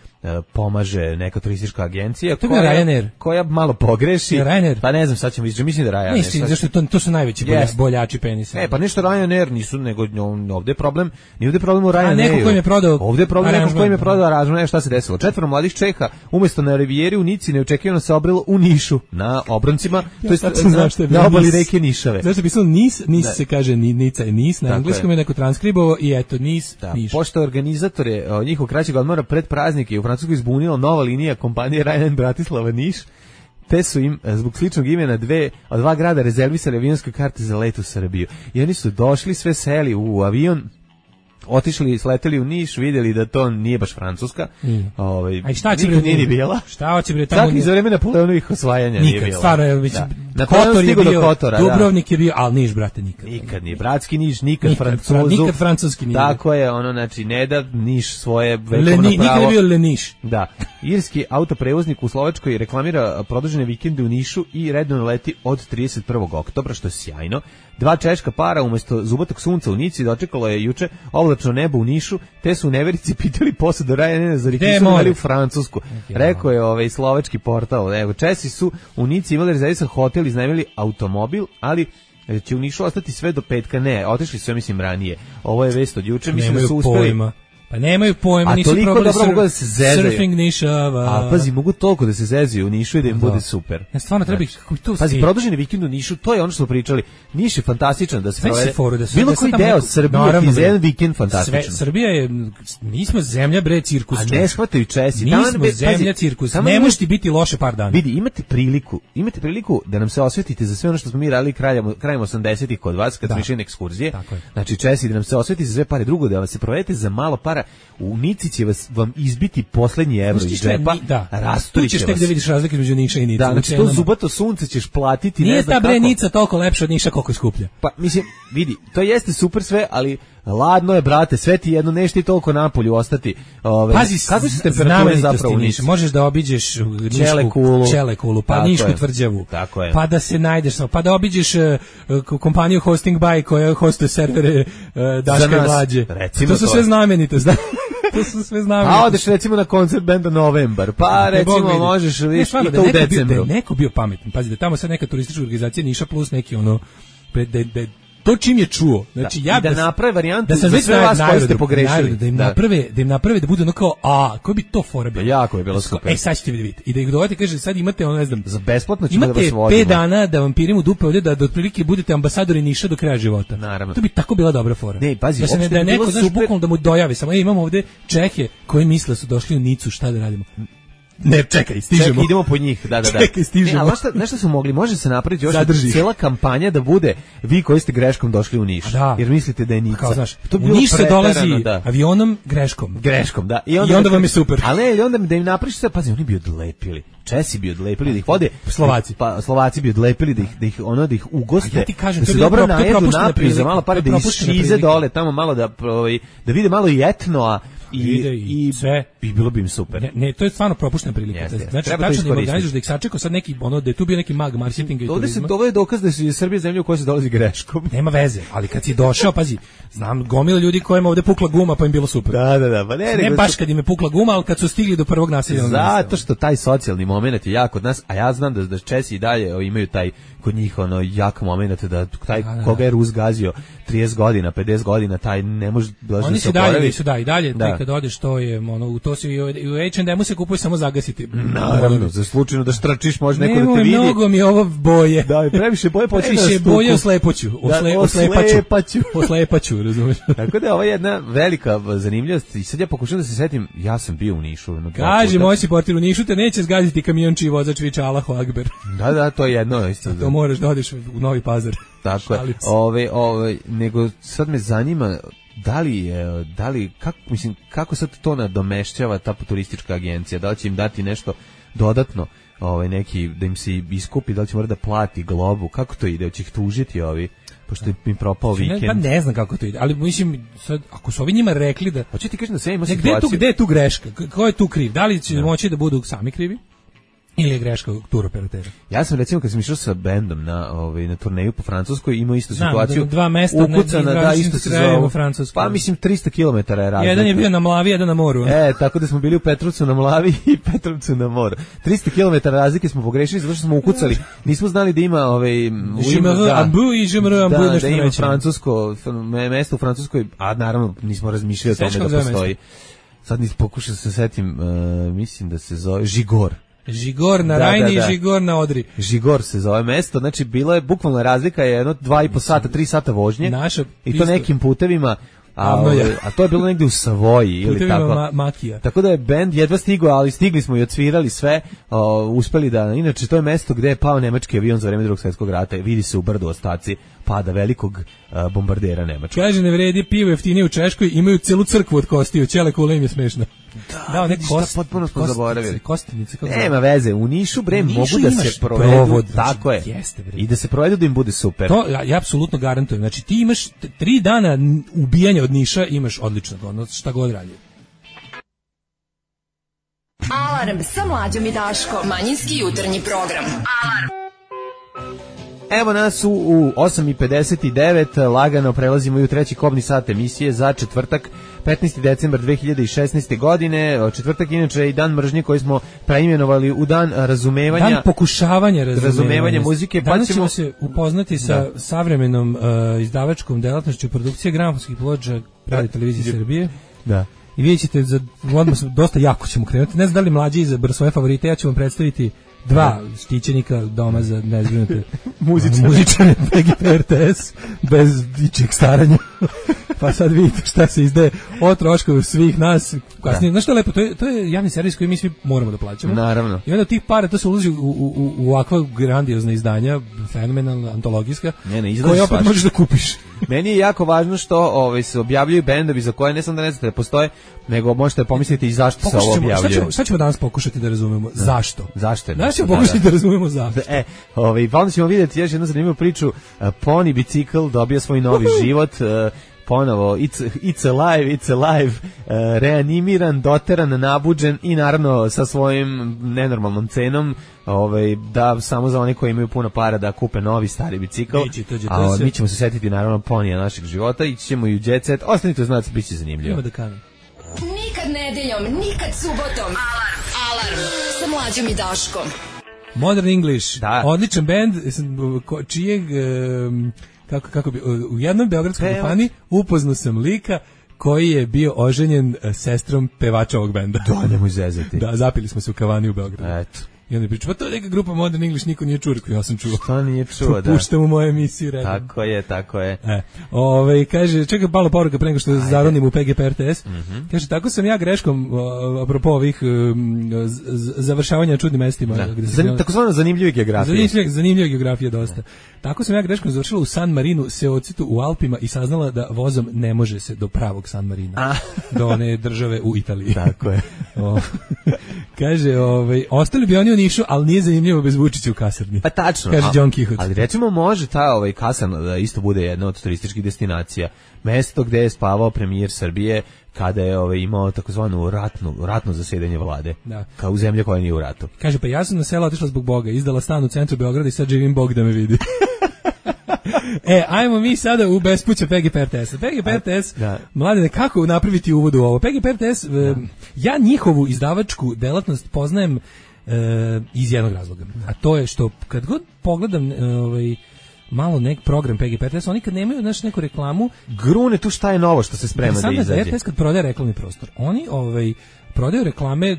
pomaže neka turistička agencija koja, koja malo pogreši. Ryanair. Pa ne znam, sad ćemo izđe, mislim da Ryanair. Mislim, zašto to, to su najveći yes. boljači penisa. E, pa nešto Ryanair nisu, nego ovde je problem, nije ovde problem u Ryanairu. A neko koji je prodao ovde je problem neko koji je prodao aranžman. E, šta se desilo? Četvoro mladih Čeha, umjesto na Rivijeri u Nici, neočekivano se obrelo u Nišu, na obroncima, ja, to jest na, na obali reke Nišave. Zašto je pisalo Nis, Nis se kaže Nica i Nis, na engleskom je neko transkribovao i eto, Nis, da, Niš. Pošto organizatore njihov kraćeg odmora pred praznike u Francuskoj izbunila nova linija kompanije Ryanair Bratislava Niš, te su im zbog sličnog imena dve, od dva grada rezervisali avionske karte za let u Srbiju. I oni su došli, sve seli u avion, otišli, sleteli u Niš, vidjeli da to nije baš Francuska. Mm. Ovaj, a šta će bre nije bila? Šta će bre tamo? Čak i za vreme Napoleonovih osvajanja nikad, nije bila. Stvarno je već da. Kotor je bio, Kotora, Dubrovnik da. Je bio, al Niš brate nikad. Nikad nije bratski Niš, nikad, nikad Francuzu. Nikad francuski nije. Tako je, ono znači ne da Niš svoje vekovno Leni, pravo. Nikad je bio Leniš. Da. Irski autoprevoznik u Slovačkoj reklamira produžene vikende u Nišu i redovno leti od trideset prvog oktobra, što je sjajno. Dva češka para umjesto zubotog sunca u Nici dočekalo je juče oblačno nebo u Nišu, te su u neverici pitali posadu Ryanaira za rikisovali u Francusku. Rekao je ovaj slovački portal. Evo, Česi su u Nici imali rezervisan hotel, iznajmili automobil, ali će u Nišu ostati sve do petka. Ne, otišli su, ja mislim, ranije. Ovo je vest od juče, mislim da su uspeli. Pojma. Pa nemaju pojma, nisu probali dobro sur, da surfing Nišava. A pazi, mogu toliko da se zezaju u Nišu i da im da. Bude super. Ja stvarno treba ih, kako to pazi, produženi vikend u Nišu, to je ono što smo pričali. Niš je fantastičan da se provede. Foru, da su, bilo da koji deo neko, Srbije ti za jedan vikend fantastičan. Sve, Srbija je, mi smo zemlja bre cirkus. A ne shvataju Česi. Mi smo zemlja cirkus. Ne može ti biti loše par dana. Vidi, imate priliku, imate priliku da nam se osvetite za sve ono što smo mi radili krajem, krajem osamdesetih kod vas, kad smo išli na ekskurzije. Znači Česi da nam se osveti za sve pare, drugo da vas se provedete za malo para u Nici će vas, vam izbiti poslednji evro iz džepa, da. Rasturit će vas. Tu ćeš tek da vidiš razlike između Niša i Nice. Da, znači to zubato sunce ćeš platiti. Nije ne znam ta bre kako. Nica toliko lepša od Niša koliko je skuplja. Pa, mislim, vidi, to jeste super sve, ali ladno je, brate, sve ti jedno, neš ti toliko napolju ostati. Ove, pazi, kako su temperature zapravo u Nici? Možeš da obiđeš Čelekulu, Čelekulu, pa tako Nišku je. Tvrđavu, tako je. Pa da se najdeš, pa da obiđeš uh, kompaniju Hosting By koja hostuje servere uh, Daška i Mlađe. To su sve znamenitosti. To su sve znamenitosti. A odeš recimo na koncert benda Novembar, pa ne, recimo možeš viš i to u decembru. Da je neko bio pametan, pazi da tamo sad neka turistička organizacija Niša plus neki ono, da, da, to čim je čuo, znači da, ja da, da naprave varijantu da za sve vas koji ste pogrešili, da im naprave, da im naprave da bude ono kao, a koji bi to fora bilo? Jako je bilo super. Ej, sad ćete vidjeti. I da ih dovete, kaže, sad imate ono, ne znam, za besplatno ćemo da vas vodimo. Imate pet dana da vam pirimo dupe ovdje, da, da otprilike budete ambasadori Niša do kraja života. Naravno. To bi tako bila dobra fora. Ne, pazi, da se ne, da je neko, znaš, bukvalno da mu dojavi, samo, ej, imamo ovdje Čehe koji misle su došli u Nicu, šta da radimo? Ne, čekaj, stižemo. Čekaj, idemo po njih, da, da, da. Čekaj, stižemo. Ne, ali šta, nešto su mogli, može se napraviti još cijela kampanja da bude vi koji ste greškom došli u Niš, da. Jer mislite da je Nica. Kao, znaš, to u Niš se dolazi da. avionom greškom. Greškom, da. I onda, I onda vam je super. Ali ne, onda da im napraviš sve, pazi, oni bi odlepili. Česi bi odlepili da ih vode, Slovaci. Pa Slovaci bi odlepili da ih da ih ono da ih ugoste. Ja ti kažem, da to se je bilo dobro pro- to je najedu propuštena napiju za prilika, malo pare to je da propuštena isčize prilika. dole tamo malo da ovaj, da vide malo i etnoa i Vide i sve. i bilo bi im super. Ne, ne, to je stvarno propuštena prilika. Jeste, jeste. Znači, Treba to tačno da im iskoristiti. organizuješ da ih sačekao sad neki, ono, da je tu bio neki mag marketinga i Ovde se turizma. to je dokaz da je Srbija zemlja u kojoj se dolazi greškom. Nema veze, ali kad si došao, pazi, znam gomila ljudi kojima ovde pukla guma pa im bilo super. Da, da, da, pa ne, Ne nego baš su- kad im je pukla guma, ali kad su stigli do prvog naseljenog mesta. Zato što taj socijalni moment je jak kod nas, a ja znam da da Česi i dalje o, imaju taj kod njih ono jak moment da taj Da, da, koga je Rus gazio trideset godina, pedeset godina, taj ne može doći Oni da su se dalje, oporavi. su da i dalje, Da. da. Kad odeš to je ono u to se i u i u H and M-u se kupuje samo zagasiti. Naravno, za slučajno da štračiš može neko da te Nemoj, vidi. mnogo mi je ovo boje. Da, i previše boje počinje Previše da boje stuku. oslepoću. Osle, Da, oslepaću. oslepaću. Oslepaću, razumiješ? Tako da je ovo jedna velika zanimljivost i sad ja pokušam da se setim, ja sam bio u Nišu. jedno dva Kaži, puta. moj si portir u Nišu te neće zgaziti kamion čiji vozač viče Allahu Akbar. Da, da, to je jedno isto. To moraš da odeš u Novi Pazar. Tako je. Šalim se. Ove, ove, nego sad me zanima da li je, da li, kako, mislim, kako sad to nadomešćava ta turistička agencija, da li će im dati nešto dodatno, ovaj, neki, da im se iskupi, da li će morati da plati globu, kako to ide, hoće ih tužiti ovi, pošto je im propao Ne, pa vikend. ne znam kako to ide, ali mislim, sad, ako su ovi njima rekli da... Hoće ti kažem da sve ima Ne, gde, je tu, situaciju. gde je tu greška? K- Ko je tu kriv? Da li će moći da budu sami krivi? Ili je greška turoperatera? Ja sam recimo kad sam išao sa bendom na ovaj na turneju po Francuskoj imao istu Znam, situaciju. da dva mesta na ukucana, da različitim isto se krajevima zove. Francuske. Pa mislim tristo kilometara je razlika. Jedan je bio na Mlavi, jedan na moru. E, tako da smo bili u Petrovcu na Mlavi i Petrovcu na moru. tristo kilometara razlike smo pogrešili zato što smo ukucali. Nismo znali da ima ovaj u Je me da, ambu i je me ambu da, nešto da ima reći. francusko me- mesto u Francuskoj, a naravno nismo razmišljali o Sećaš tome kako da zove postoji. Sad nis pokušao da se setim, uh, mislim da se zove Žigor. Žigor na Da, Rajni da, da. i Žigor na Odri. Žigor se zove mesto, znači bila je bukvalna razlika je jedno dva i po sata, tri sata vožnje. Naša I to pista- nekim putevima, a, Avno je. ovaj, a to je bilo negde u Savoji ili Putevima tako. ma- makija. Tako da je bend jedva stigao, ali stigli smo i odsvirali sve, o, uspeli da, inače to je mesto gde je pao nemački avion za vreme Drugog svjetskog rata, vidi se u brdu ostaci pada velikog a, bombardera nemačkog. Kaže, ne vredi pivo jeftinije u Češkoj, imaju celu crkvu od kostiju, ćele kule im je smešno. Da, one vidiš, šta kost, potpuno smo kostice, zaboravili. Kostinice, kako Nema veze, u Nišu bre U Nišu mogu da imaš se provedu, provod, znači, tako je. jeste, bre. I da se provedu da im bude super. To ja, ja apsolutno garantujem. Znači ti imaš t- tri dana n- ubijanja od Niša, imaš odlično ono šta god radi. Alarm sa mlađom i Daškom. Manjinski jutarnji program. Evo nas u, u osam i pedeset devet, lagano prelazimo i u treći kobni sat emisije za četvrtak, petnaesti decembar dve hiljade šesnaeste. godine. Četvrtak inače je i dan mržnje koji smo preimenovali u dan razumevanja. Dan pokušavanja razumevanja, razumevanja muzike, pa Danas ćemo- ćemo se upoznati sa savremenom uh, izdavačkom delatnošću produkcije gramofonskih ploča Radio Televizije Srbije. Da. I vidjet ćete, za, odmah sam- dosta jako ćemo krenuti. Ne znam da li mlađi izabr svoje favorite, ja ću vam predstaviti dva štićenika doma za nezbrinute Muzičare. muzičare P G P R T S bez ičeg staranja. Pa sad vidite šta se izdaje o trošku svih nas. Kasnije, znaš što je lepo, to je, to je javni servis koji mi svi moramo da plaćamo. Naravno. I onda od tih para to se ulazi u, u, u, u ovakva grandiozna izdanja, fenomenalna, antologijska, Ne, ne, izlazi koje opet svašta. možeš da kupiš. Meni je jako važno što ovaj, se objavljuju bendovi za koje ne samo da ne znate da postoje, nego možete pomisliti i zašto se Pokušat ovo ćemo, šta, objavljuje. ćemo, šta ćemo danas pokušati da razumemo? Zašto? Zašto je? Danas ćemo Da, pokušati da. da razumemo zašto. E, ovaj, pa onda ćemo vidjeti još jednu zanimljivu priču. Uh, Pony bicikl dobio svoj novi život, uh, ponovo it's, it's alive, it's alive, uh, reanimiran, doteran, nabuđen i naravno sa svojim nenormalnom cenom, ovaj, da samo za one koji imaju puno para da kupe novi stari bicikl. Biće, to će, to A se- mi ćemo se setiti naravno ponija našeg života, ići ćemo i u Jet Set. Ostanite uz nas, bit će zanimljivo. Ima da kanem. Nikad nedeljom, nikad subotom. Alarm. Alarm sa mlađom i Daškom. Modern English, Da. odličan bend, ko- čijeg, em, kako, kako bi, u jednoj beogradskoj Pevač. kafani upoznao sam lika koji je bio oženjen e, sestrom pevača ovog benda. Da, nemoj zezati. Da, zapili smo se u kavani u Beogradu. Eto. I onda je pričao, pa to je neka grupa Modern English, niko nije čuo, rekao, ja sam čuo. To nije čuo, da. Puštam u moje emisiji redom. Tako je, tako je. E, ovaj kaže, čekaj malo poruka pre nego što zaronim u P G P R T S. Mhm. Kaže, tako sam ja greškom, o, apropo ovih um, z- z- završavanja na čudnim mestima. Da. Gde se Zan, takozvano zanimljive geografije. Zanimljiva, zanimljiva geografija dosta. Tako sam ja greškom završila u San Marinu, Seocitu u Alpima i saznala da vozom ne može se do pravog San Marina. Do one države u Italiji. Tako je. O, kaže, ovaj, ostali bi oni u Nišu, ali nije zanimljivo bez Vučića u kasarni. Pa tačno. Kaže a, Don Quixote. Ali recimo može ta ovaj kasarna da isto bude jedna od turističkih destinacija. Mesto gde je spavao premijer Srbije kada je ovaj imao takozvanu ratnu ratno zasedanje vlade. Da. Kao u zemlji koja nije u ratu. Kaže, pa ja sam na selo otišla zbog Boga, izdala stan u centru Beograda i sad živim Bog da me vidi. E, ajmo mi sada u bespuća P G P R T S. P G P R T S, da. Mladene, kako napraviti uvod u ovo? P G P R T S, da. Ja njihovu izdavačku delatnost poznajem e, iz jednog razloga. A to je što kad god pogledam ovaj, malo nek program P G P R T S, oni kad nemaju znaš, neku reklamu... Grune tu šta je novo što se sprema da izađe. R T S kad prodaje reklamni prostor, oni ovaj, prodaju reklame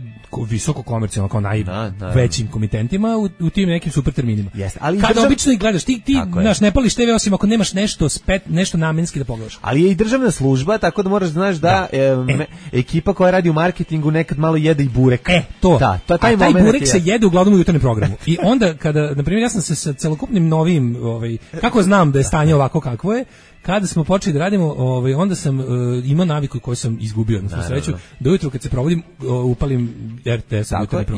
visoko komercijalno kao najvećim komitentima u, u tim nekim super terminima. Jeste, ali kada držav... obično ih gledaš, ti, ti naš, ne pališ te ve osim ako nemaš nešto spet, nešto namenski da pogledaš. Ali je i državna služba, tako da moraš da znaš da, da. E, me, ekipa koja radi u marketingu nekad malo jede i burek. E, to. Da, to taj a taj burek je. se jede uglavnom u jutarnjem programu. I onda kada, na primjer, ja sam se sa celokupnim novim, ovaj, kako znam da je stanje ovako kakvo je, kada smo počeli da radimo, ovaj, onda sam uh, imao naviku koju sam izgubio, na svu sreću, da ujutru kad se provodim, uh, upalim R T S.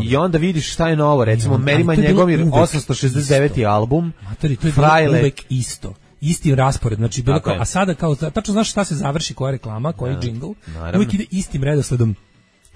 I onda vidiš šta je novo, recimo, Merima Njegomir, osamsto šezdeset deveti album, Matori, to je bilo uvek isto. Isti raspored, znači bilo kao, a sada kao, tačno znaš šta se završi, koja reklama, koji ja, džingl, uvijek ide istim redosledom.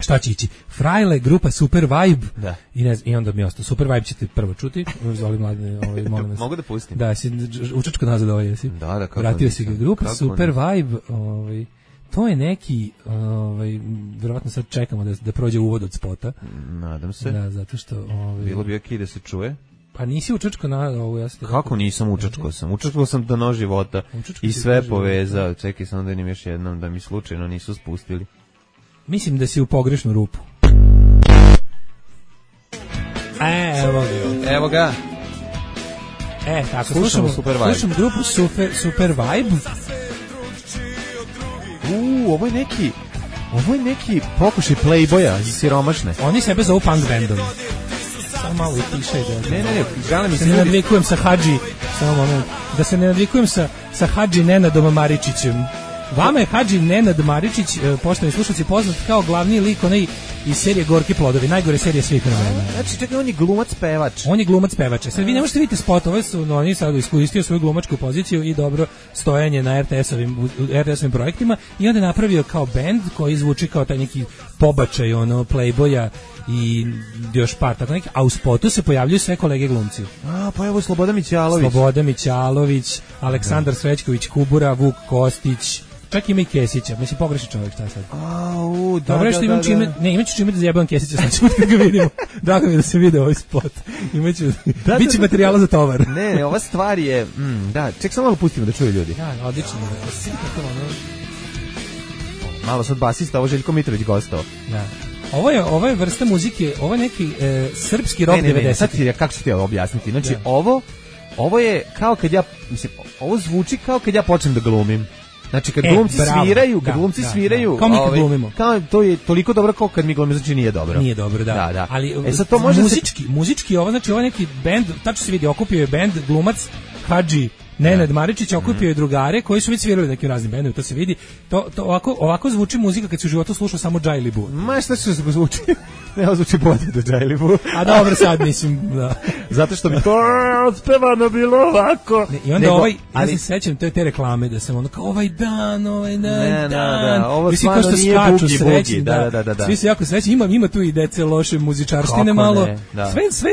Šta će ići? Frajle, grupa Super Vibe. Da. I, ne, I onda mi ostao. Super Vibe ćete prvo čuti. Zoli mladine, ovaj, molim vas. Mogu da pustim? Da, si učačko nazad ovaj, jesi? Da, da, kako vratio si ga. Grupa kako Super Vibe, ovaj, to je neki, ovaj, vjerovatno sad čekamo da, da prođe uvod od spota. Nadam se. Da, zato što... Ovaj, bilo bi okej da se čuje. Pa nisi učačko na ovo, ja sam... Kako nisam učačko sam? Učačko sam do nož života učačko i sve povezao. Čekaj, samo da vidim još jednom da mi slučajno nisu spustili. Mislim da si u pogrešnu rupu. E, evo ga. Evo ga. E, tako, slušamo, Super Vibe. Slušamo grupu Super, Super Vibe. Uuu, ovo je neki, ovo je neki pokušaj Playboya za siromašne. Oni sebe zovu punk bandom. Samo malo i tišaj da... Ne, ne, ne, želim mi se... ne nadvikujem sa Hadži, samo moment, da se ne nadvikujem sa, sa Hadži Nenadom Maričićem. Vama je Hadži Nenad Maričić, poštovani slušalci, poznat kao glavni lik onaj iz serije Gorki plodovi, najgore serije svih vremena. Znači, čekaj, on je glumac pevač. On je glumac pevač. Sad vi ne možete vidjeti spotove, su, no, oni sad iskoristio svoju glumačku poziciju i dobro stojanje na R T S-ovim, R T S-ovim projektima i onda je napravio kao bend koji zvuči kao taj neki pobačaj, ono, Playboya i još par tako neki, a u spotu se pojavljuju sve kolege glumci. A, pa evo Slobodan Mićalović. Slobodan Mićalović, Aleksandar Srećković Kubura, Vuk Kostić, čak ima i Kesića, mislim pogrešan čovjek, šta sad? Au, da, dobro, da, što imam da, čime, da. ne, imaću čime da zjebam Kesića, sad ću kad ga vidimo. Drago mi je da se vide ovaj spot. Imaću, da, biće da, materijala za tovar. Ne, ne, ova stvar je, mm, da, ček samo malo pustimo da čuju ljudi. Da, odlično. Malo sad basista, ovo Željko Mitrović gostao. Da. Ovo je, ovo je vrsta muzike, ovo je neki e, srpski rock devedesetih. Sad ti, kako ću ti ovo objasniti? Znači, da. ovo, ovo je kao kad ja, mislim, ovo zvuči kao kad ja počnem da glumim. Znači kad e, glumci bravo, sviraju, kad da, glumci da, sviraju, da. Kao mi kad ovaj, glumimo. Kao, to je toliko dobro kao kad mi glumimo, znači nije dobro. Nije dobro, da. da, da. Ali e, sad to može muzički, se... muzički ovo, znači ovo neki bend, tačno se vidi, okupio je bend, glumac, Hadži Nenad Maričić, okupio je drugare koji su već svirali nekim raznim bendovima, to se vidi. To, to ovako, ovako zvuči muzika kad se u životu sluša samo Džajli Bu. Ma šta će se zvuči? Ne, zvuči bolje do Džajli Bu. A dobro, sad mislim, da. Zato što bi to odspevano bilo ovako. Ne, i onda Nego, ovaj, ali... ja se sećam te, te reklame da sam ono kao ovaj dan, ovaj dan, ne, dan. Da, da, ovo stvarno nije bugi, bugi, da, da, da, da. Svi se jako srećni, ima, ima tu i dece loše muzičarštine malo. Ne, da. Sve, sve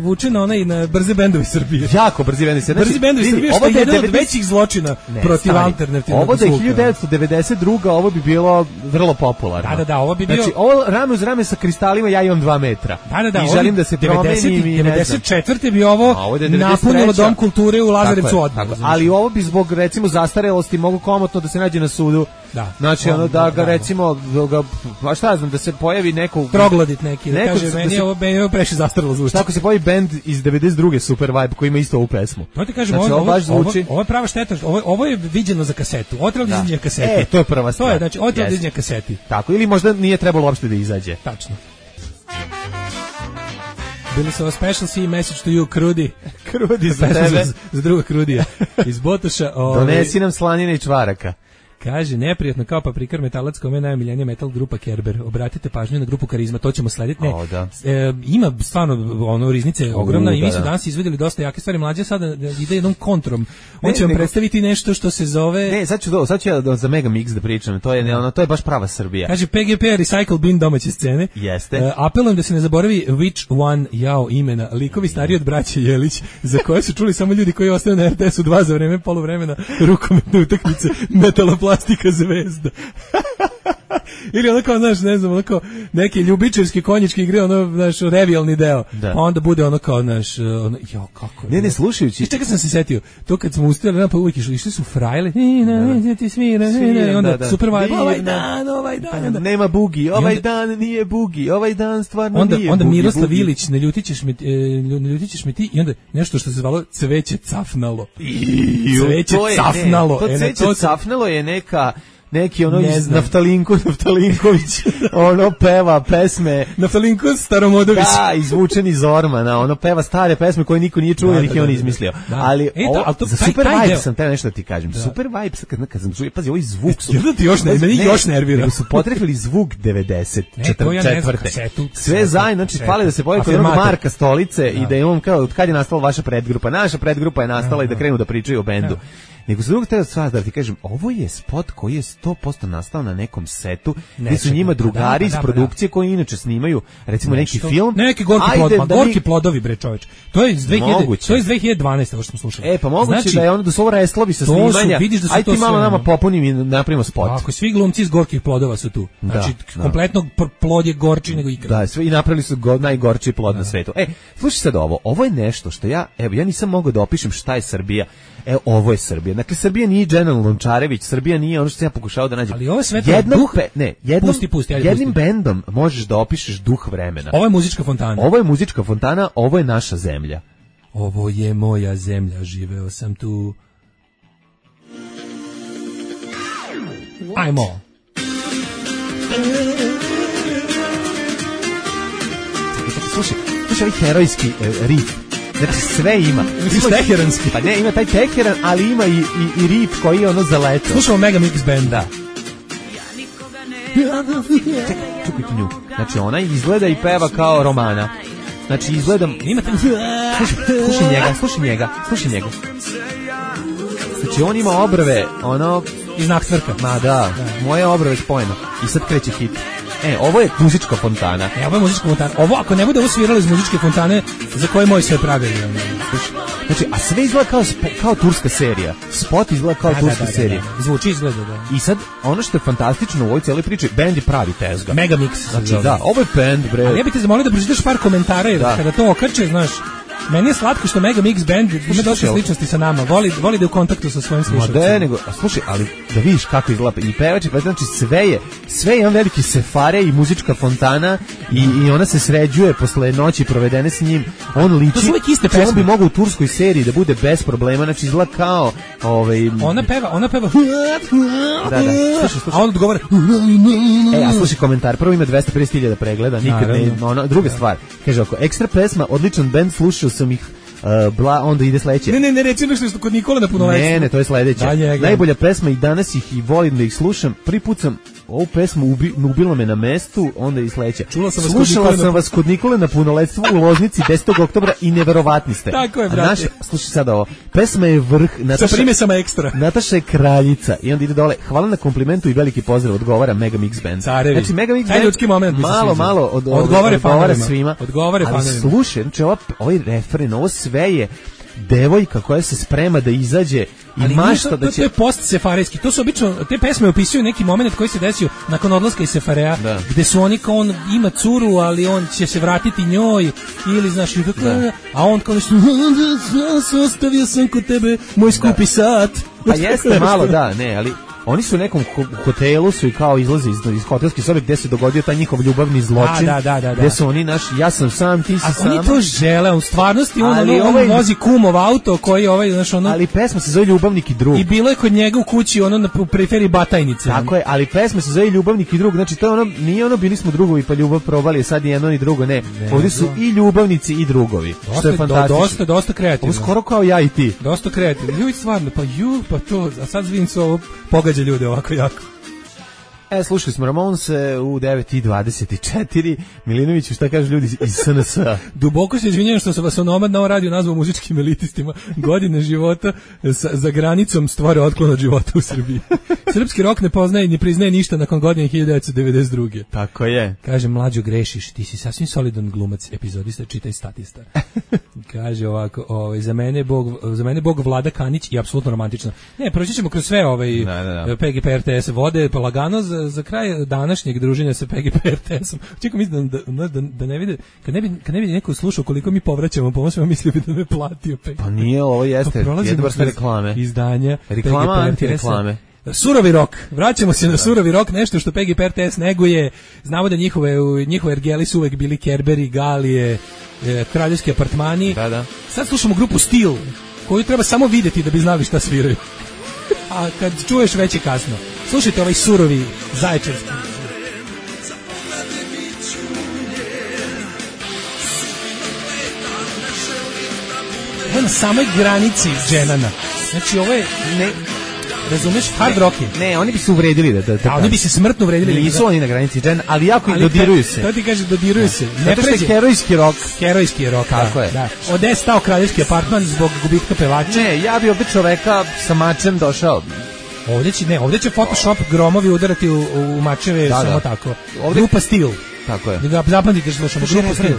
vuče na onaj, na brze bendovi Srbije. Jako brzi bendovi Srbije. Brzi bendovi Srbije, što je jedan od većih zločina ne, protiv stani. Alternativnog ovo da je hiljadu devetsto devedeset druga ovo bi bilo vrlo popularno. Da, da, da, ovo bi bio... Znači, ovo rame uz rame sa kristalima, ja imam dva metra. Da, da, da. I želim da se promenim i devedeset četvrte bi ovo, ovo napunilo Dom kulture u Lazarevcu odmah. Ali ovo bi zbog, recimo, zastarelosti mogu komotno da se nađe na sudu. Da. Znači, ono da ga, recimo, da ga, a šta znam, da se pojavi neko... Troglodit neki, da kaže, meni je ovo preši zastarelo zvuči. Tako se pojavi bend iz devedeset druge Super Vibe koji ima isto ovu pesmu. To ti kažem, znači, ovo, ovo, ovo, ovo je prava šteta, ovo, ovo je viđeno za kasetu, ovo treba da izađe na kaseti. E, to je prva stvar. To je, znači, ovo treba da izađe na kaseti. Tako, ili možda nije trebalo uopšte da izađe. Tačno. Bili su ovo special C message to you, Krudi. Krudi za tebe. Za, za druga Krudija. Iz Botoša. Ove... Donesi nam slanine i čvaraka. Kaže, neprijatno kao paprikar metalac kome je najomiljenija metal grupa Kerber. Obratite pažnju na grupu Karizma, to ćemo slediti. Ne, o, da. e, ima stvarno ono riznice je ogromna U, i mi da, smo da. danas izvedeli dosta jake stvari. Mlađe sada ide jednom kontrom. On Ne, će vam nego- predstaviti nešto što se zove... Ne, sad ću, do, sad ću ja do, za Mega Mix da pričam, to je, ne, ono, to je baš prava Srbija. Kaže P G P Recycle Bin domaće scene. Jeste. E, apelujem da se ne zaboravi Which One jao imena. Likovi stariji od braće Jelić, za koje su čuli samo ljudi koji ostaju na R T S-u dva za vreme poluvremena rukometne utakmice Metaloplastika zvezda. Ili ono kao, znaš, ne znam, ono kao neke ljubičarske konjičke igre, ono, znaš, revijalni deo. Da. Pa onda bude ono kao, znaš, ono, jo, kako je. Ne, ne, slušajući. I čega sam se setio? To kad smo uspjeli, pa uvijek išli, išli su frajle, i na, ne, ti svira, ne, ne, i onda Da, da. super vibe, Divna. ovaj dan, ovaj dan. onda- Nema bugi, ovaj onda- dan nije bugi, ovaj dan stvarno Onda, nije onda bugi, Miroslav bugi. Ilić, ne ljutit ćeš me, e, ne ljutit ćeš me ti, i onda nešto što se zvalo cveće cafnalo. Iju, Cveće to je- cafnalo. Ne, to E, na cveće to- cafnalo je neka neki ono Ne iz znam. Naftalinku, Naftalinković, ono peva pesme, Naftalinko Staromodović. da, izvučen iz Ormana, ono peva stare pesme koje niko nije čuo Da, jer da, ih je on da, da. izmislio. Da. Ali, E, to- ovo, ali to- za taj- Super taj Vibes deo- sam teo nešto da ti kažem. Super Vibes, kad, kad sam čuo, pazi, ovaj zvuk su... Jel da ti još ne- meni još nervira. nego su potrefili zvuk devedeset Ne, to ja ne znam, četvrte. kasetu, Sve kasetu, zajedno, znači, kasetu. fali da se pojavi kod onog Afirmator. Marka Stolice i da je on kao, od kad je nastala vaša predgrupa? Naša predgrupa je nastala i da krenu da pričaju o bendu. Nego su drugog teo stvar da ti kažem, ovo je spot koji je sto posto nastao na nekom setu, gdje su čekaj, njima pa drugari da, iz pa da, produkcije koji inače snimaju, recimo neki Nešto- film. Neki gorki Ajde plod, ma da mi- gorki plodovi bre čoveč. To je iz dve hiljade, Moguće. to je iz dve hiljade dvanaeste ovo što smo slušali. E, pa moguće Znači, da je ono da su ovo restlovi sa to su, snimanja. vidiš da su Ajde to ti malo sve, nama ono. popunim i napravimo spot. Ako svi glumci iz gorkih plodova su tu. Znači, da. kompletno pr- plod je gorči nego ikad. Da, sve i napravili su go, najgorči plod na svetu. E, slušaj sad ovo, ovo je nešto što ja, evo, ja nisam mogao da opišem šta je Srbija. E, ovo je Srbija. Dakle, Srbija nije General Lončarević, Srbija nije ono što sam ja pokušao da nađem. Ali ovo je sve to Jednog duh- pe- ne, jednom, Pusti, pusti, ajde, jednim pusti. bendom možeš da opišeš duh vremena. Ovo je muzička fontana. Ovo je muzička fontana, ovo je naša zemlja. Ovo je moja zemlja, živeo sam tu. Ajmo. Slušaj, slušaj ovaj herojski e, riff. Znači sve ima. Misliš Ima- teheranski? Pa ne, ima taj teheran, ali ima i, i, i riff koji je ono zaleto. Slušamo Mega Mix Band. Da. Čekaj, čekaj tu nju. Znači ona izgleda i peva kao Romana. Znači izgleda... Ima te... Slušaj, slušaj njega, slušaj njega, slušaj njega. Znači on ima obrve, ono... I znak cvrka. Ma da, moje obrve spojeno. I sad kreće hit. E, ovo je muzička fontana. E, ovo je muzička fontana. Ovo, ako ne bude ovo sviralo iz muzičke fontane, za koje moj sve pravili. Znači, a sve izgleda kao, spo, kao turska serija. Spot izgleda kao Da, da, turska da, da, serija. da. Zvuči izgleda, da. I sad, ono što je fantastično u ovoj cijeloj priči, bend je pravi tezga. Mega Mix. se Znači, zove. da, ovo je bend, bre. Ali ja bih te zamolio da pročitaš par komentara, jer Da. kada to okače, znaš, meni je slatko što Mega Mix Band ima dosta slušaj, sličnosti sa nama. Voli, voli da je u kontaktu sa svojim Ma slušalcima. da, nego, a slušaj, ali da vidiš kako izgleda i pevač i pevač, znači sve je, sve je jedan veliki sefare i muzička fontana i, i ona se sređuje posle noći provedene s njim, on liči, To su uvijek iste znači, on pesme. bi mogao u turskoj seriji da bude bez problema, znači izgleda kao, ovaj, Ona peva, ona peva. da, da, slušaj, slušaj. A on odgovara. E, a slušaj komentar, prvo ima dvesta pedeset hiljada pregleda, nikad ne, Naravno. ono, druga stvar, kaže oko, ekstra pesma, odličan bend, slušao sam ih, uh, bla, onda ide sledeće. Ne, ne, ne, reći nešto što kod Nikola na punoletstvu. Ne, ne, to je sledeće. Da, njega. Najbolja pesma i danas ih i volim da ih slušam. Prvi put sam ovu pesmu ubi, ubila me na mestu, onda i sledeće. Čula sam vas kod Slušala Nikole na- sam vas kod Nikole na punoletstvu u Loznici desetog oktobra i neverovatni ste. Tako je, A brate. Naša, slušaj sad ovo. Pesma je vrh. Sa Nataša, primesama ekstra. Nataša je kraljica i onda ide dole. Hvala na komplimentu i veliki pozdrav, odgovara Mega Mix Band. Carevi. Znači Mega Mix Taj Band ljudski moment mi se malo, sviđa. malo od, od, Odgovara odgovara fanovima. svima. Odgovara ali fanovima. slušaj, znači ova, ovaj refren, ovo sve je devojka koja se sprema da izađe i Ali mašta to, da to, će... to je post sefarejski. To su obično, te pesme opisuju neki moment koji se desio nakon odlaska iz Sefareja, Da. gde su oni kao on ima curu, ali on će se vratiti njoj, ili znaš, i tako, a on kao nešto, ostavio sam kod tebe moj skupi sat. Pa jeste malo, da, ne, ali oni su u nekom ho- hotelu su i kao izlaze iz, iz hotelske sobe gde se dogodio taj njihov ljubavni zločin. Da, da, da, da. Gde su oni naši, ja sam sam, ti si A sama. oni to žele, u stvarnosti on, Ali ono, on ovaj- vozi kumov auto koji ovaj, znaš, ono, Ali pesma se zove Ljubavnik i drug. i bilo je kod njega u kući, ono, na, u periferiji Batajnice. Tako je, ali pesma se zove Ljubavnik i drug. Znači to je ono, nije ono bili smo drugovi pa ljubav probali, sad je jedno i drugo, ne. Ovdje su i ljubavnici i drugovi. što Dosta, je fantastično. do, dosta, dosta kreativno. Ovo skoro kao ja i ti. Dosta kreativno. Ljudi stvarno, pa ju, pa to, a sad vidim se ovo pogađa mrze ljude ovako jako. E, slušali smo Ramonse u devet i dvadeset četiri. Milinoviću, šta kažu ljudi iz S N S-a? Duboko se izvinjam što sam vas onomad na ovom radiju nazvao muzičkim elitistima. Godine života sa, za granicom stvore otklon od života u Srbiji. Srpski rok ne poznaje i ne priznaje ništa nakon godine hiljadu devetsto devedeset druge. Tako je. Kaže, mlađo, grešiš, ti si sasvim solidan glumac, epizodista, čitaj Statista. Kaže ovako, ovaj, za mene Bog, za mene Bog Vlada Kanić i apsolutno romantično. Ne, proći ćemo kroz sve ovaj da, da, da. P G P R T S vode, pa lagano za, za kraj današnjeg druženja sa P G P R T S-om. Čekam, mislim da, da, da, da ne vide, kad ne bi, kad ne bi neko slušao koliko mi povraćamo pomoć, mislio bi da me platio P G P. Pa nije, ovo jeste, pa jedne vrste reklame. Izdanja reklama, anti-reklame. Surovi rok. Vraćamo se na surovi rok, nešto što P G P R T S neguje. Znamo da njihove njihove ergeli su uvek bili Kerberi, Galije, e, kraljevski apartmani. Da, da. Sad slušamo grupu Steel, koju treba samo vidjeti da bi znali šta sviraju. A kad čuješ već je kasno. Slušajte ovaj surovi zaječarski. Evo na samoj granici dženana. Znači ovo je ne... Razumeš, hard rock je. Ne, oni bi se uvredili da, da, da a oni bi se smrtno uvredili. Nisu oni na granici džen, ali jako i dodiruju se. To ti kaže, dodiruju da. se. Ne Zato što je herojski rock. Herojski rock, tako da, je. Da. Ode je stao kraljevski apartman zbog gubitka pevača. Ne, ja bi ovdje čoveka sa mačem došao. Ovdje će, ne, ovdje će Photoshop gromovi udarati u, u mačeve, da, samo da. tako. Ovdje... Grupa Steel. Tako je. Da zapamtite što slušamo, Grupa Steel.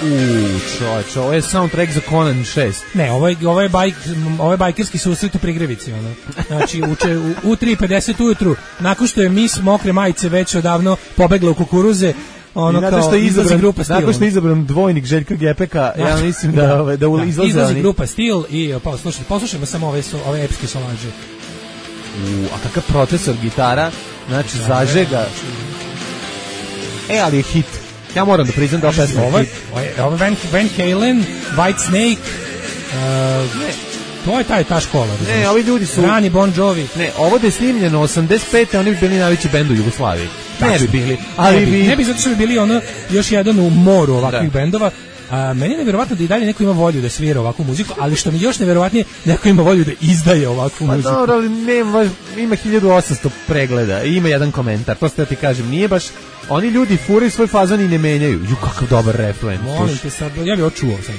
Uuu, čovječ, ovo je soundtrack za Conan šest. Ne, ovo je, ovo je, bajk, ovo je bajkerski susret u Prigrevici. Ono. Znači, uče, u, u tri pedeset ujutru, nakon što je mis mokre majice već odavno pobegla u kukuruze, ono kao što je izabran, grupa Steel. Nakon što je izabran dvojnik Željka Gepeka, ja mislim da, da, da, da izlaze izlazi oni. grupa Steel i pa, slušajte, poslušajmo samo ove, ove epske solaže. U, a kakav procesor gitara, znači da, zažega. E, ali je hit. Ja moram da priznam da ova pesma je hit. Ovo je Van, Van Halen, White Snake, uh, ne, to je taj, ta škola. Ne, ne, ovi ljudi su... Rani, Bon Jovi. Ne, ovo da je snimljeno osamdeset pete oni bi bili najveći bend u Jugoslaviji. Ne bi bili. Ali ne bi, bi... ne bi zato što bi bili ono još jedan u moru ovakvih da. bendova. A, meni je nevjerovatno da i dalje neko ima volju da svira ovakvu muziku, ali što mi još nevjerovatnije, neko ima volju da izdaje ovakvu pa muziku. Pa dobro, ali nema, ima hiljadu osamsto pregleda i ima jedan komentar, to ste da ti kažem, nije baš, oni ljudi furaju svoj fazon i ne menjaju. Ju, kakav dobar refren. Molim te sad, ja bih očuo sad.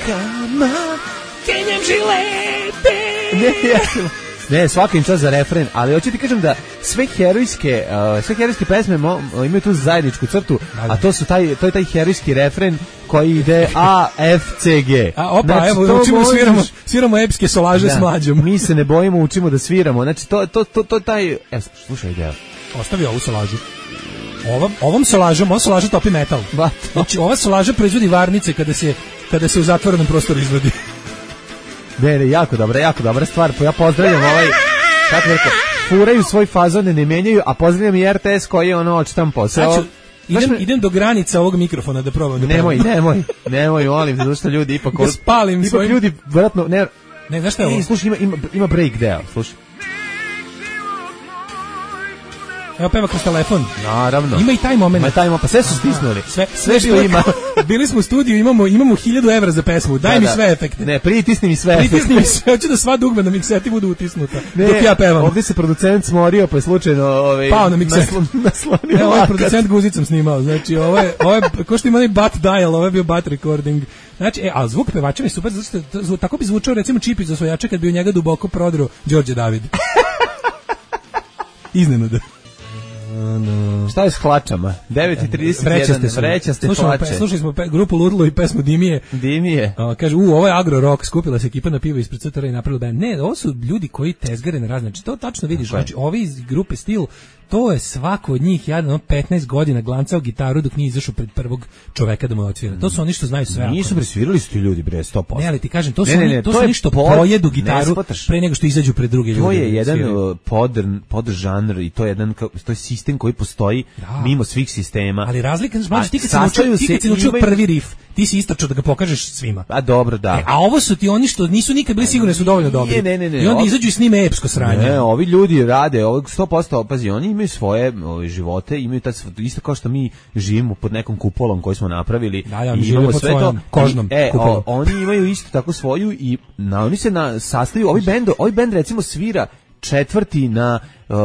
Kama, kenjem žilete. Ne, ja sam... Ne, svaka im čast za refren, ali hoću ti kažem da sve herojske, uh, sve herojske pesme mo, imaju tu zajedničku crtu, a to su taj to je taj herojski refren koji ide A F C G. A opa, znači, evo učimo možeš... sviramo, sviramo epske solaže da, s mlađom. Mi se ne bojimo, učimo da sviramo. Znači to to to to taj, evo, slušaj deo. Ostavi ovu solažu. Ovom ovom solažom, on solaža topi metal. Znači ova solaža proizvodi varnice kada se kada se u zatvorenom prostoru izvodi. Ne, ne, jako dobra, jako dobra stvar. Ja pozdravljam ovaj, kako rekao, furaju svoj fazon, ne menjaju, a pozdravljam i R T S koji je ono očitam posao. Znači, idem, me... idem do granica ovog mikrofona da probam. Da nemoj, probam. nemoj, nemoj, molim, zato što ljudi ipak... Da spalim ipak svojim... ljudi, vratno, ne... Ne, znaš šta je ovo? Slušaj, ima, ima, ima break deo, slušaj. Evo peva kroz telefon. Naravno. Ima i taj moment. Ima taj moment, pa sve su stisnuli. Sve, sve što ima. Bili smo u studiju, imamo imamo hiljadu evra za pesmu. Daj da, mi sve efekte. Ne, pritisni mi sve efekte. Pritisni mi sve, hoću da sva dugme na mikseti budu utisnuta. Ne, dok ja pevam. Ovdje se producent smorio, pa je slučajno ovaj pao na mikset. Naslonio. Evo ovaj producent guzicom snimao. Znači, ovo je ovo je ko što ima onaj bat dial, ovo je bio bat recording. Znači, e, a zvuk pevača je super, zato što tako bi zvučao recimo Čipić za svojača kad bi u njega duboko prodro Đorđe David. Iznenada. No. Šta je s hlačama? devet i trideset jedan, vrećaste hlače. Slušali smo pe, grupu Ludlo i pesmu Dimije. Dimije. A, kaže, u, ovo je agro rock, skupila se ekipa na pivo ispred C T R i napravila band. Ne, ovo su ljudi koji tezgare na razne. Znači, to tačno vidiš. Okay. Znači, ovi iz grupe Steel, to je svako od njih jedan petnaest godina glancao gitaru dok nije izašao pred prvog čoveka da mu odsvira. To su oni što znaju sve. Nisu presvirali su ti ljudi bre sto posto. Ne, ali ti kažem, to su ne, ne, oni, ne, to, to su oni što pod, pojedu gitaru pre nego što izađu pred druge ljude. To je jedan podern podžanr i to je jedan to je sistem koji postoji da. Mimo svih sistema. Ali razlika, znači ti kad se naučio, ti kad se naučio prvi riff, ti si istračao da ga pokažeš svima. A dobro, da. E, a ovo su ti oni što nisu nikad bili sigurni su dovoljno dobri. Ne, ne, ne, I onda izađu i snime epsko sranje. Ne, ovi ljudi rade, ovog sto posto, pazi, oni imaju svoje ove, živote, imaju taj, isto kao što mi živimo pod nekom kupolom koji smo napravili. Da, da, i imamo sve to kožnom e, kupolom. o, oni imaju isto tako svoju i na, oni se na sastaju, ovi bend, ovi bend recimo svira četvrti na uh,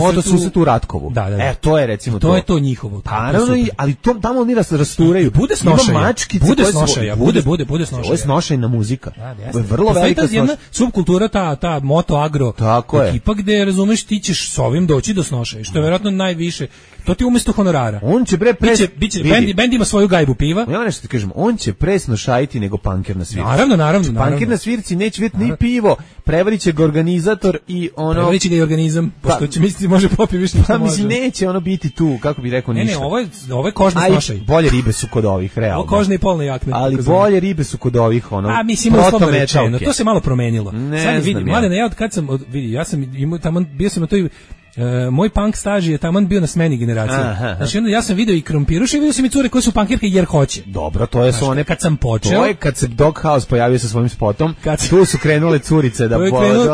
motosusretu u Ratkovu. Da, da, da. E, to je recimo to. To je to njihovo. Pa naravno, i, ali to, tamo oni ras, rasturaju. Bude snošaja. Mačkice bude koje snošaja, su, bude, bude, bude snošaja. Ovo je snošajna muzika. Da, ovo je vrlo velika snošaja. Jedna subkultura, ta, ta moto agro tako ekipa, gde, razumeš, ti ćeš s ovim doći do snošaja, što je verovatno najviše. To ti umesto honorara. On će bre pre... Biće, biće, bend, bend ima svoju gajbu piva. Ja nešto ti kažem, on će presno šajiti nego panker na svirci. Naravno, naravno. naravno. Panker na svirci neće vidjeti ni pivo, prevarit će ga organizator i ono... Prevarit će ga i organizam, pošto će misliti može popiti više što pa, može. mislim, neće ono biti tu, kako bi rekao, ništa. Ne, ne, ovo je, ovo je kožni snošaj. Bolje ribe su kod ovih, realno. Ovo kožne i polne jakne. Ali bolje ribe su kod ovih, ono, a, mislim, uslovno rečeno, to se malo promenilo. Ne sad vidi, znam mladene, ja od kad sam, od, vidi, ja sam imao tamo, bio sam na toj Uh, moj punk staž je taman bio na smeni generacije. Aha. Znači onda ja sam video i krompiruše i video sam i cure koje su punkirke jer hoće. Dobro, to je su one kad sam počeo. To je kad se Doghouse pojavio sa svojim spotom, kad tu su krenule curice da bo,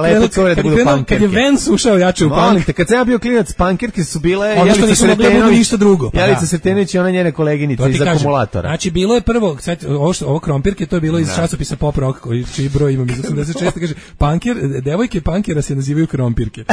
lepo cure da budu punkirke. Kad je Vance ušao jače u punk. Kad sam ja bio klinac, punkirke su bile Jelica Sretenović, ništa drugo. Pa Jelica Sretenović i ona njene koleginice iz akumulatora. Znači bilo je prvo, ovo ovo krompirke, to je bilo iz časopisa Pop Rock, koji čiji broj imam iz osamdeset šeste, kaže punkir, devojke punkera se nazivaju krompirke.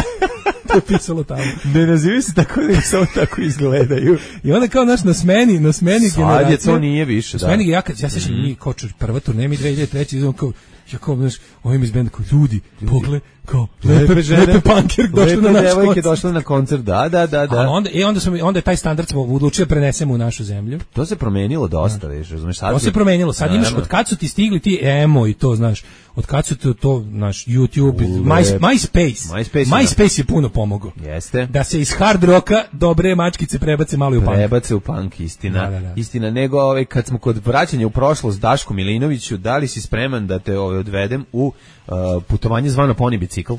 To je pisalo tamo. Ne nazivaju se tako, nego samo tako izgledaju. I onda kao naš na smeni, na smeni sad generacije. Sad je to nije više, da. Smeni, ja, ja sećam, mm. mi kao prva turneja, mi dve hiljade treće izvom kao, ja kao, znaš, ovim iz benda kao, ljudi, pogle, kao, lepe, lepe, lepe punkir došle na naš koncert. došle na koncert, da, da, da. da. A onda, i onda, sam, onda je taj standard smo odlučili prenesemo u našu zemlju. To se promenilo dosta, viš, razumiješ? To se promenilo, sad imaš, od kad su ti stigli ti emo i to, znaš, od kad su to, to naš YouTube, My, MySpace, MySpace, MySpace je puno pomogao. Jeste. Da se iz hard roka dobre mačkice prebace malo u punk. Prebace u punk, istina. Da, da, da. Istina, nego ovaj, kad smo kod vraćanja u prošlost Daško Milinoviću, da li si spreman da te ovaj, odvedem u uh, putovanje zvano poni bicikl?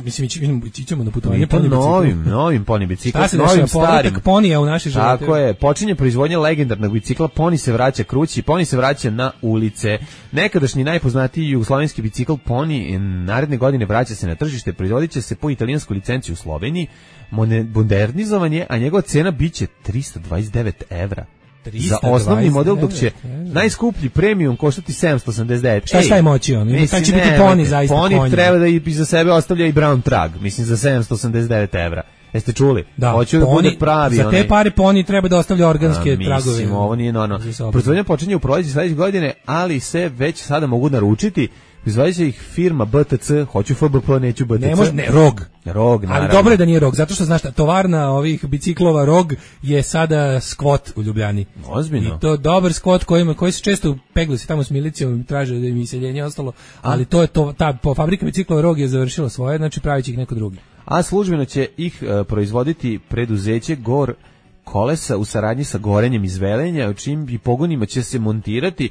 Mislim, ićemo na putovanje poni bicikl. Novim, novim poni bicikl, šta se novim dešava, starim. Ponija u naše živote. Tako je, počinje proizvodnja legendarnog bicikla, poni se vraća krući, poni se vraća na ulice. Nekadašnji najpoznatiji jugoslovenski bicikl poni naredne godine vraća se na tržište, proizvodit će se po italijanskoj licenciji u Sloveniji, modernizovan je, a njegova cena biće trista dvadeset devet evra. Za osnovni model, dok će najskuplji premium koštati sedamsto osamdeset devet. Šta šta je moći on? Taj će biti poni zaista konji. Poni treba da iza sebe ostavlja i brown trag, mislim za sedamsto osamdeset devet evra. Jeste čuli? Da, hoću da bude pravi. Za te onaj... pare poni treba da ostavlja organske A, mislim, tragove. Mislim, ovo nije normalno. Proizvodnja počinje u proleće sledeće godine, ali se već sada mogu naručiti. Izvadit će ih firma B T C, hoću F B P, neću B T C. Ne može, ne, Rog. Rog, naravno. Ali dobro je da nije Rog, zato što znaš, tovarna ovih biciklova Rog je sada skvot u Ljubljani. Ozbiljno. I to dobar skvot koji, koji se često pegli se tamo s milicijom, traže da im iseljenje ostalo, ali to je to, ta po fabrika biciklova Rog je završila svoje, znači pravit će ih neko drugi. A službeno će ih uh, proizvoditi preduzeće Gor Kolesa u saradnji sa Gorenjem iz Velenja, u čim i pogonima će se montirati.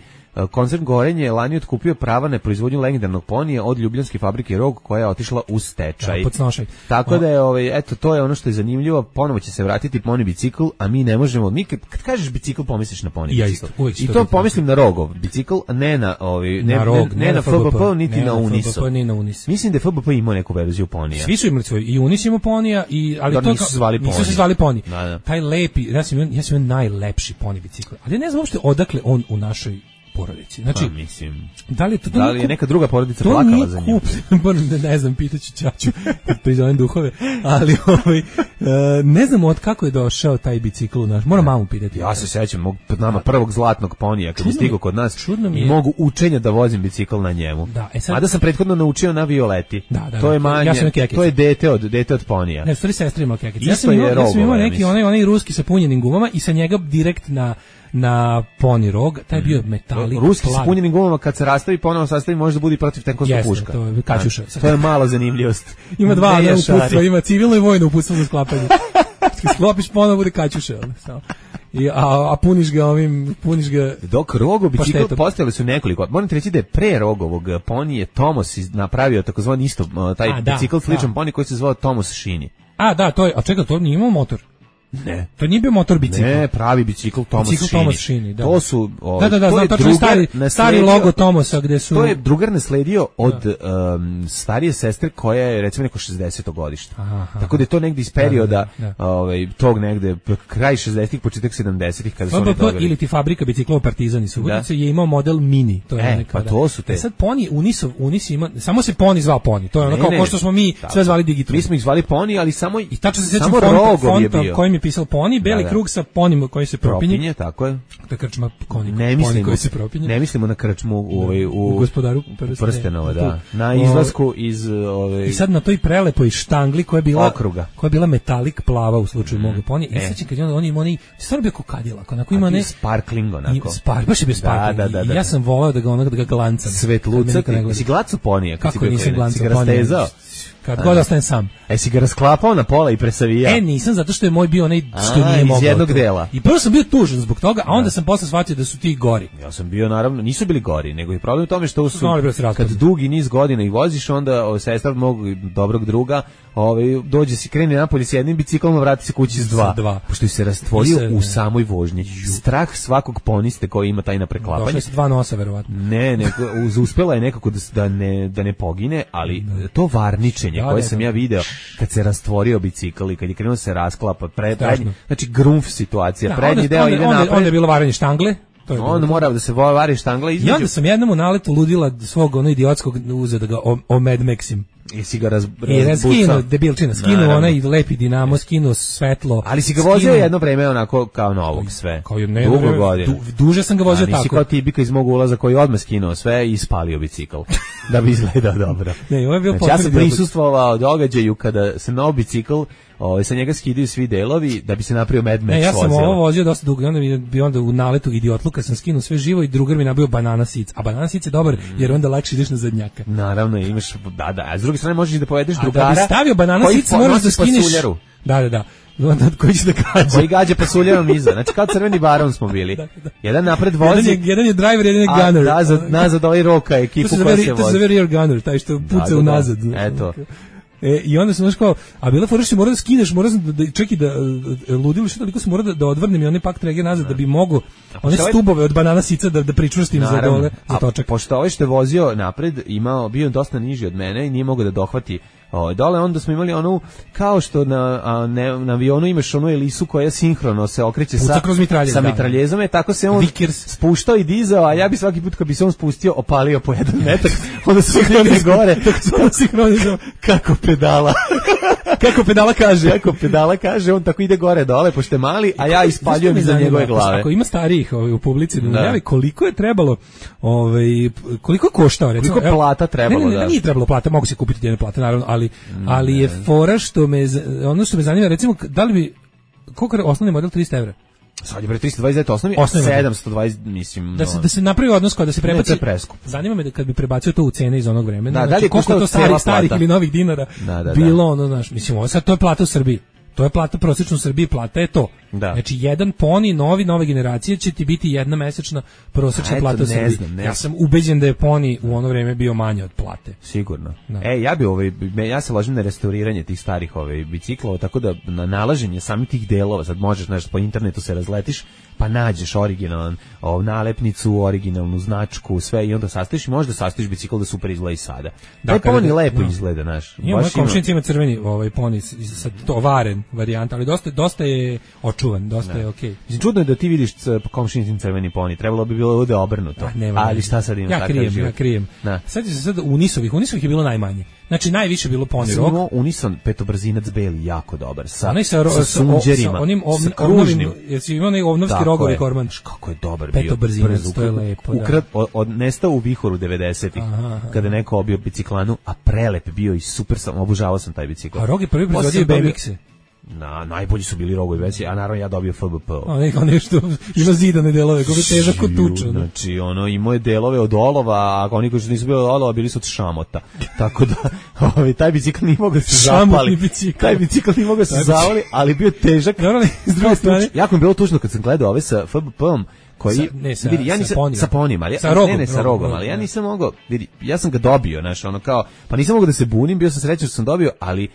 Koncern Gorenje je lani otkupio prava na proizvodnju legendarnog ponija od ljubljanske fabrike Rog koja je otišla u stečaj. Da, tako da je ovaj eto to je ono što je zanimljivo, ponovo će se vratiti poni bicikl, a mi ne možemo, mi kad, kad kažeš bicikl pomisliš na poni ja bicikl. Isto, I to pomislim na Rogov bicikl, a ne na ovaj ne na, Rog, ne, ne na F B P niti ne na Uniso. F B P, ni na Unis. Mislim da je F B P imao neku verziju ponija. Svi su imali svoj i Unis imao ponija i ali Dar to nisu zvali poni. Nisu se zvali poni. Da, da. Taj lepi, ja sam ja sam najlepši poni bicikl. Ali ne znam uopšte odakle on u našoj porodici. Znači, pa, mislim, da li, to, to da li je neka druga porodica plakala za njim? ne, ne znam, pitaću ćaću, prizovem duhove, ali ovaj, uh, ne znam od kako je došao taj bicikl u naš. Moram mamu pitati. Ja se sećam mog pred nama prvog zlatnog ponija kad je stigao kod nas i mogu učenja da vozim bicikl na njemu. Da, e sad, a da sam prethodno naučio na Violeti. Da, da, to je manje, ja to je dete od dete od ponija. Ne, stvari sestra ima kekice. Ja sam imao, ja sam imao neki ja onaj onaj ruski sa punjenim gumama i sa njega direkt na na poni Rog, taj je bio metalik. Ruski s punjenim gumama kad se rastavi ponovo sastavi može da bude protiv tenkovska puška. To je kaćuša. To je mala zanimljivost. Ima dva uputstva, ima civilno i vojno uputstvo za sklapanje. Kad sklopiš ponovo bude kaćuša. I, a, a puniš ga ovim, puniš ga... Dok Rogov bicikl postojali su nekoliko. Moram ti reći da je pre Rogovog ponije Tomos napravio takozvani isto taj a, bicikl sličan poni koji se zvao Tomos Šini. A da, to je, a čekaj, to nije imao motor. Ne. To nije bio motor bicikl. Ne, pravi bicikl Thomas Bicikl Šini. Thomas Šini, da. To su... O, Da, da, da, to znam, je tačno je drugar stari, nasledio- stari logo Thomasa gde su... To je drugar nasledio od um, starije sestre koja je recimo neko šezdeseto godište. Aha. Tako da je to negde iz perioda Da, da, da. ovaj tog negde kraj šezdesetih, početak sedamdesetih kada su oni P P P dobili. ili ti fabrika biciklova Partizan iz Subotice je imao model Mini, to je E, onaj pa kada- to su te. E sad Poni, Unisov, Unis ima, samo se Poni zvao Poni, to je ono Ne, kao ne, ko što smo mi tako. sve zvali Digitron. Mi smo ih zvali Poni, ali samo I tačno se sjećam samo fonta, rogov je fonta bio. kojim je pisao Poni, beli Da, da. krug sa Ponim koji se propinje. Propinje, tako je. To je krčma Poni, Ne Poni mislimo, koji se propinje. ne mislimo na krčmu u, ovaj, u, U Gospodaru prstenova, prstenova, da. tu. Na O, izlasku iz... Ovaj, I sad na toj prelepoj štangli koja je bila Okruga. koja je bila metalik plava u slučaju mm. moga Poni. I E. sećam kad je on, on ima onaj, stvarno bio kao Cadillac, onako a ima bio ne... sparkling onako. I Spar, baš je bio sparkling. Da, da, da, I da. ja sam volao da ga onog da ga glancam. Svet Kad me lucak, niko ne gleda. si glacu Ponija kad si Kako bio nisam klinac? glancao Si ga Ponija? rastezao? Kad god ostanem sam. E, si ga rasklapao na pola i presavijao? E, nisam, zato što je moj bio onaj što A, nije iz mogao. jednog to. dela. I prvo sam bio tužan zbog toga, a onda sam posle shvatio da su ti gori. Ja sam bio, naravno, nisu bili gori, nego je problem u tome što su, Znali da se kad raspadnu. dugi niz godina ih voziš, onda o, sestra mog dobrog druga ovaj, dođe si, krene napolje s jednim biciklom, a vrati se kući s dva. S dva. Pošto se rastvorio I se- u samoj vožnji. Strah svakog poniste koji ima taj na preklapanje. Došli su dva nosa, verovatno. Ne, nego uz- uspela je nekako da, s- da ne da ne pogine, ali to varničenje Da, koje da, sam da. ja video kad se rastvorio bicikl i kad je krenuo da se rasklapa, pre, Strašno. prednji, znači grunf situacija, Da, prednji onda, deo onda, ide onda, napred. onda je bilo varanje štangle. To je bilo. Onda mora da se vo- vari štangla I između. onda sam jednom u naletu ludila svog ono idiotskog uzeo da ga o, o Mad Maxim. I si ga raz, I ja razbucao. skinu, debilčina, skinu Naravno. onaj lepi dinamo, skinu svetlo. Ali si ga skinu- vozio jedno vreme onako kao novog sve. Kao je ne, Dugo ne, godina. du, duže sam ga vozio A nisi tako. kao Tibika iz mog ulaza koji je odmah skinuo sve i spalio bicikl. Da bi izgledao dobro. Ne, ovo je bio Znači, ja sam potpuni dijalog. prisustvovao događaju kada se nov bicikl, ovaj, sa njega skidaju svi delovi da bi se napravio Mad Max Ne, ja sam vozilo. ovo vozio dosta dugo i onda bi, bi onda u naletu idiotluka sam skinuo sve živo i drugar mi nabio banana sic. A banana sic je dobar jer onda lakše ideš na zadnjaka. Naravno, imaš, da, da, a s druge strane možeš i da povedeš A drugara. da bi stavio banana koji sic moraš da nosi skineš. pasuljaru. Da, da, da. Onda koji će da gađa. Koji gađa pasuljarom iza. Znači, kao crveni baron smo bili. Da, da. Jedan napred Jedan vozi, je, jedan je driver, jedan je a gunner. nazad, nazad ovaj roka ekipu To se koja zove, se to se vozi. zove rear gunner, taj što puca Da, da, da. unazad. znaš. Eto. E, I onda sam znaš kao, a bila fora što mora da skineš, mora sam da, da čekaj da e, ludilo što toliko sam mora da, da odvrnem i onaj pak trege nazad da bi mogo one ovaj- stubove od banana sica da da pričvrstim za Naravno. dole, za A točak. pošto ovaj što je vozio napred imao bio dosta niži od mene i nije mogao da dohvati ovaj dole, onda smo imali onu kao što na a, ne, na avionu imaš onu elisu koja sinhrono se okreće Puca sa kroz mitraljez, sa da. mitraljezom, je tako se on Vickers. spuštao i dizao, a ja bi svaki put kad bi se on spustio opalio po jedan metak, onda se krene gore Sinhronizam. kako pedala. Kako pedala kaže. Kako pedala kaže, on tako ide gore dole pošto je mali, a ja ispaljujem iza njegove glave. Ako ima starijih ovaj, u publici da Da. najavi koliko je trebalo, ovaj koliko je koštao recimo. Koliko je evo, plata trebalo, ne, ne, ne, da. nije trebalo plata, mogu se kupiti jedne plate naravno, ali ali je fora što me z- ono što me zanima recimo da li bi koliko je osnovni model trista evra? Sad je bre trista dvadeset devet osnovi, Osnovi model. sedamsto dvadeset mislim. Da se no. da se napravi odnos kao da se Ne, to prebaci. je preskup. Zanima me da kad bi prebacio to u cene iz onog vremena, Da, da li znači je koliko je to koštao starih cijela starih plata? ili novih dinara Da, da, da. bilo ono, znaš, mislim, ovo sad to je plata u Srbiji. To je plata prosječna u Srbiji, plata je to. Da. Znači jedan poni novi nove generacije će ti biti jedna mesečna prosječna A, eto, plata u ne Srbiji. znam, ne ja znam. sam ubeđen da je poni u ono vreme bio manje od plate. Sigurno. Da. E, ja bi ovaj me- ja se ložim na restauriranje tih starih ovaj biciklova, tako da na nalaženje samih tih delova, sad možeš nešto po internetu se razletiš, pa nađeš originalan ovu nalepnicu, originalnu značku, sve i onda sastaviš i možda sastaviš bicikl da super izgleda i sada. Da, Taj kada poni da- lepo da. izgleda, znaš. Ima moja Baš ima. komšinica ima crveni ovaj poni s- sa to varen varijanta, ali dosta dosta je očuvan, dosta je okej. Mislim, čudno je da ti vidiš c- komšinicin crveni poni, trebalo bi bilo da je obrnuto. Ah, nema Ali veze. šta sad ima Ja takav krijem, život? ja krijem. Da. Sad se sad Unisovih, Unisovih je bilo najmanje. Znači najviše je bilo poni Sam rok. imao Unison petobrzinac beli jako dobar sa, Onaj sa, ro- sa sa, sunđerima, sa onim sa ovn- kružnim. ovnovim, jesi imao onaj ovnovski Tako rogovi je. korman? Šš, kako je dobar bio. Petobrzinac, brz, to je ukra- lepo, da. Ukrad, od, od, nestao u vihoru devedesetih, Aha, aha. kada je neko obio biciklanu, a prelep bio i super sam, obožavao sam taj bicikl. A rog je prvi Posle proizvodio sam dobio- B M X-e. Na, najbolji su bili rogovi veći, a naravno ja dobio F B P. Onaj onaj što ima zidane delove, kako je težak kod tuča. ono. Znači, ono, imao je delove od olova, a oni koji su nisu bili od olova, bili su od šamota. Tako da, ovaj, taj bicikl nije mogao da se Šamotni zapali. bicikl. Taj bicikl nije mogao da se Taj zavali, ali bio težak. Naravno, s druge Kao strane, tuč. Jako mi je bilo tužno kad sam gledao ove sa F B P-om, koji Sa- ne, sa- vidi, ja sa nisam ponijom. sa ponijom, ali ja, Sa ne, rogom, ne, sa rogom, rogom, rogom, ali ja da. nisam mogao, vidi, ja sam ga dobio, znaš, ono kao, pa nisam mogao da se bunim, bio sam srećan što sam dobio, ali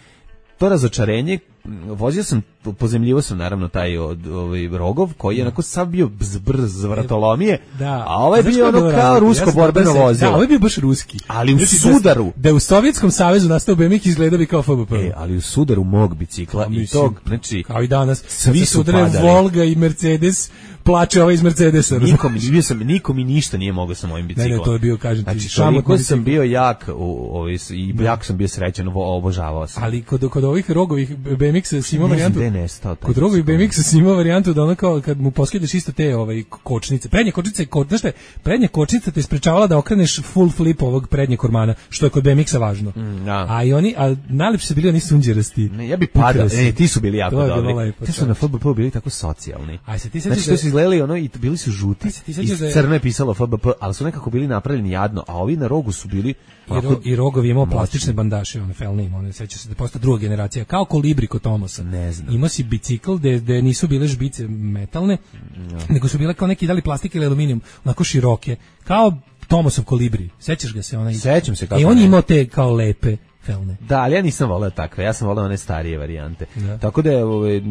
to razočarenje, m, vozio sam pozemljivo sam naravno taj od, ovaj Rogov, koji je onako sav bio brz, vratolomije, da. a ovaj je bio ono kao rusko borbeno vozilo. Da, ovaj je bio baš ruski. Ali u sudaru. Da, da u Sovjetskom savezu nastao B M X izgledao bi kao F B P. E, ali u sudaru mog bicikla a, i mislim, tog, znači... Kao i danas. Svi su padali. Volga i Mercedes, plače ovaj iz Mercedesa. Nikom, bio sam, nikom mi ništa nije mogao sa mojim biciklom. Ne, ne, to je bio, kažem ti, znači, toliko sam bio jak u, u, i jako sam bio srećan, obožavao sam. Ali kod, kod ovih Rogovih B M X-a si imao varijantu... Ne nestao, kod Rogovih B M X-a si imao varijantu da ono kao kad mu poskideš isto te ovaj, kočnice. Prednje kočnice, kod, znaš te, prednja kočnica te sprečavala da okreneš full flip ovog prednjeg kormana, što je kod B M X-a važno. Mm, da. A i oni, a najlepši su bili oni sunđerasti. Ne, ja bi padao, e, ti su bili jako dobri. Lepo, ti su na F B P bili tako socijalni. Aj se ti znači, što su izgledali ono i bili su žuti, i crno je pisalo F B P, ali su nekako bili napravljeni jadno, a ovi na Rogu su bili... I, ro, i Rogovi imao plastične bandaše, one felne, one seća se da posta druga generacija, kao Kolibri kod Tomosa. Ne znam. Imao si bicikl gde, gde nisu bile žbice metalne, no. nego su bile kao neki dali plastik ili aluminijum, onako široke, kao Tomosov Kolibri. Sećaš ga se? Onaj... Sećam se kako. I on je imao te kao lepe felne. Da, ali ja nisam voleo takve, ja sam voleo one starije varijante. Da. Tako da je ove,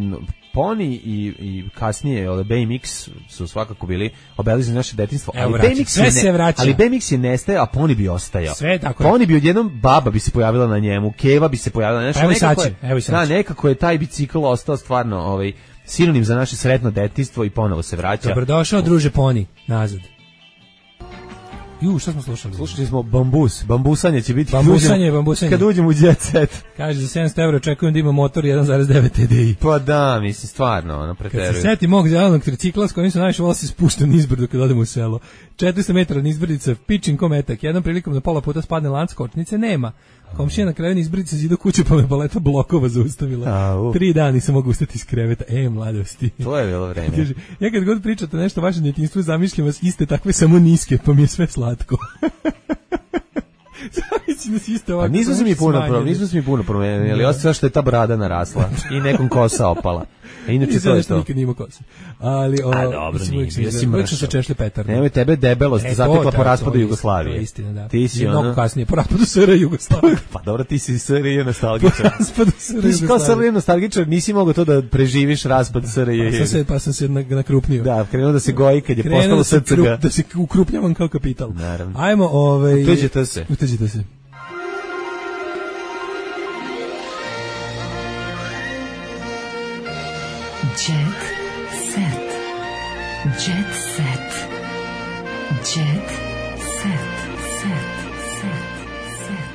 Pony i, i kasnije ove, B M X su svakako bili obeleženi naše detinjstvo, ali B M X sve se vraća. Ali B M X je nestaje, a Pony bi ostajao. Sve tako. Pony bi odjednom baba bi se pojavila na njemu, Keva bi se pojavila na njemu. Evo je, evo da, nekako je taj bicikl ostao stvarno ovaj sinonim za naše sretno detinjstvo i ponovo se vraća. Dobrodošao druže Pony nazad. Ju, šta smo slušali? Slušali smo Bambus. Bambusanje će biti bambusanje, bambusanje. Kad uđemo u Jet Set. Kaže, za sedamsto evra očekujem da ima motor jedan zarez devet T D I. Pa da, mislim, stvarno, ono, preteruju. Kad se seti mog zelenog tricikla s kojim sam najviše volao se spušten nizbrdo kad odem u selo. četiristo metara nizbrdica, pičin kometak. Jednom prilikom na pola puta spadne lanc, kočnice nema. Komšija na kraju nizbrdica zidu kuću pa me baleta blokova zaustavila. A, Tri dana nisam mogu ustati iz kreveta. E, mladosti. To je bilo vreme. Kaže, ja kad god pričate nešto o vašem djetinjstvu, zamišljam vas iste takve samo niske, pa mi je sve slatko. Pa nismo se mi puno promenili, nismo se mi puno promenili, ali osim što je ta brada narasla i nekom kosa opala. A inače to je to. Nikad nima kosa. Ali o, a dobro, nije, bio si mršav. Se češlje Petar. Nemoj tebe debelost, e, zatekla to, po raspadu to, Jugoslavije. To je istina, da. Ti si ono... Mnogo kasnije, po raspadu S R Jugoslavije. Pa dobro, ti si S R J nostalgičar. Po raspadu S R Jugoslavije. Ti si kao S R J nostalgičar, nisi mogao to da preživiš raspad S R J. Pa sam se, pa sam se nakrupnio. Da, krenuo da se goji kad je postalo S C G. Da se ukrupnjavam kao kapital. Naravno. Ajmo, ovaj... Uteđite se. Uteđite se. Jet set. Jet set. Jet set. Set. Set.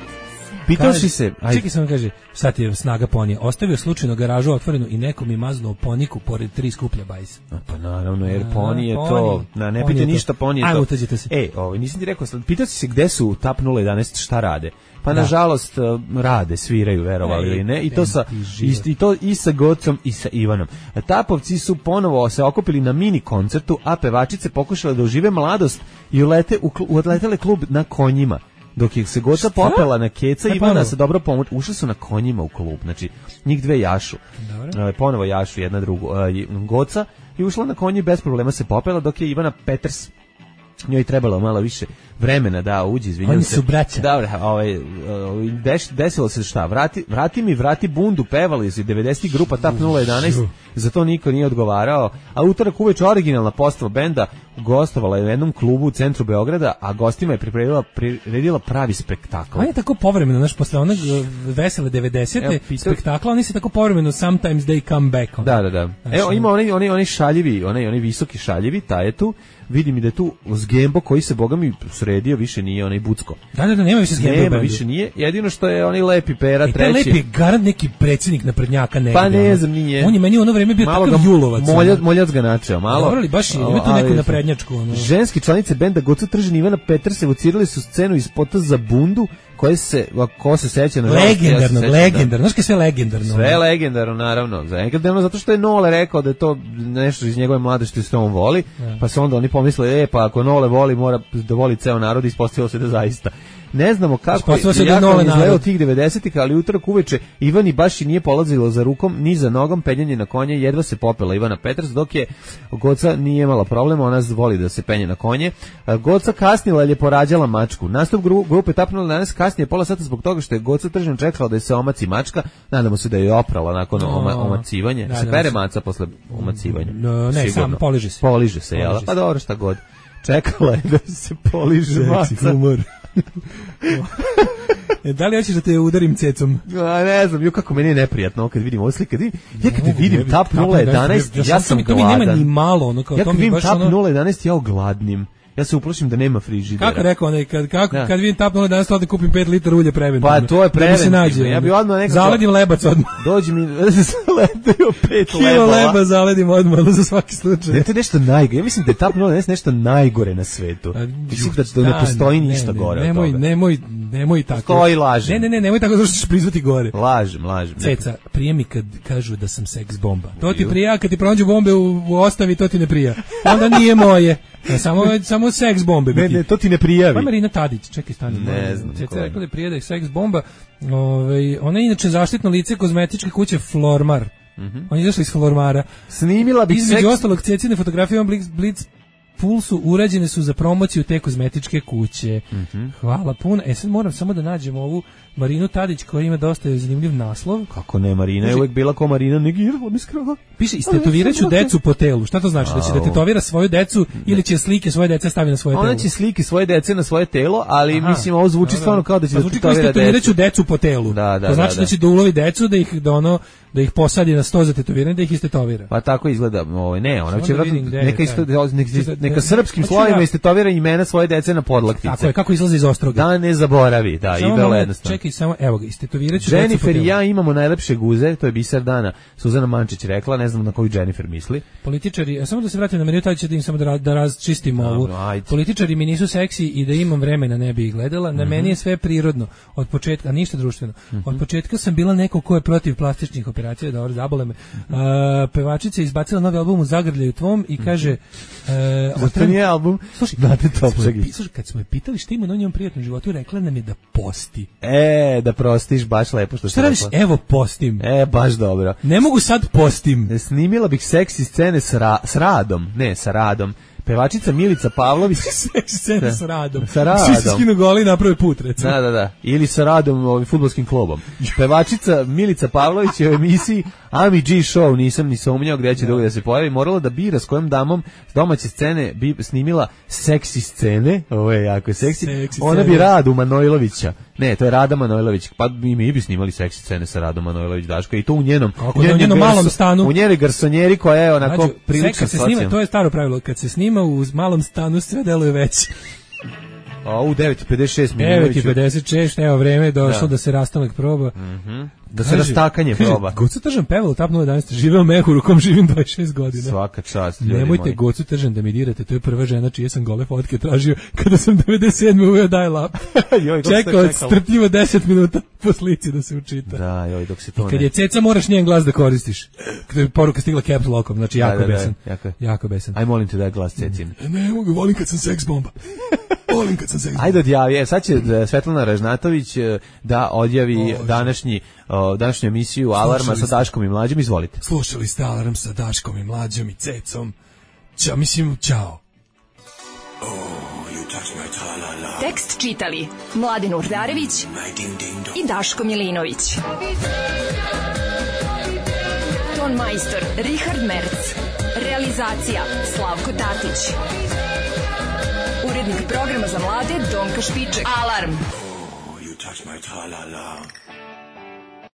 Pitao si se... Aj. Čekaj sam kaže, sad je snaga ponija. Ostavio slučajno garažu otvorenu i neko mi maznuo poniku pored tri skuplja bajsa. A pa naravno, jer poni je to... Na, ne pite ništa, poni je to. Ajmo, uteđite se. E, ovaj, nisam ti rekao, pitao si se gde su Tap nula jedanaest, šta rade? Pa da. Nažalost rade, sviraju, verovali ili ne, i to sa i, i to i sa Gocom i sa Ivanom. Tapovci su ponovo se okupili na mini koncertu, a pevačice pokušale da ožive mladost i ulete u, uletele klub na konjima. Dok ih se Goca popela na keca, e, Ivana se dobro pomoć, ušli su na konjima u klub, znači njih dve jašu. Dobro. Ponovo jašu jedna drugu, Goca i ušla na konji bez problema se popela, dok je Ivana Peters njoj trebalo malo više vremena da uđe, izvinjavam se. Oni su braća. Dobro, ovaj, deš, desilo se šta, vrati, vrati mi, vrati bundu, pevali iz devedesetih grupa Tap nula jedanaest, za to niko nije odgovarao, a utorak uveče originalna postava benda gostovala je u jednom klubu u centru Beograda, a gostima je priredila, priredila pravi spektakl. On je tako povremeno, znaš, posle onog vesele devedesete spektakla, oni se tako povremeno sometimes they come back. On. Da, da, da. Znaš, evo, ima onaj, onaj, onaj šaljivi, onaj, onaj visoki šaljivi, taj je tu, vidim i da je tu Zgembo koji se, boga mi, sredio, više nije onaj Bucko. Da, da, da, nema više Zgembo. Nema, više nije, jedino što je onaj lepi Pera, e, treći. Lepi je garant neki predsjednik naprednjaka negdje. Pa ne znam, nije. On je meni u ono vreme bio malo takav julovac. Moljac, moljac ga načeo, malo. Dobro li, baš ima tu neku naprednjačku. Ono. Ženski članice benda Goca Tržin Ivana Peters evocirali su scenu iz spota za bundu, koje se, ko se seća na legendarno, ja legendarno, znaš kaj sve legendarno. Sve legendarno, naravno. Legendarno zato što je Nole rekao da je to nešto iz njegove mladosti što on voli, ja. Pa se onda oni pomisle, e, pa ako Nole voli, mora da voli ceo narod, ispostavilo se da zaista. Ne znamo kako Ispostavilo se je da je jako Nole izgledao narod. tih devedesetih, ali utorak uveče Ivani baš i nije polazilo za rukom, ni za nogom, penjanje na konje, jedva se popela Ivana Petras, dok je Goca nije imala problema, ona voli da se penje na konje. Goca kasnila jer je porađala mačku. Nastup gru, grupe tapnula danas kasnije pola sata zbog toga što je Goca tržno čekala da je se omaci mačka. Nadamo se da je oprala nakon oma, omacivanja. Da, se pere maca posle omacivanja. No, ne, Sigurno. sam poliže se. Poliže se, jel? Pa dobro, šta god. Čekala je da se poliže maca. Humor. E, da li hoćeš da te udarim cecom? A ne znam, jo kako meni je neprijatno kad vidim ove slike. Ja kad vidim Tap nula jedanaest, ja sam to mi nema gladan. ni malo, ono kao Ja to kad mi vidim baš Tap ono. nula jedanaest, ja ogladnim. Ja se uplašim da nema frižidera. Kako rekao onaj, kad, kako, Da. kad vidim Tap nula jedanaest, odem kupim pet litara ulja preventivno. Pa to je Da mi se preventivno. nađe. Ja bi odmah nekako- Zaledim lebac odmah. Dođi mi, zaledaju pet Kilo lebova. leba zaledim odmah, ono za svaki slučaj. Ne, to je nešto najgore. Ja mislim da je Tap nula jedanaest nešto najgore na svetu. Mislim da, da ne postoji ne, ništa ne, gore od nemoj, toga. Nemoj, nemoj tako. Postoji, lažem. Ne, ne, ne, nemoj tako zato što ćeš prizvati gore. Lažem, lažem. Ceca, prije mi kad kažu da sam seks bomba. To ti prija, kad ti pronađu bombe u, u ostavi, to ti ne prija. Onda nije moje. E, samo, samo seks bombe. Ne, biti. ne, to ti ne prijavi. Pa Marina Tadić, čekaj stani. Ne znam Ceca ko je. rekla da je prije da je seks bomba. Ove, ona je inače zaštitno lice kozmetičke kuće Flormar. Mhm. On je izašli iz Flormara. Snimila bi Između seks... ostalog, Cecine fotografije on Blitz, Blitz Pulsu urađene su za promociju te kozmetičke kuće. Mhm. Hvala puno. E sad moram samo da nađemo ovu Marinu Tadić koja ima dosta zanimljiv naslov. Kako ne, Marina je uvek bila ko Marina negirala mi skrava. Piše, istetovirat ću decu po telu. Šta to znači? Da će da tetovira svoju decu ili će slike svoje dece stavi na svoje telo? Ona će slike svoje dece na svoje telo, ali Aha. mislim ovo zvuči Da, da. stvarno kao da će Pa da zvuči kao tetovira istetovirat ću decu. decu po telu. Da, da, to znači da, da će da ulovi decu, da ih da ono da ih posadi na sto za tetoviranje, da ih istetovira. Pa tako izgleda, ovaj ne, ona Samo će da vidim vjerojatno gde je neka taj. isto neka, neka Da- srpskim Hoću slovima ja- istetovira imena svoje dece na podlaktice. Tako je, kako izlazi iz Ostroga. Da ne zaboravi, da, i Samo vrlo malo, jednostavno. Čekaj, samo, evo ga, istetovirat ću decu po Jennifer telu. i ja imamo najlepše guze, to je biser dana. Suzana Mančić rekla, ne znam na koju Jennifer misli. Političari, a samo da se vratim na Marinu Tadić, da im samo da, ra- da razčistimo ovu. Dobro, ajde. Političari mi nisu seksi i da imam vremena ne bi ih gledala. Na Mhm. meni je sve prirodno. Od početka, a ništa društveno. Od početka sam bila neko ko je protiv plastičnih operacija, dobro, zabole me. A, pevačica je izbacila novi album u Zagrljaju tvom i kaže... E, Zato otran- nije album. Slušaj, Znate kad smo je Topčagić. pi- slušaj, kad smo je pitali šta ima na njenom prijatnom životu, rekla nam je da posti. E, da prostiš, baš lepo što Šta si radiš? rekla. Evo postim. E, baš dobro. Ne mogu sad postim. Snimila bih seksi scene s, ra, s Radom, ne, sa Radom. Pevačica Milica Pavlović. Seksi scene sa Radom. Sa Radom. Svi se skinu goli i naprave put, recimo. Da, da, da. Ili sa Radom, ovim fudbalskim klubom. Pevačica Milica Pavlović je u emisiji Ami G Show, nisam ni sumnjao gdje će drugo da se pojavi, morala da bira s kojom damom s domaće scene bi snimila seksi scene, ovo je jako seksi, Seksi ona bi scene. Radu Manojlovića, ne, to je Rada Manojlović, pa mi, mi bi snimali seksi scene sa Radom Manojlović, Daško, i to u njenom, Kako da, u njenom garso- malom stanu. u njenoj garsonjeri koja je onako Mlađo, prilično kad se snima, socijalna. to je staro pravilo, kad se snima u malom stanu sve deluje veće. A u devet i pedeset šest devet i pedeset šest, evo vreme je došlo da, Da. se rastanak proba. da se rastakanje proba. Gocu Tržan peval u Tap nula jedanaest, živeo mehu, rukom živim dvadeset šest godina. Svaka čast, ljudi Nemojte moji. Gocu Tržan da mi dirate, to je prva žena čije sam gole fotke tražio kada sam devedeset sedme uveo dial-up. Joj, dok se Čekao čekalo. strpljivo deset minuta po slici da se učita. Da, joj, dok se to Kad ne... je ceca moraš njen glas da koristiš. Kada je poruka stigla caps lockom, znači jako Da, da, da, besan. jako je. Jako besan. Aj, molim te da je glas Cecin. Ne mogu, volim kad sam seks bomba. Volim kad sam seks bomba. Ajde odjavi, e, sad će e, Svetlana Ražnatović e, da odjavi današnji, o, današnju emisiju Alarma Slušali sa ste. Daškom i Mlađim, izvolite. Slušali ste Alarm sa Daškom i Mlađom i Cecom. Ćao, mislim, ćao. Tekst čitali Mladin Urdarević i Daško Milinović. Ton majstor Richard Merc. Realizacija Slavko Tatić. Urednik programa za mlade Donka Špiček. Alarm! You touch my tra-la-la.